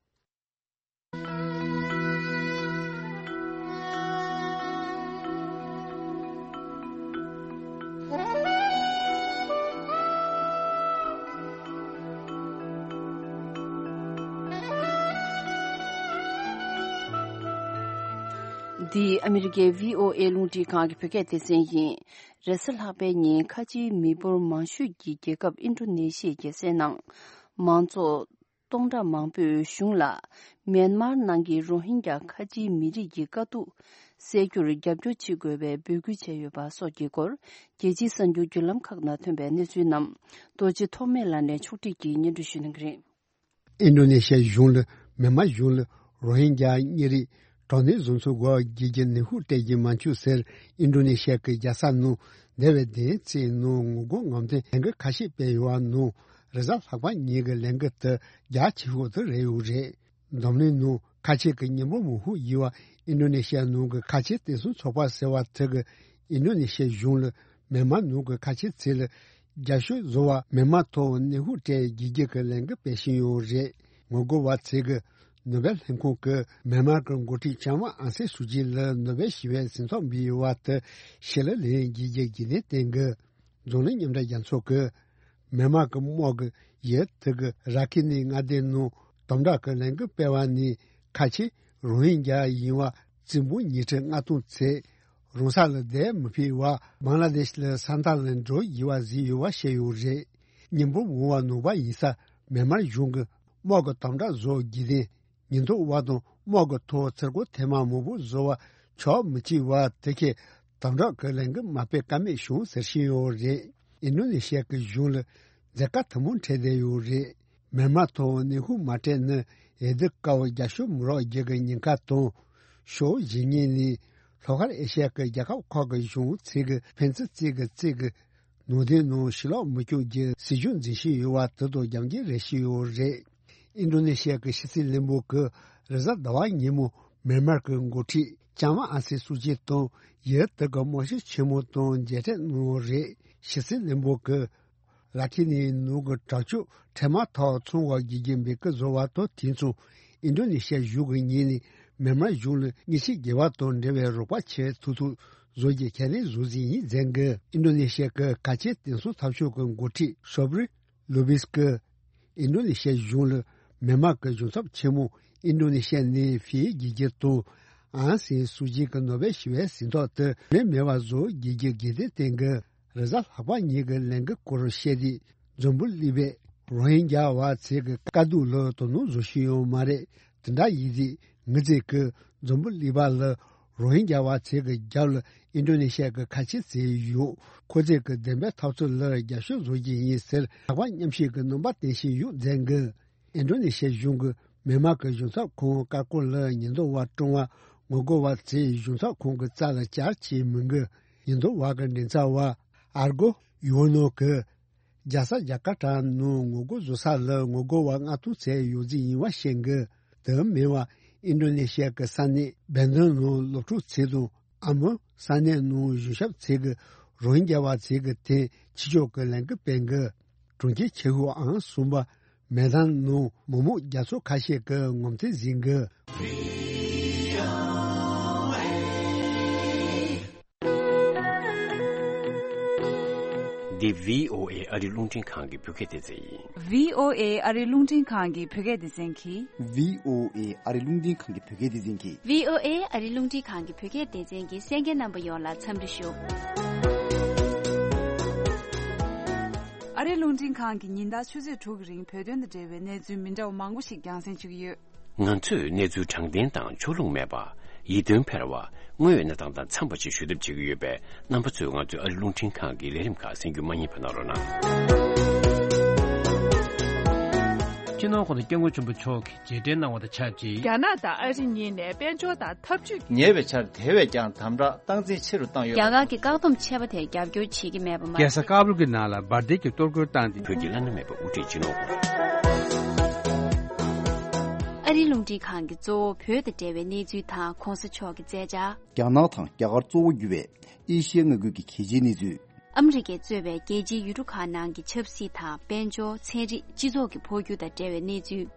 འདི་ཨ་མི་རི་ཀའི་བྷི་ཨོ་ཨེ་རླུང་འཕྲིན་ཁང་གི་བོད་སྐད་སྡེ་ཚན་ཡིན། རེས་གཟའ་ལྷག་པའི་ཉིན་ཁ་ཆེའི་མི་འབོར་མང་ཤོས་ཀྱི་རྒྱལ་ཁབ་ཨིན་ཌོ་ནེ་ཤི་ཡའི་རྒྱལ་སའི་ནང་མང་ཚོགས་སྟོང་ཕྲག་མང་པོས་གཞུང་ལ་མེན་མར་ནང་གི་རོ་ཧིན་གྱ་ཁ་ཆེའི་མི་རིགས་ཀྱི་དཀའ་སྡུག་སེལ་རྒྱུར་རྒྱབ་སྐྱོར་བྱེད་དགོས་པའི་འབོད་སྐུལ་བྱས་ཡོད་པ་སོགས་ཀྱི་སྐོར། རྒྱལ་སྤྱིའི་གསར་འགྱུར་བརྒྱུད་ལམ་ཁག་ནང་ཐོན་པའི་གནས་ཚུལ་རྣམས་རྡོ་རྗེ་ཐོགས་མེད་ལགས་ནས་ཕྱོགས་སྒྲིག་གིས་སྙན་སྒྲོན་ཞུ་གནང་གི་རེད། ཨིན་ཌོ་ནེ་ཤི་ཡ་གཞུང་ལ་མེན་མར་གཞུང་ལ་རོ་ཧིན་གྱ་གཉན་རིགས་གྲངས་ཉུང་བཟོ་ཚུལ་སྐོར་རྒྱལ་སྤྱིའི་ནུས་ཤུགས་སྤྲད་ཀྱི་མ་བཅུག་ཟེར། ཨིན་ཌོ་ནེ་ཤི་ཡ་གི་རྒྱལ་ས་ནང་འདས་པའི་བདུན་ཕྲག་གཅིག་ནང་ངོ་རྒོལ་ངོ་རྒོལ་ལས་འགུལ་ཁ་ཤས་སྤེལ་ཡོད་པ་ནང་། རེས་གཟའ་ལྷག་པ་ཉིན་གྱི་ལས་འགུལ་དེ་རྒྱ་ཆེ་ཤོས་དེ་རེད་ཡོད་རེད། འཛམ་གླིང་ནང་ཁ་ཆེ་གི་མི་འབོར་མང་ཤོས་ཡིན་པ་ཨིན་ཌོ་ནེ་ཤི་ཡ་ནང་གི་ཁ་ཆེ་བསྟན་སྲུང་ཚོགས་པ་ཟེར་བ་དེ་གིས་ཨིན་ཌོ་ནེ་ཤི་ཡ་གཞུང་ལ་མེན་མར་ནང་གི་ཁ་ཆེ་ཚོ་ལ་རྒྱབ་སྐྱོར་བཟོ་བར་མེན་མར་ཐོག་ནུས་ཤུགས་སྤྲད་རྒྱུ་གི་ལས་འགུལ་སྤེལ་བཞིན་ཡོད་རེད། ངོ་རྒོལ་བ་ཚོས་ཀྱིས་ནོ་བེལ་ལྷན་ཁང་གིས་མེན་མར་གྱི་འགོ་ཁྲིད་ལྕམ་ཨང་སན་སུའུ་ཅི་ལ་ནོ་བེལ་ཞི་བའི་གཟེངས་རྟགས་འབུལ་ཡོད་པ་དེ་ཕྱིར་ལེན་རྒྱུ་གི་རྒྱུ་མཚན་བསྟན་གྱི། འཛམ་གླིང་མཉམ་འབྲེལ་རྒྱལ་ཚོགས་ཀྱིས་མེན་མར་གྱི་དམག་གིས་ཡུལ་དེ་གི་ར་ཁི་ནི་མངའ་སྡེ་ནང་དམ་དྲག་གི་ལས་འགུལ་སྤེལ་བ་ནི། ཁ་ཆེ་རོ་ཧིན་གྱ་ཡིན་པ་བཙུན་པོ་ཉིས་ཁྲི་ལྔ་སྟོང་ཚོས་རང་ས་ལ་བསྡད་མི་ཕོད་པར་བང་ལ་དེཤ་ལ་ས་མཐའ་ལ་འགྲོ་དགོས་པ་བཟོས་ཡོད་པ་བཤད་ཡོད་རེད། མི་འབོར་མང་བ་ནང་པ་ཡིན་ས་མེན་མར་གཞུང་གིས་དམག་གི་དམ་དྲག་བཟོ་རྒྱུ་དེ། ཉེན་རྟོག་པ་དང་དམག་གི་ཐོག་ཚུར་རྒོལ་ཐེངས་མ་མང་པོ་བཟོ་བ་ཆོག་མི་བྱེད་པ་དེ་གིས་དམ་དྲག་གི་ལས་འགུལ་མ་སྤེལ་ཀ་མེད་བྱུང་ཟེར་བཞིན་ཡོད་རེད། ཨིན་ཌོ་ནེ་ཤི་ཡ་གི་གཞུང་ལ་མཛད་དཀའ་ཐུན་མོང་འཕྲད་བསྡད་ཡོད་རེད། མེན་མར་ཐོག་ནུས་ཤུགས་མ་སྤྲད་ན་འོས་བསྡུ་སྐབས་རྒྱབ་སྐྱོར་མི་རག་རྒྱུ་གི་ཉེན་ཁ་དང་། ཕྱོགས་གཞན་ཉིད་ནས་ལྷོ་ཤར་ཨེ་ཤི་ཡ་གི་རྒྱལ་ཁབ་ཁག་གི་གཞུང་ཚོས་ཀྱིས་ཕན་ཚུན་རྩོད་ཀྱི་རྩོད་ཀྱི་ནང་དོན་ནང་ཕྱིར་ལོག་མི་བཅུག་རྒྱུ་སྲིད་ཇུས་འཛིན་བཞིན་ཡོད་པ་དེ་དང་རྒྱབ་འགལ་རེད་བཤད་ཡོད་རེད། ཨིན་ཌོ་ནེ་ཤི་ཡ་གི་ཕྱི་སྲིད་བློན་པོ་གིས་རེས་གཟའ་ཟླ་བ་ཉིན་མོ་མེན་མར་གྱི་འགོ་ཁྲིད་ལྕམ་ཨང་སན་སུའུ་ཅི་དང་ཡུལ་དེ་གི་དམག་སྤྱི་ཆེན་མོ་དང་མཇལ་འཕྲད་གནང་ཡོད་རེད། ཕྱི་སྲིད་བློན་པོ་གིས་ར་ཁི་ནི་ནང་གི་དྲག་སྤྱོད་འཕྲལ་མ་ཐག་ཚང་བ་དགོས་རྒྱུ་འབོད་སྐུལ་བཟོ་བ་དང་། དེ་མཚུངས་ཨིན་ཌོ་ནེ་ཤི་ཡ་གཞུང་གི་ངོས་ནས་མེན་མར་གཞུང་ལ་མི་ཆོས་དགེ་བ་དང་འབྲེལ་བའི་རོགས་པ་བྱེད་ཐུབ་ཐུབ་བཟོ་རྒྱུ་ཁས་ལེན་བཟོ་རྩིས་ཡིན་ཟེར་གི། ཨིན་ཌོ་ནེ་ཤི་ཡ་གི་ཁ་ཆེ་བསྟན་སྲུང་འཐབ་ཕྱོགས་ཀྱི་འགོ་ཁྲིད་ཤོབ་རི་ལུ་བིས་ཀྱིས་ཨིན་ཌོ་ནེ་ཤི་ཡ་གཞུང་ལ་མེན་མར་གྱི་གཞུང་ཚབ་ཆེན་མོ་ཨིན་ཌོ་ནེ་ཤི་ཡ་ནས་ཕུད་རྒྱུ་དང་། ཨང་སན་སུའུ་ཅི་གི་ནོ་བེལ་ཞི་བའི་གཟེངས་རྟགས་དེ་ལེན་མེད་པ་བཟོ་རྒྱུ་གི་འགལ་ཟླ་བསྟན་གི། རེས་གཟའ་ལྷག་པ་ཉིན་གྱི་ལས་འགུལ་སྐོར་བཤད་དུས། འཛམ་བུ་གླིང་པས་རོ་ཧིན་གྱ་བ་ཚོའི་དཀའ་སྡུག་ལ་དོ་སྣང་བཟོ་བཞིན་ཡོད་མ་རེད། དེ་འདྲ་ཡིན་དུས་ངེད་ཚོས་ཀྱིས་འཛམ་བུ་གླིང་པ་ལ་ རོ་ཧིན་རྒྱ་བ་ཚོའི་གི་རྒྱབ་ལ་ཨིན་ཌོ་ནེ་ཤི་ཡ་གི་ཁ་ཆེ་ཚོས་ཡོད། ཁོ་ཚོས་གི་བདེན་པའི་འཐབ་རྩོད་ལ་རྒྱབ་སྐྱོར་བཟོ་རྒྱུ་ཡིན་ཟེར་ལྷག་པར་མཉམ་ཞུགས་གི་རྣམ་པ་སྟོན་བཞིན་ཡོད་ཟེར་གི། ཨིན་ཌོ་ནེ་ཤི་ཡ་གཞུང་གི་མི་དམངས་ཀྱི་གཞུང་ཚབ་ཁང་བཀའ་བཀོད་ལ་ཉེན་རྟོག་པ་བཀྲོངས་པ་ངོ་རྒོལ་བ་ཚོས་གཞུང་ཚབ་ཁང་གི་རྩ་ལ་བཅར་བྱས་མི་འགི། ཉེན་རྟོག་པ་གི་མགྲིན་ཚབ་པ་ཨར་གོ་ཡོ་ནོ་གིས། རྒྱལ་ས་ཇ་ཀར་ཏ་ནང་ངོ་རྒོལ་བཟོ་ས་ལ་ངོ་རྒོལ་བ་ལྔ་སྟོང་ཙམ་ཡོད་རྫས་ཡིན་པ་བཤད་འགི། དེ་མིན་པ་ཨིན་ཌོ་ནེ་ཤི་ཡ་གི་ས་གནས་བན་དན་ནང་སློབ་ཕྲུག་ཚོས་དང་ཨ་མོན་ས་གནས་ནང་གཞུང་ཞབས་ཚོས་གི་རོ་ཧིན་རྒྱ་བ་ཚོས་གི་ཐེངས་ཕྱི་ཕྱོགས་གི་ལས་འགུལ་སྤེལ་འགི། གྲོང་ཁྱེར་ཆེ་ཤོས་ཨང་གསུམ་པ་མེ་དན་ནང་མི་མང་རྒྱ་མཚོ་ཁ་ཤས་ཀྱི་ངོ་མཚར་ཟིན་གི། འདི་བྷི་ཨོ་ཨེ་ཨ་རི་རླུང་འཕྲིན་ཁང་གི་བོད་སྐད་སྡེ་ཚན་ཡིན། བྷི་ཨོ་ཨེ་ཨ་རི་རླུང་འཕྲིན་ཁང་གི་བོད་སྐད་སྡེ་ཚན་གྱིས། བྷི་ཨོ་ཨེ་ཨ་རི་རླུང་འཕྲིན་ཁང་གི་བོད་སྐད་སྡེ་ཚན་གྱིས། བྷི་ཨོ་ཨེ་ཨ་རི་རླུང་འཕྲིན་ཁང་གི་བོད་སྐད་སྡེ་ཚན་གྱི་གསན་མཁན་རྣམ་པ་ཡོངས་ལ་འཚམས་འདྲི་ཞུ། ཨ་རི་རླུང་འཕྲིན་ཁང་གིས་ཉིན་ལྟར་ཆུ་ཚོད་དྲུག་གི་རིང་བོད་དོན་དང་འབྲེལ་བའི་གནས་ཚུལ་མི་འདྲ་བ་མང་པོ་ཞིག་རྒྱང་སྲིང་བྱེད་ཀྱི་ཡོད། ང་ཚོས་གནས་ཚུལ་དྲང་བདེན་དང་ཕྱོགས་ལྷུང་མེད་པ། ཡིད་རྟོན་འཕེར་བ། དངོས་ཡོད་གནས་སྟངས་དང་འཚམས་པ་ཞིག་ཞུ་ཐབས་བྱེད་ཀྱི་ཡོད་པས། རྣམ་པ་ཚོས་ང་ཚོའི་ཨ་རི་རླུང་འཕྲིན་ཁང་གི་ལས་རིམ་ཁག་གསན་རྒྱུ་མ་བསྙེལ་བ་གནང་རོགས་གནང་། སྤྱི་ནོར་༸གོང་ས་༸སྐྱབས་མགོན་ཆེན་པོ་མཆོག་གིས་རྗེས་དྲན་གནང་བ་དང་ཆབས་ཅིག་རྒྱ་ནག་དང་ཨ་རི་གཉིས་ནས་དཔལ་འབྱོར་དང་འཐབ་ཇུས། ཉེ་བའི་ཆར་དེ་བས་ཀྱང་དམ་དྲག་སྟངས་འཛིན་ཆེ་རུ་བཏང་ཡོད་པ་རེད། རྒྱ་གར་གྱི་བཀག་སྡོམ་ཆད་པ་དེར་རྒྱབ་སྐྱོར་བྱེད་ཀྱི་མེད་པ་མ་རྒྱལ་ས་ཀ་བུལ་གྱི་ནང་ལ་འབར་མདེལ་གྱི་གཏོར་རྒོལ་བཏང་སྟེ། བོད་ཀྱི་བླ་ན་མེད་པའི་དབུ་ཁྲིད་སྤྱི་ནོར་ཨ་རིའི་རླུང་འཕྲིན་ཁང་གིས་གཙོ་བོ་བོད་དང་འབྲེལ་བའི་གནས་ཚུལ་དང་༸གོང་ས་མཆོག་གི་མཛད་འཆར། རྒྱ་ནག་དང་རྒྱ་གར་གཙོ་བོ་གྱུར་བའི་ཨེ་ཤི་ཡའི་མངའ་ཁུལ་གྱི་གལ་ཆེའི་གནས་ཚུལ། ཨ་མི་རི་ཀས་གཙོས་པའི་རྒྱལ་སྤྱིའི་ཡུལ་གྲུ་ཁག་ནང་གི་ཆབ་སྲིད་དང་དཔལ་འབྱོར། ཚན་རིག་སྤྱི་ཚོགས་ཀྱི་འཕོ་འགྱུར་དང་འབྲེལ་བའི་གནས་ཚུལ།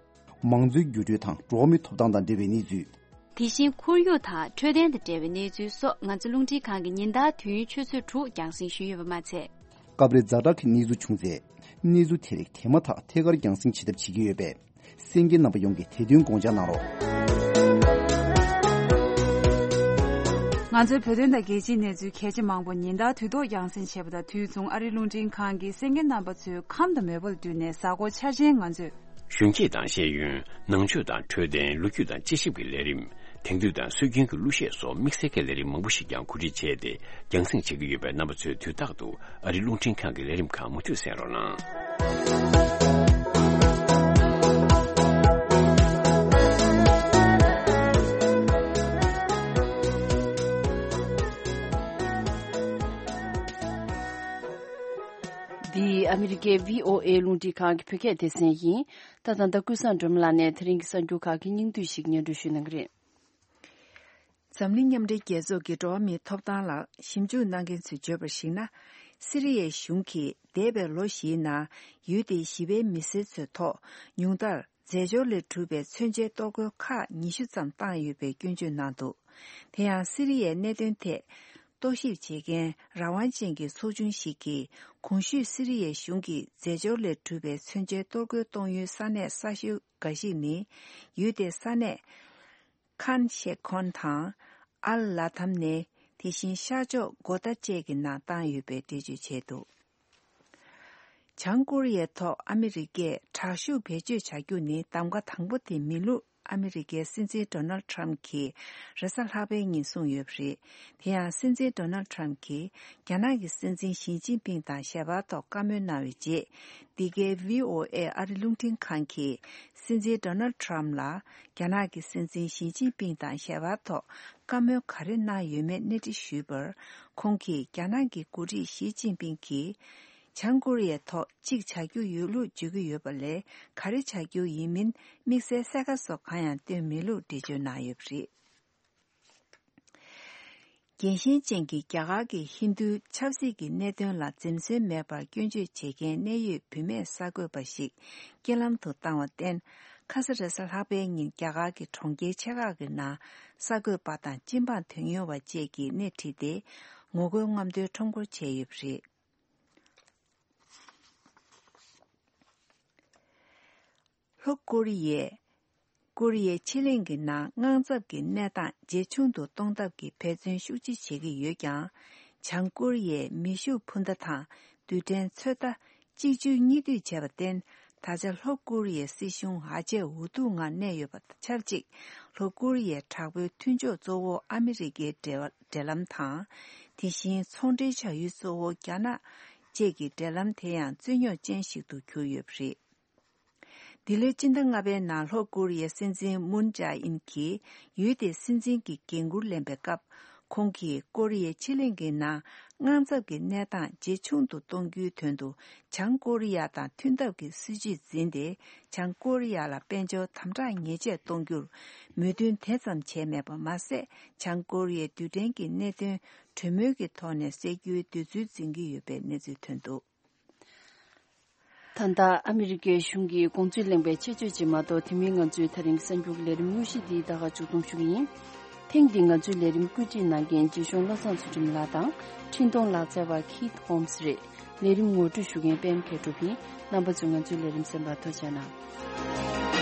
མང་གཙོའི་འགྱུར་འགྲོས་དང་འགྲོ་བ་མིའི་ཐོབ་ཐང་དང་འབྲེལ་བའི་གནས་ཚུལ། དེ་བཞིན་ཁོར་ཡུག་དང་འཕྲོད་བསྟེན་དང་འབྲེལ་བའི་གནས་ཚུལ་སོགས་ང་ཚོ་རླུང་འཕྲིན་ཁང་གིས་ཉིན་ལྟར་དུས་ཡུན་ཆུ་ཚོད་དྲུག་རྒྱང་སྲིང་ཞུས་ཡོད་པ་མ་ཚད། སྐབས་རེ་ཛ་དྲག་གི་གནས་ཚུལ་བྱུང་ཚེ། གནས་ཚུལ་དེ་རིགས་དེ་མ་ཐག་ཐད་ཀར་རྒྱང་སྲིང་བྱེད་ཐབས་བྱེད་ཀྱི་ཡོད་པས། གསན་མཁན་རྣམ་པ་ཡོངས་ཀྱིས་དེ་དོན་དགོངས་འཇགས་གནང་རོགས། ང་ཚོའི་བོད་དོན་དང་རྒྱལ་སྤྱིའི་གནས་ཚུལ་གལ་ཆེ་མང་པོ་ཉིན་ལྟར་དུས་ཐོག་རྒྱང་སྲིང་བྱེད་པ་དང་དུས་མཚུངས་ཨ་རིའི་རླུང་འཕྲིན་ཁང་གིས་གསན་མཁན་རྣམ་པ་ཚོའི་ཁམས་དང་མོས་པ་ལ་བསྟུན་ནས་གཟའ་འཁོར་འཆར་ཅན་ང་ཚོས། གཞོན་སྐྱེས་དང་ཤེས་ཡོན། ནང་ཆོས་དང་འཕྲོད་བསྟེན། ལོ་རྒྱུས་དང་དཔྱད་ཞིབ་ཀྱི་ལས་རིམ། དེང་དུས་དང་སྲོལ་རྒྱུན་གྱི་གླུ་གཞས་སོགས་དམིགས་བསལ་གྱི་ལས་རིམ་མང་པོ་ཞིག་ཀྱང་གོ་སྒྲིག་བྱས་ཏེ་རྒྱང་སྲིང་བྱེད་ཀྱི་ཡོད་པས། རྣམ་པ་ཚོས་དུས་རྟག་ཏུ་ཨ་རིའི་རླུང་འཕྲིན་ཁང་གི་ལས་རིམ་ཁག་མུ་མཐུད་གསན་རོགས་གནང་། འདི་ཨ་མི་རི་ཀའི་བྷི་ཨོ་ཨེ་རླུང་འཕྲིན་ཁང་གི་བོད་སྐད་སྡེ་ཚན་ཡིན། ད་ད་ལྟ་ཀུན་བཟང་སྒྲོལ་མ་ལགས་ནས་དེ་རིང་གི་གསར་འགྱུར་ཁག་གི་སྙིང་བསྡུས་ཤིག་སྙན་སྒྲོན་ཞུ་གནང་གི་རེད། འཛམ་གླིང་མཉམ་འབྲེལ་རྒྱལ་ཚོགས་ཀྱི་འགྲོ་བ་མིའི་ཐོབ་ཐང་ལ་ཞིབ་འཇུག་གནང་མཁན་ཚོས་བརྗོད་པར་གཞིགས་ན། སི་རི་ཡའི་གཞུང་གིས་འདས་པའི་ལོ་བཞིའི་ནང་ཡུལ་དེའི་ཞི་བའི་མི་སེར་ཚོའི་ཐོག་ཉུང་མཐར་རྫས་སྦྱོར་ལས་གྲུབ་པའི་མཚོན་ཆའི་གཏོར་རྒོལ་ཁག་ཉི་ཤུ་ཙམ་བཏང་ཡོད་པའི་སྐྱོན་བརྗོད་གནང་འདུག་དེ་ཡང་སི་རི་ཡའི་གནད་དོན་ཐད་རྟོག་ཞིབ་བྱེད་མཁན་རང་དབང་ཅན་གྱི་ཚོགས་ཆུང་ཞིག་གིས་གོང་ཞུས་སི་རི་ཡའི་གཞུང་གིས་རྫས་སྦྱོར་ལས་གྲུབ་པའི་མཚོན་ཆའི་གཏོར་རྒོལ་གཏོང་ཡུལ་ས་གནས་གསར་ཤོས་འགའ་ཞིག་ནི། ཡུལ་དེའི་ས་གནས་ཁཱན་ཤེ་ཁོན་དང་ཨལ་ལ་ཐམ་ནེ། དེ་བཞིན་ཤར་ཕྱོགས་གོ་ཏ་བཅས་ཀྱི་ནང་བཏང་ཡོད་པའི་འགྲེལ་བརྗོད་བྱས་འདུག་བྱང་ཀོ་རི་ཡའི་ཐོག་ཨ་མི་རི་ཀས་དྲག་ཤུགས་བེད་སྤྱོད་བྱ་རྒྱུ་ནི་གདམ་ག་དང་པོ་དེ་མིན་ལུགས་ཨ་མི་རི་ཀའི་སྲིད་འཛིན་ཌོ་ནལ་ཊམ་གྱིས་རེས་གཟའ་ལྷག་པའི་ཉིན་གསུངས་ཡོད་པ་རེད། དེ་ཡང་སྲིད་འཛིན་ཌོ་ནལ་ཊམ་གྱིས་རྒྱ་ནག་གི་སྲིད་འཛིན་ཞི་ཅིན་ཕིང་དང་ཞལ་པར་ཐོག་བཀའ་མོལ་གནང་བའི་རྗེས། འདི་གའི་བྷི་ཨོ་ཨེ་ཨ་རི་རླུང་འཕྲིན་ཁང་གིས་སྲིད་འཛིན་ཌོ་ནལ་ཊམ་ལ་རྒྱ་ནག་གི་སྲིད་འཛིན་ཞི་ཅིན་ཕིང་དང་ཞལ་པར་ཐོག་བཀའ་མོལ་ག་རེ་གནང་ཡོད་མེད་གནས་འདྲི་ཞུས་པར། ཁོང་གིས་རྒྱ་ནག་གི་འགོ་ཁྲིད་ཞི་ཅིན་ཕིང་གིས། བྱང་ཀོ་རི་ཡའི་ཐོག་གཅིག་བྱ་རྒྱུ་ཡོད་ལུགས་བརྗོད་ཀྱི་ཡོད་པ་ལས། ག་རེ་བྱ་རྒྱུ་ཡིན་མིན་དམིགས་བསལ་གསལ་ཁ་སོགས་གང་ཡང་བཏོན་མེད་ལུགས་འགྲེལ་བརྗོད་གནང་ཡོད་པ་རེད། རྒྱལ་ཞེན་ཅན་གྱི་རྒྱ་གར་གྱི་ཧིན་རྡུའི་ཆབ་སྲིད་ཀྱི་གནད་དོན་ལ་འཛེམ་ཟོན་མེད་པར་སྐྱོན་བརྗོད་བྱེད་མཁན་གནད་ཡོད་བུད་མེད་གསར་འགོད་པ་ཞིག་རྐྱེན་ལམ་དུ་བཏང་བར་བརྟེན། ཁ་ས་རེས་གཟའ་ལྷག་པའི་ཉིན་རྒྱ་གར་གྱི་གྲོང་ཁྱེར་ཆེ་ཁག་གི་ནང་གསར་འགོད་པ་དང་སྤྱི་འབངས་དོན་གཉེར་བ་བཅས་ཀྱིས་སྣེ་ཁྲིད་དེ་ངོ་རྒོལ་རྔམ་སྟོན་ཁྲོམ་སྐོར་བྱས་ཡོད་པ་རེད། ལྷོ་ཀོ་རི་ཡས། ཀོ་རི་ཡའི་ཕྱེད་གླིང་གི་ནང་དངངས་འཚབ་ཀྱི་གནས་སྟངས་ཇེ་ཆུང་དུ་གཏོང་ཐབས་ཀྱི་འབད་བརྩོན་ཤུགས་ཆེ་བྱེད་ཀྱི་ཡོད་ཀྱང་། བྱང་ཀོ་རི་ཡས་མེ་ཤུགས་འཕུར་མདའ་དང་རྡུལ་ཕྲན་ཚོད་ལྟ་གཅིག་མཇུག་གཉིས་མཐུད་བྱས་པར་བརྟེན། ད་ཆ་ལྷོ་ཀོ་རི་ཡའི་སྲིད་གཞུང་ཨ་ཅེ་འུ་ཐུག་ངང་གནས་ཡོད་པ་དང་ཆབས་ཅིག་ལྷོ་ཀོ་རི་ཡའི་དྲག་པོའི་མཐུན་ཕྱོགས་གཙོ་བོ་ཨ་མི་རི་ཀའི་འབྲེལ་འབྲེལ་ལམ་དང་། དེ་བཞིན་ཚོང་འབྲེལ་བྱ་ཡུལ་གཙོ་བོ་རྒྱ་ནག་བཅས་ཀྱི་འབྲེལ་ལམ་དེ་ཡང་རྩོད་རྙོག་ཅན་ཞིག་ཏུ་གྱུར་ཡོད་པ་རེད། འདི་ལོའི་སྤྱི་ཟླ་ལྔ་པའི་ནང་ལྷོ་ཀོ་རི་ཡའི་སྲིད་འཛིན་མུན་ཇཱ་ཨིན་གྱིས་ཡུལ་དེའི་སྲིད་འཛིན་གྱི་འགན་འཁུར་ལེན་པའི་སྐབས། ཁོང་གིས་ཀོ་རི་ཡའི་ཕྱེད་གླིང་གི་ནང་དངངས་འཚབ་ཀྱི་གནས་སྟངས་ཇེ་ཆུང་དུ་གཏོང་རྒྱུའི་དོན་དུ། བྱང་ཀོ་རི་ཡ་དང་མཐུན་ཐབས་ཀྱི་སྲིད་ཇུས་འཛིན་ཏེ། བྱང་ཀོ་རི་ཡ་ལ་དཔལ་འབྱོར་དམ་དྲག་ཉེས་ཆད་གཏོང་རྒྱུར་མོས་མཐུན་དེ་ཙམ་བྱས་མེད་པ་མ་ཟད། བྱང་ཀོ་རི་ཡའི་རྡུལ་ཕྲན་གྱི་གནད་དོན་གྲོས་མོལ་གྱི་ཐོག་ནས་སེལ་རྒྱུའི་འདོད་ཚུལ་འཛིན་གྱི་ཡོད་པའི་གནས་ཚུལ་ཐོན་འདུག། ད་ལྟ་ཨ་མི་རི་ཀའི་གཞུང་གིས་དགོངས་ཚུལ་གླེང་བའི་ཆེད་བརྗོད་ཅིག་མ་གཏོགས། དེ་མིན་ང་ཚོའི་ད་རིང་གསར་འགྱུར་ལས་རིམ་དངོས་གཞི་འདི་ད་ག་མཇུག་བསྡོམས་ཞུ་གི་ཡིན། ཐེངས་འདིའི་ང་ཚོའི་ལས་རིམ་བཀོད་སྒྲིག་གནང་མཁན་རྗེ་གཞུང་བློ་བཟང་ཚུལ་ཁྲིམས་ལགས་དང་། འཕྲིན་གཏོང་ལག་རྩལ་བ་ཁིད་ཧོམ་སི་རེད། ལས་རིམ་ངོ་སྤྲོད་ཞུ་མཁན་པད་མ་མཁས་གྲུབ་ཡིན། རྣམ་པ་ཚོས་ང་ཚོའི་ལས་རིམ་གསན་པར་ཐུགས་རྗེ་གནང་།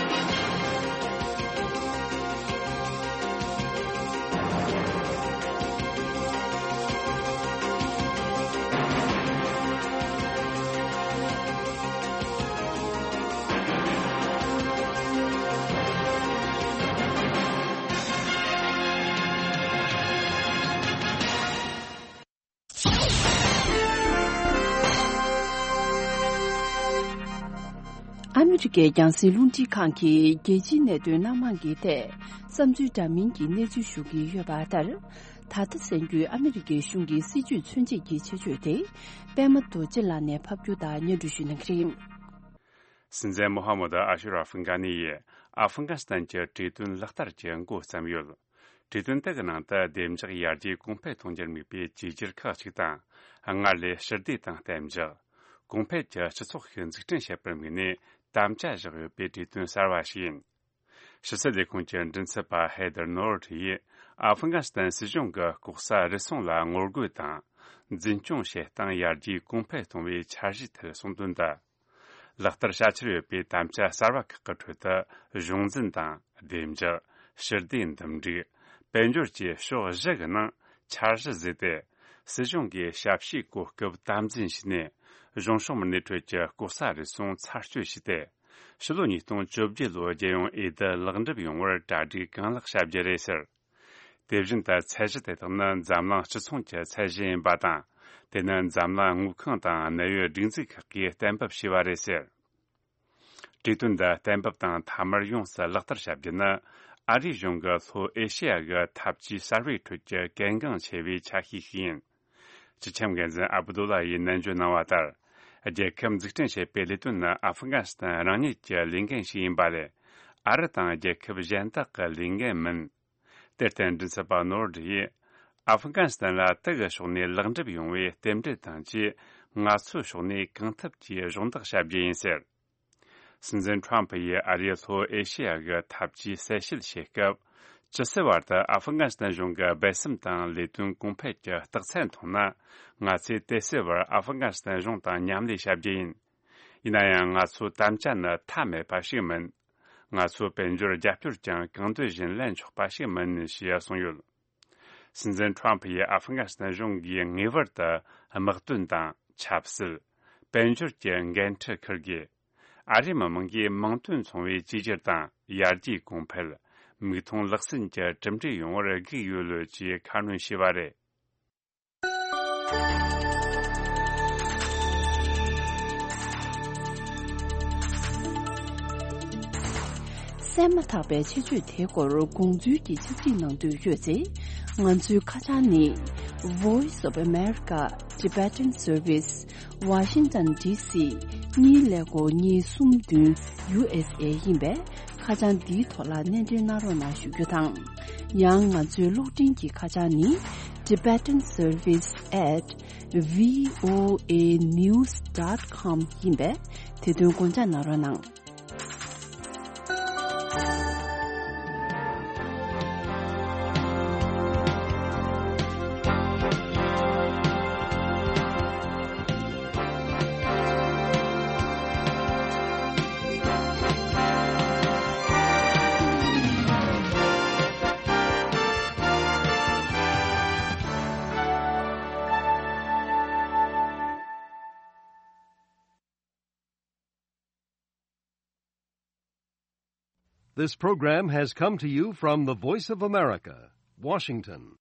ཨ་མི་རི་ཀའི་རྒྱང་སྲིང་རླུང་འཕྲིན་ཁང་གིས་རྒྱལ་སྤྱིའི་གནད་དོན་སྣ་མང་གི་ཐད་བསམ་ཚུལ་འདྲ་མིན་གྱི་གནས་ཚུལ་ཞུ་གི་ཡོད་པ་ལྟར། ད་ལྟ་གསན་རྒྱུའི་ཨ་མི་རི་ཀའི་གཞུང་གི་སྲིད་ཇུས་མཚོན་བྱེད་ཀྱི་ཆེད་བརྗོད་དེ། པད་མ་རྡོ་རྗེ་ལགས་ནས་ཕབ་སྒྱུར་དང་སྙན་སྒྲོན་ཞུ་གནང་གི་རེད། སྲིད་འཛིན་མོ་ཧ་མུ་ད་ཨ་ཤུ་ར་ཨ་ཧྥི་གྷ་ནི་ཡིས་ཨ་ཧྥི་གྷ་སི་ཐན་གྱི་གྲོས་མཐུན་ལག་བསྟར་གྱི་འགོ་བརྩམས་ཡོད། གྲོས་མཐུན་དེ་གི་ནང་དུ་བདེ་འཇགས་ཡར་རྒྱས་གོང་འཕེལ་གཏོང་རྒྱུར་དམིགས་པའི་བཅོས་སྒྱུར་ཁག་ཅིག་དང་། སྔར་ལས་ཞི་བདེ་དང་གཏན་འཇགས། གོང་འཕེལ་གྱི་སྤྱི་ཚོགས་ཤིག་འཛུགས་སྐྲུན་བྱེད་པར་དམིགས་ནས་དམ་བཅའ་བཞག་ཡོད་པའི་གྲོས་མཐུན་གསར་བ་ཞིག་ཡིན། ཕྱི་སྲིད་ལས་ཁུངས་ཀྱི་མགྲིན་ཚབ་པ་ཧེ་དར་ནོར་ཡིས་ཨ་ཧྥི་གྷ་སི་ཐན་སྲིད་གཞུང་གི་ལྐོག་ཟ་རུལ་སུངས་ལ་ངོ་རྒོལ་དང་། འཛིན་སྐྱོང་བྱེད་སྟངས་ཡར་རྒྱས་གོང་འཕེལ་གཏོང་བའི་འཆར་གཞིའི་ཐད་གསུངས་དོན་དུ། ལག་བསྟར་བྱ་འཆར་ཡོད་པའི་དམ་བཅའ་གསར་བ་ཁག་གི་ཁྲོད་དུ། གཞུང་འཛིན་དང་། བདེ་འཇགས། ཞི་བདེ་འདུམ་འགྲིག། དཔལ་འབྱོར་བཅས་ཕྱོགས་བཞི་གི་ནང་འཆར་གཞི་བཟོས་ཏེ། སྲིད་གཞུང་གིས་ཞབས་ཞུའི་གོ་སྐབས་དམ་འཛིན་བྱས་ནས། གཞུང་ཕྱོགས་མི་སྣའི་ཁྲོད་ཀྱི་ལྐོག་ཟ་རུལ་སུངས་ཚར་གཅོད་བྱས་ཏེ། ཕྱི་ལོ་ཉིས་སྟོང་བཅོ་བརྒྱད་ལོའི་རྒྱལ་ཡོངས་འོས་བསྡུ་ལེགས་འགྲུབ་ཡོང་བར་གྲ་སྒྲིག་གང་ལེགས་བྱ་རྒྱུ་རེད་ཟེར། དེ་བཞིན་དུ་ཚད་གཞི་དེ་དག་ནི་འཛམ་གླིང་སྤྱི་ཚོགས་ཀྱི་ཚད་གཞི་ཡིན་པ་དང་། དེ་ནི་འཛམ་གླིང་དངུལ་ཁང་དང་གནད་ཡོད་སྒྲིག་འཛུགས་ཁག་གིས་གཏན་འབེབས་བྱས་པ་རེད་ཟེར། གྲོས་མཐུན་འདི་གཏན་འབེབས་དང་མཐའ་མར་ཡོངས་སུ་ལག་བསྟར་བྱ་རྒྱུ་ནི། ཨ་རིའི་གཞུང་གི་ལྷོ་ཨེ་ཤེ་ཡ་གི་འཐབ་ཇུས་གསར་བའི་ཁྲོད་ཀྱི་གལ་འགངས་ཆེ་བའི་ཆ་ཤས་ཤིག་ཡིན། སྤྱི་ཁྱབ་འགན་འཛིན་ཨབ་དུ་ལ་ཡིས་ནན་བརྗོད་གནང་བ་ལྟར། རྒྱལ་ཁབ་འཛུགས་སྐྲུན་བྱེད་པའི་ལས་དོན་ནི་ཨ་ཧྥི་གྷ་སི་ཐན་རང་ཉིད་ཀྱི་ལས་འགན་ཞིག་ཡིན་པ་ལས། ཨ་རི་དང་རྒྱལ་ཁབ་གཞན་དག་གི་ལས་འགན་མིན། དེར་བརྟེན་མགྲིན་ཚབ་པ་ནོར་ཌི་ཡིས། ཨ་ཧྥི་གྷ་སི་ཐན་ལ་དེ་གི་ཕྱོགས་ནས་ལེགས་འགྲུབ་ཡོང་བའི་རྟེན་འབྲེལ་དང་བཅས། ང་ཚོའི་ཕྱོགས་ནས་གང་ཐུབ་ཀྱིས་གཞོགས་འདེགས་བྱ་རྒྱུ་ཡིན་ཟེར། སྲིད་འཛིན་ཁྲོམ་ཕུ་ཡིས་ཨ་རིས་ལྷོ་ཨེ་ཤེ་ཡ་གི་འཐབ་ཇུས་གསལ་བཤད་བྱེད་སྐབས། ཇི་སྲིད་བར་དུ་ཨ་ཧྥི་གྷ་སི་ཐན་གཞུང་གི་སྦས་གསང་དང་ལས་དོན་གོང་འཕེལ་གྱི་རྟགས་མཚན་མཐོང་ན། ང་ཚོས་དེ་སྲིད་བར་ཨ་ཧྥི་གྷ་སི་ཐན་གཞུང་དང་མཉམ་ལས་བྱ་རྒྱུ་ཡིན། ཡིན་ན་ཡང་ང་ཚོའི་དམ་བཅའ་ནི་མཐའ་མེད་པ་ཞིག་མིན། ང་ཚོའི་དཔལ་འབྱོར་རྒྱབ་སྐྱོར་ཀྱང་གང་འདོད་བཞིན་ལེན་ཆོག་པ་ཞིག་མིན་ཞེས་གསུངས་ཡོད། སྲིད་འཛིན་ཁྲོམ་ཕུ་ཡིས་ཨ་ཧྥི་གྷ་སི་ཐན་གཞུང་གིས་ངེས་པར་དུ་དམག་དོན་དང་ཆབ་སྲིད། དཔལ་འབྱོར་གྱི་འགན་འཁྲི་འཁུར་དགོས། ཨ་རིའི་མི་དམངས་ཀྱིས་མིང་དོན་མཚུངས་པའི་བཅོས་སྒྱུར་དང་ཡར་རྒྱས་གོང་འཕེལ། མིག་མཐོང་ལག་ཟིན་གྱི་གྲུབ་འབྲས་ཡོང་བར་སྒུག་ཡོད་ལོས་ཀྱིས་ཁ་སྣོན་བྱས་པ་རེད། གསན་མ་ཐག་པའི་ཆེད་བརྗོད་དེའི་སྐོར་དགོངས་ཚུལ་གྱི་ཕྱག་བྲིས་གནང་འདོད་ཡོད་ཚེ། ང་ཚོའི་ཁ་བྱང་ནི། Voice of America Tibetan Service Washington D C གཉིས་ཀླད་ཀོར་གཉིས་གསུམ་བདུན་U S A ཡིན་པས། ཁ་བྱང་འདིའི་ཐོག་ལ་སྣེ་འདྲེན་གནང་རོགས་གནང་ཞུ་རྒྱུ་དང་། ཡང་ང་ཚོའི་གློག་འཕྲིན་གྱི་ཁ་བྱང་ནི། Tibetan Service at V O A news dot com ཡིན་པས། དེ་དོན་དགོངས་འཇགས་གནང་རོགས་གནང་། This program has come to you from the Voice of America, Washington.